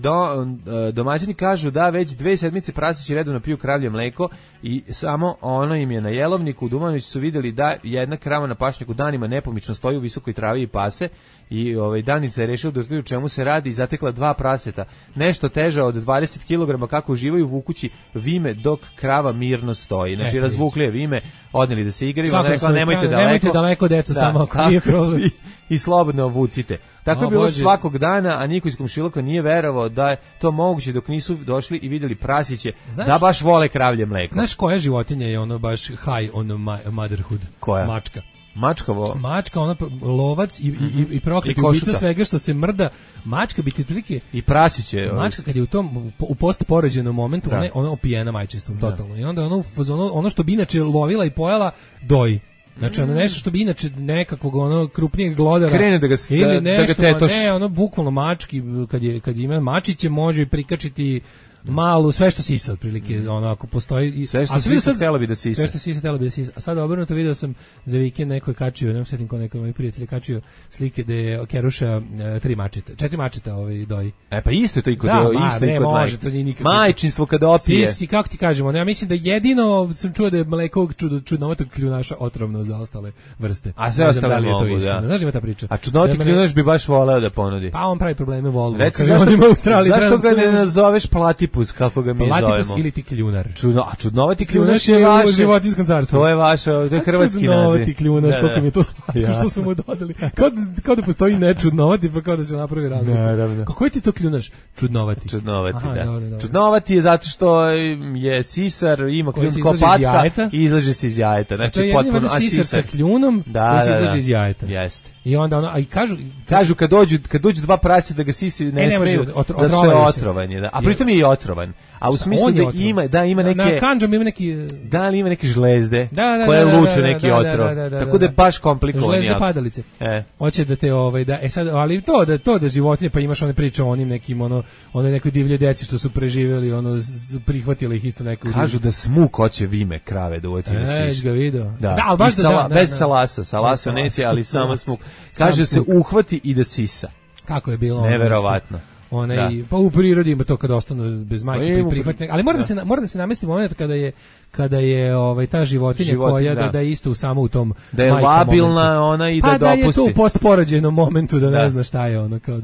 domaćini kažu da već 2 sedmice prasići redovno piju kravlje mleko i samo ono im je na jelovniku. U Dumanoviću su vidjeli da jedna krava na pašnjaku danima nepomično stoji u visokoj travi i pase i Danica je rešila da utvrdi u čemu se radi i zatekla 2 praseta. Nešto teža od 20 kg kako uživaju vukući vime dok krava mirno stoji. Znači razvukli je vime, odneli da se igraju, ona rekla nemojte daleko deco, samo ako nije problem. I slobodno vucite. Tako je bilo svakog dana, a niko iz komšiluka nije verovao da je to moguće dok nisu došli i vidjeli prasiće da baš vole kravlje mleko. Znaš koja životinja je ono baš high on motherhood? Koja? Mačka. Mačka, ona lovac i prokleti ubica svega što se mrda. Mačka bi ti prilike i prasiće. Mačka kad je u postporođenom momentu, ona opijena majčinstvom totalno. I onda ono što bi inače lovila i pojela doji. Znači ono nešto što bi inače nekakvog ono krupnijeg glodara krene da ga tetoši. Ne, ono bukvalno mački kad ima mačiće može prikačiti malu, sve što sisa otprilike, ono ako postoji sve što sisa htjela bi da sisa. Sve što sisa htjela bi da sisa. A sad obrnuto video sam za vikend neko je kačio, ne sjetim ko neko moj prijatelj kačio slike da je keruša 4 mačeta doji. Pa isto je to i kod majčinstvo kada opije. Sisi, kako ti kažemo, ja mislim da jedino sam čuo da je mleko čudnovatog kljunaša otrovno za ostale vrste. A sve ostale mogu, da. Znaš ima ta priča. A čudnovati kljunaš bi baš voleo da ponudi. Pa on pravi probleme Volvo. Zašto ga ne nazoveš Platypus, kako ga mi zovemo? Platypus ili ti kljunar. Čudnovati kljunaš je vaše. U životinjskom carstvu. To je vaše, to je hrvatski naziv. Čudnovati kljunaš, koliko mi je to slatko što su mu dodali. Kao da postoji nečudnovati, pa kao da se napravi razlika. Kako je ti to kljunaš? Čudnovati. Čudnovati, da. Čudnovati je zato što je sisar, ima kljun kao patka i izlaže se iz jajeta. Znači, potpuno sisar sa kljunom koji se izlaže iz jajeta. Jeste. I onda i kažu kad dođu 2 prase da ga sisaju ne smeju, zato što je otrovanje, da. A pritom je i otrovan. A u smislu da ima neke na kandžom ima neki ali ima neke žlezde koje luče neki otrov. Tako da je baš komplikovano. Žlezde padalice. Hoće da te sad ali to da životinje pa imaš one priče o onim nekim one nekoj divlje deci što su preživeli prihvatili ih isto neko. Kažu da smuk hoće vime krave da uđe da siš. Ga video. Da, al baš bez salasa neće, ali samo smuk. Kaže se uhvati i da sisa. Kako je bilo? Neverovatno. Pa u prirodi ima to kada ostanu bez majke pa prihvatne, ali mora da se namesti moment kada je ta životinja koja da je isto samo u tom da je labilna ona i da dopusti. Pa da je to u postporođenom momentu da ne zna šta je ono, kao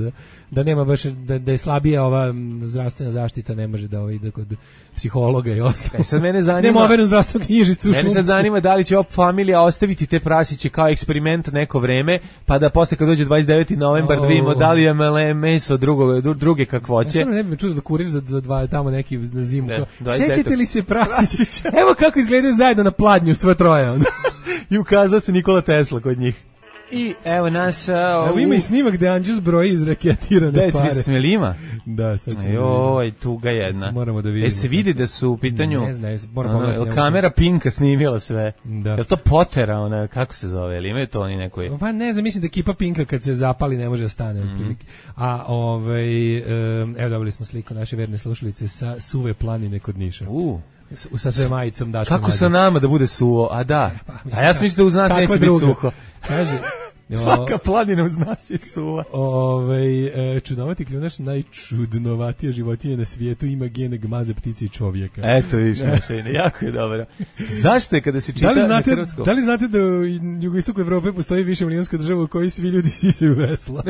da nema baš da je slabija ova zdravstvena zaštita, ne može da ide kod psihologa i ostalo. Sad mene zanima. Nema overenu zdravstvenu knjižicu. Mene sad zanima da li će ova familija ostaviti te prasiće kao eksperiment neko vreme, pa da posle kad dođe 29. novembar da vidimo da li je meso druge kakvoće. Ja ne bi me čudo da kuriš za dva tamo neki na zimu. Sećate li se prasića? Evo kako izgledaju zajedno na pladnju sve troje. I ukazao se Nikola Tesla kod njih. I evo nas... Evo ima i snimak gde Anđus broji izraketirane pare. Da, je ima? Da, sad ćemo. Joj, tuga jedna. Moramo da vidimo. Se vidi da su u pitanju... Ne znam, moram pogledati. Kamera Pinka snimila sve. Da. Je li to Potera, ona, kako se zove? Ili imaju to oni nekoj? Pa ne znam, mislim da ekipa Pinka kad se zapali ne može da stane. A evo dobili smo sliku naše verne slušalice sa suve planine kod Niša. Sa sve majicom Daškom. Kako sa nama da bude suvo? A da. A ja sam mislio da uz nas neće biti suho. Kaže... Svaka planina uz nas je suva. Čudnovati kljunaš, najčudnovatija životinja na svijetu, ima gene gmaze, ptice i čovjeka. Eto više, jako je dobro. Zašto je kada se čita na hrvatskom? Da li znate da u jugoistoku Evrope postoji više milijonska država u kojoj svi ljudi sisaju vesla?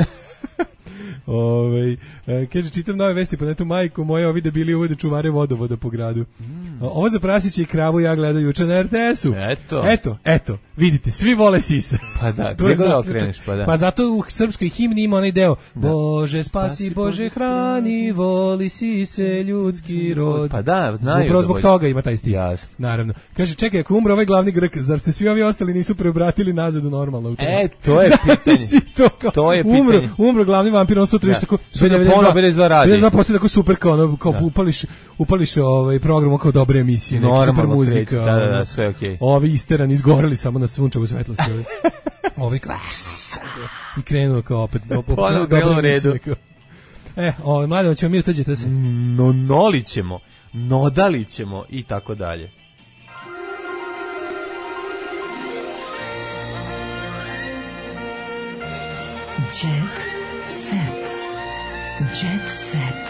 Kaže, čitam nove vesti po netu, majko moja, ovi debili uvode čuvare vodovoda po gradu. Ovo za prasiće i kravu ja gledam juče na RTS-u. Eto, vidite, svi vole sise. Pa da, gdje ga okreneš, pa da. Pa zato u srpskoj himni ima onaj deo. Bože spasi, Bože hrani, voli sise ljudski rod. Pa da, znaju. Upravo zbog toga ima taj stih. Naravno. Kaže, čekaj, ako umre ovaj glavni Grk, zar se svi ovi ostali nisu preobratili nazad u normalno? To je pitanje. To je pitanje. Umro glavni vampir, on sutra tako 92 radi. 92 postoji tako super kao upališ program kao dobre emisije, neka super muzika. Da, sve okej. Ovi isterani izgoreli samo na sunčevu svetlosti. Ovi i krenuo kao opet. Ponovno bilo u redu. Mladen, ćemo mi utođe to se. Nolićemo, nodalićemo i tako dalje. Jet set. Jet set.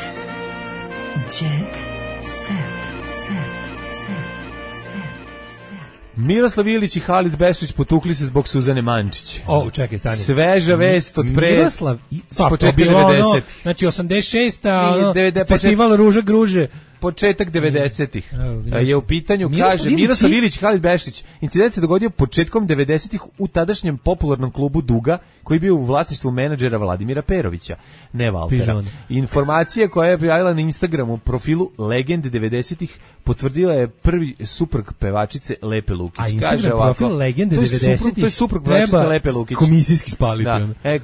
Jet set. Miroslav Ilić i Halid Bešlić potukli se zbog Suzane Mančić. Čekaj, stani. Sveža vest od pre... Miroslav, početka 90-ih. Znači 86. Festival Ruža Gruže. Početak 90-ih. Je u pitanju, kaže Miroslav Ilić i Halid Bešlić. Incident se dogodio početkom 90-ih u tadašnjem popularnom klubu Duga, koji je bio u vlasništvu menadžera Vladimira Perovića, ne Valtera. Informacija koja je objavila na Instagramu profilu Legende 90-ih potvrdila je prvi suprug pevačice Lepe Lukić. A Instagram profil Legende 90-ih to je suprug pevačice Lepe Lukić. Komisijski spaliti.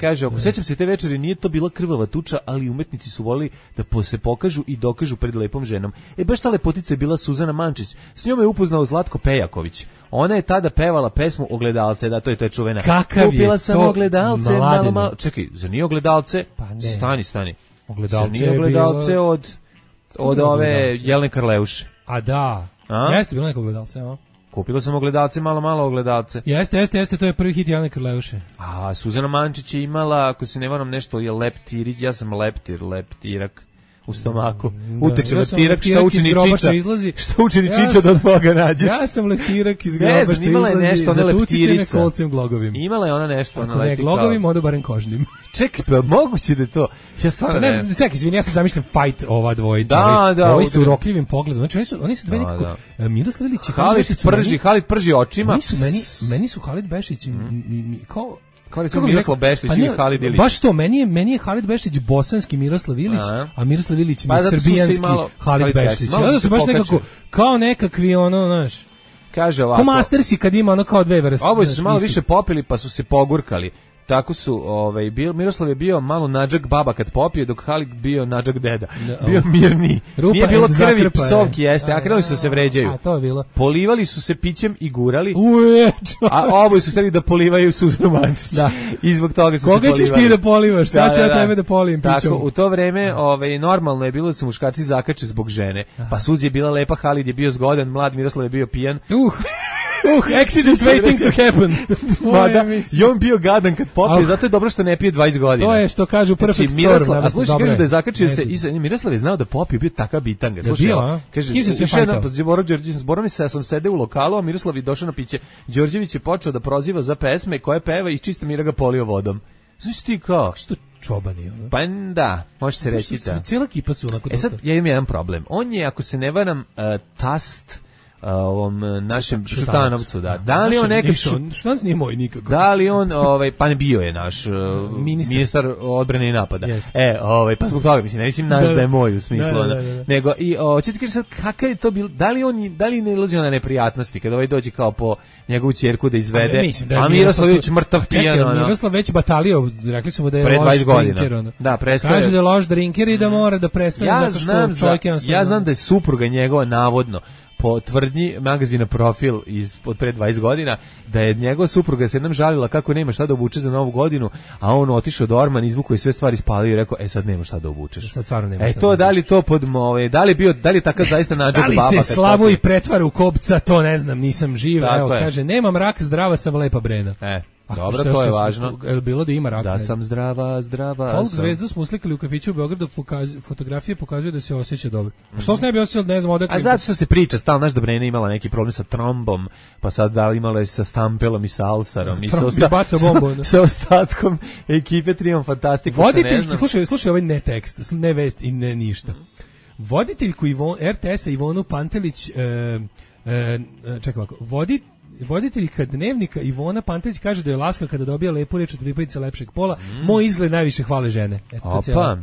Kaže, sećam se te večeri, nije to bila krvava tuča, ali umetnici su volili da se pokažu i dokažu pred lepom ženom. Baš ta lepotica je bila Suzana Mančić. S njom je upoznao Zlatko Pejaković. Ona je tada pevala pesmu Ogledalce, da, to je čuvena. Kupila sam ogledalce, malo. Čekaj, za nije Ogledalce? Pa ne. Stani. Ogledalce nije Ogledalce od ove Jelene Karleuše. A da. Jeste bilo neko Ogledalce, a? Kupila sam Ogledalce, malo Ogledalce. Jeste, to je prvi hit Jelene Karleuše. A Suzana Mančić je imala, ako se ne varam, nešto je leptirić, ja sam leptirak. U stomaku. Uteče leptirak, šta učini čiča. Šta učini čiča da od Boga nađeš. Ja sam leptirak iz groba što izlazi. Zatucite me kolcem glogovim. Imala je ona nešto. Ako ne glogovim, onda barem kožnim. Čekaj, pa moguće da je to. Ja stvarno ne znam. Čekaj, izvini, ja sam zamišljam fight ova dvojica. Da. Ovi su urokljivim pogledom. Znači, oni su dve nekako... Miroslav Ilić i Halid prži očima. Meni su Halid Bešić kao... Kao recimo Miroslav Bešić ili Halid Ilić. Baš to, meni je Halid Bešić bosanski Miroslav Ilić, a Miroslav Ilić mi je srbijanski Halid Bešić. Onda su baš nekako, kao nekakvi znaš, kaže ovako. Ko Mastersi kad ima kao dve vrste. Oboje su se malo više popili pa su se pogurkali. Tako su, Miroslav je bio malo nadžak baba kad popije, dok Halid bio nadžak deda. Bio mirni. Nije bilo krvi, psovki, jeste, a krenuli su se vređaju. A to je bilo. Polivali su se pićem i gurali. A oboje su hteli da polivaju Suzanu Mančić. Da. I zbog toga su se polivali. Koga ćeš ti da polivaš? Sad ću ja tebe da polijem pićem. Tako, u to vreme normalno je bilo da se muškarci zakače zbog žene. Pa Suzi je bila lepa, Halid je bio zgodan, mlad, Miroslav je bio pijan. Accident waiting to happen. I on bio gadan kad popije, zato je dobro što ne pije 20 godina. To je što kažu perfect storm. A slušaj, kaže da je zakačio se, Miroslav je znao da popije, bio takav bitanga. Slušaj, kaže, kim se sve fajtao? Zborom sam sedeo u lokalu, a Miroslav je došao na piće. Đorđević je počeo da proziva za pesme koje peva i čista mira ga polio vodom. Znaš ti kao? Što čobani, ono? Pa da, može se reći da. Cijela ekipa su onako... sad, ja imam jedan problem. On je, ako se ne varam, tast ovom našem Šutanovcu, da. Da li on neki Šutanac nije moj nikako. Da li on pa ne bio je naš ministar odbrane i napada. Pa zbog toga mislim naš da je moj u smislu. Nego i hoćete ti kažeš sad kakav je to bilo, da li ne ilazi na neprijatnosti kada dođe kao po njegovu ćerku da izvede, a Miroslavić mrtav pijan. Miroslav već batalio, rekli su mu da je pre 20 godina. Drinker. Da, prestaje. Kaže da je loš drinker i da mora da prestane zato što čovjek jednostavno. Ja znam da je supruga njegova navodno po tvrdnji magazina Profil od pre 20 godina, da je njegova supruga se jednom žalila kako nema šta da obuče za novu godinu, a on otišao do ormana, izvukao je sve stvari, spalio i rekao, sad nema šta da obučeš. Sad stvarno nema šta. To, da li to da li je takav zaista nadžak baba? Da li se Slavoj pretvara u kopca, to ne znam, nisam živ. Evo, kaže, nemam rak, zdrava sam, lepa Brena. Dobro, to je važno. Je bilo da ima rak? Da sam zdrava. Folk zvezdu smo uslikali u kafiću u Beogradu, fotografije pokazuju da se osjeća dobro. A što se ne bi osjećao, ne znam, odakle? A zato što se priča, stalno, znaš da Brena imala neki problem sa trombom, pa sad da li imala je sa Stampelom i sa Alsarom i sa ostatkom ekipe Triumf Fantastiku. Voditeljki, slušaj ovaj ne tekst, ne vest i ne ništa. Voditeljku RTS-a Ivonu Pantelić, čekaj ovako, voditeljka Dnevnika Ivona Pantelić kaže da je laska kada dobija lepu reč od pripadnice lepšeg pola. Moj izgled najviše hvale žene.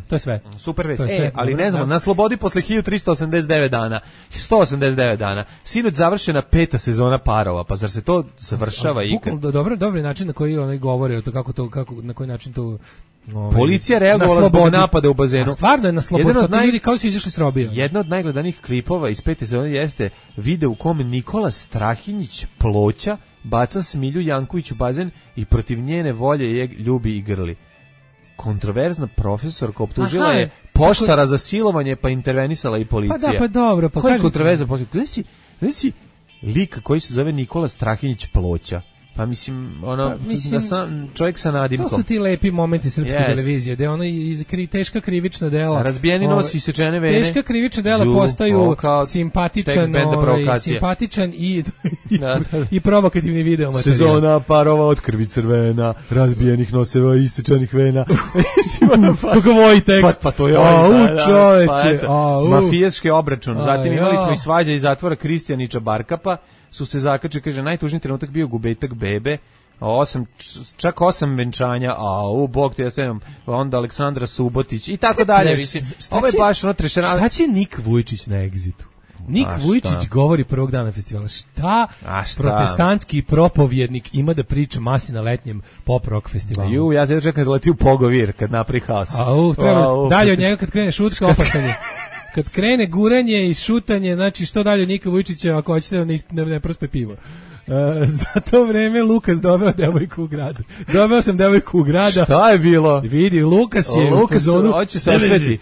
To je sve. Super vest. Ali ne znam, na slobodi posle 1389 dana, 189 dana, sinoć završena 5. sezona Parova, pa zar se to završava ikad? Dobar način na koji oni govore, kako na koji način to policija reagovala zbog napada u bazenu. A stvarno je na slobodi, to ljudi kao su izašli s robija. Jedna od najgledanijih klipova iz 5. sezone jeste video u kome Nikola Strahinjić Ploča baca Smilju Janković u bazen i protiv njene volje je ljubi i grli. Kontroverzna profesorka optužila je poštara za silovanje, pa intervenisala i policija. Pa da, pa dobro. Pa koji kontroverzna profesorka? Znaš si lik koji se zove Nikola Strahinjić Ploča. Pa mislim, čovjek sa nadimkom. To su ti lepi momenti srpske televizije, gde ono teška krivična dela. Razbijeni nos i sečene vene. Teška krivična dela postaju simpatičan i provokativni video materijal. Sezona parova od krvi crvena, razbijenih noseva i sečenih vena. Kako voji tekst. Pa to je čoveče. Mafijaški obračun. Zatim imali smo i svađa iz zatvora Kristijanića Barkapa. Su se zakače, kaže, najtužniji trenutak bio gubitak bebe, čak 8 venčanja, bog te ja sedam, onda Aleksandra Subotić i tako dalje. Ovo je baš ono trešerano. Šta će Nik Vujčić na Exitu? Nik Vujčić govori prvog dana festivala. Šta protestantski propovjednik ima da priča masi na letnjem pop rock festivalu? Ja se čekam da leti u Pogovir kad napravi haos. Dalje od njega kad krene šutska opasanje. Kad krene guranje i šutanje, znači što dalje Nika Vujčića ako hoćete da ne prospe pivo. Za to vreme Lukas doveo devojku u grad. Doveo sam devojku u grada. Šta je bilo? Vidi, Lukas je u fazonu. Hoće se osveti.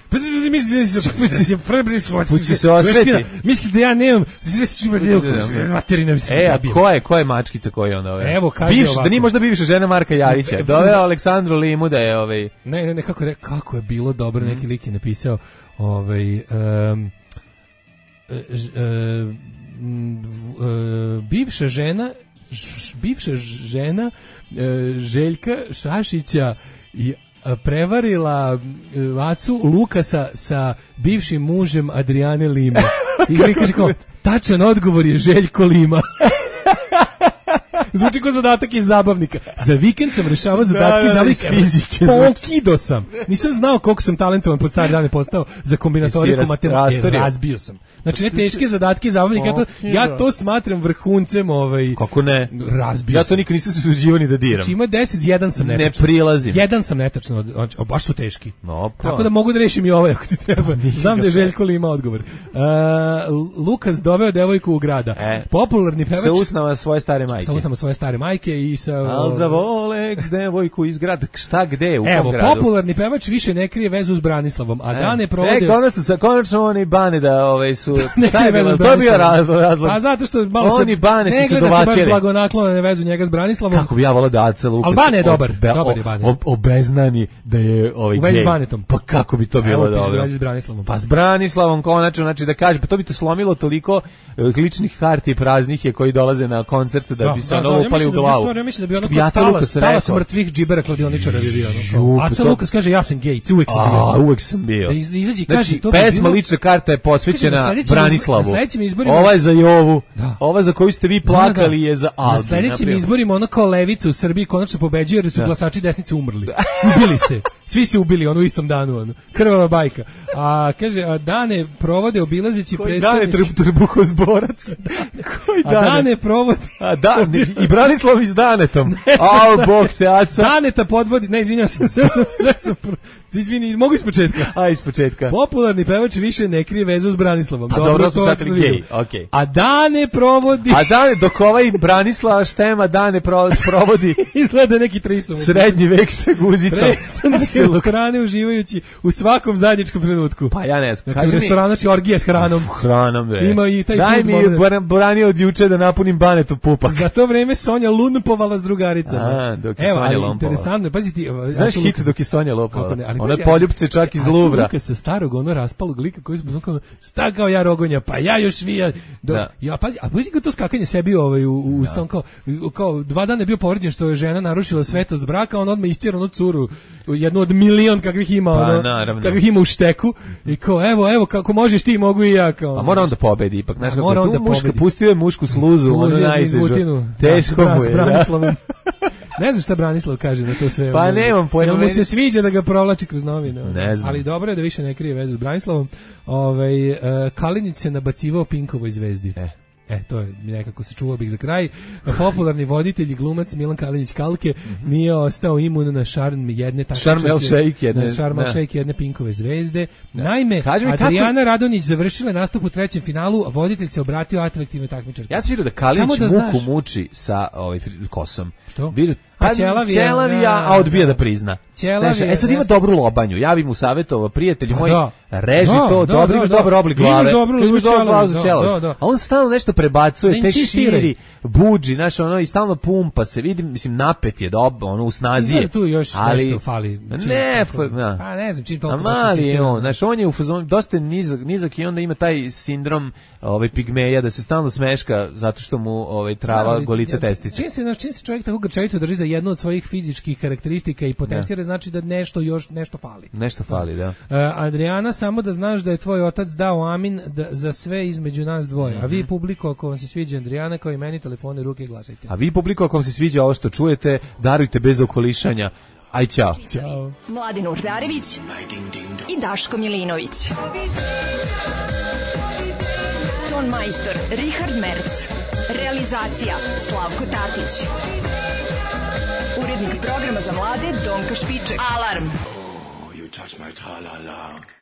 Pući se osveti. Misli da ja nemam materina. Ko je mačkica koji on doveo? Evo, kaže ovako. Da nije možda bivša žena Marka Jarića. Doveo Aleksandru Limu da je Ne, kako je bilo dobro, neki lik je napisao bivša žena Željka Šašića i prevarila Acu Lukasa sa bivšim mužem Adriane Lima. I mi kaže kao, tačan odgovor je Željko Lima. Zvuči kao zadatak iz zabavnika. Za vikend sam rešavao zadatke iz zabavnika fizike. Pokido sam. Nisam znao koliko sam talentovan pod stare dane postao za kombinatoriku matematike. Razbio sam. Znači ne teške zadatke iz zabavnika. Ja to smatram vrhuncem Kako ne? Razbio ja to nikad nisam se suđivao ni da diram. Znači ima 10, jedan sam netačno. Ne prilazim. Jedan sam netačno. Baš su teški. Tako da mogu da rešim i ovaj ako ti treba. Znam da je Željko Lima odgovor. Lukas doveo devojku u grada. Popularni pevač. Sa usnama svoje stare majke. Sa usnama svoje stare majke i sa... Al za Volex devojku iz grada. Šta, gde, u kom gradu? Evo, popularni pevač više ne krije vezu s Branislavom, a dane provode... Konačno oni Bane da su... Šta je bilo? To je bio razlog. Pa zato što malo se... Oni Bane su se dovatili. Ne gleda se baš blagonaklone vezu njega s Branislavom. Kako bi ja volao da Aca Lukas... Ali Bane je dobar. Dobar je Bane. Obeznani da je gej. U vezi s Banetom. Pa kako bi to bilo dobro? Evo, piše s Branislavom. Pa s Branislavom konačno, znači da kaže, pa to bi to slomilo toliko ličnih harti praznih je koji dolaze na koncert da bi se upali u glavu. Ja mislim da bi ono talas mrtvih džibera kladioničara bi bio. Aca Lukas kaže ja sam gej, uvek sam bio. Uvek sam bio. Da izađi kaže to. Pesma lična karta je posvećena Branislavu. Ova je za Jovu. Ova za koju ste vi plakali je za Albin. Na sledećim izborima ono kao levica u Srbiji konačno pobeđuje jer su glasači desnice umrli. Ubili se. Svi se ubili u istom danu. Krvava bajka. A kaže dane provode obilazeći predstavnici. Dane trbuhozborac. Koji dane? A dane provode. I Branislav iz Danetom. Bog te Aca. Daneta podvodi. Ne, izvinjavam se. Sve sam izvini, mogu ispočetka. Ispočetka. Popularni pevač više ne krije vezu s Branislavom. Pa dobro su sad gej. Okay. A dane provodi. Dok ovaj Branislava Štema dane provodi. Izgleda neki trisom. Srednji vek sa guzicom. U strane uživajući u svakom zajedničkom trenutku. Pa ja ne znam. Znači u restoranu će orgija s hranom. Hranom, bre. Ima i taj daj mi branio od juče da napunim Banetu pupak. Za to vreme Sonja lumpovala s drugaricama. Dok je Sonja lumpala. Interesantno, pazi ti. Znaš hit dok je Sonja lumpala? Ona poljupce čak iz Luvra. Luka sa starog raspalog lika koji smo kao šta kao ja rogonja, pa ja još vija. Ja pazi, a pazi to skakanje sebi u ustan kao 2 dana je bio povređen što je žena narušila svetost braka, on odmah istjera onu curu, jednu od milion kakvih ima, kakvih ima u šteku i kao evo kako možeš ti mogu i ja kao. A mora on da pobedi ipak, znaš kako tu muška pustio je mušku sluzu, ono najtežu. Teško mu je. Ne znam šta Branislav kaže na to sve. Pa nemam pojma. Mu se sviđa da ga provlači kroz novine. Ne znam. Ali dobro je da više ne krije vezu s Branislavom. Kalinić se nabacivao Pinkovoj zvezdi. To je nekako se čuvao bih za kraj. Popularni voditelj i glumac Milan Kalinić Kalke nije ostao imun na šarm jedne jedne Pinkove zvezde. Naime, Adriana Radonjić završila nastup u trećem finalu, a voditelj se obratio atraktivnoj takmičarki. Ja sam vidio da Kalinić muku muči sa kosom. Što? Ćelavija, a odbija da prizna. Sad ima dobru lobanju. Javi mu savjetovo, prijatelji moji, reži to, imaš dobar oblik glave. Imaš dobar glavu za ćelav. A on stalno nešto prebacuje, te širi, buđi, znaš, ono, i stalno pumpa se, vidim, mislim, napet je dobro, ono, u snazi je. Tu još nešto fali. Ne znam, čim toliko mali je on, znaš, on je u fazonu, dosta nizak i onda ima taj sindrom pigmeja, da se stalno smeška zato što mu trava golica testice. Čim se čovjek tako grčevito drži za jednu od svojih fizičkih karakteristika i potencijale, znači da nešto fali. Nešto fali, da. Adriana, samo da znaš da je tvoj otac dao amin za sve između nas dvoje. A vi, publiko, ako vam se sviđa Adriana, kao i meni, telefone, ruke, glasajte. A vi, publiko, ako vam se sviđa ovo što čujete, darujte bez okolišanja. Aj, čao. Ćao. Mladin Urdarević i Daško Milinović. Ton majstor Richard Merc. Realizacija Slavko Tatić. Urednik programa za mlade Donka Špiček. Alarm! You touch my tra-la-la.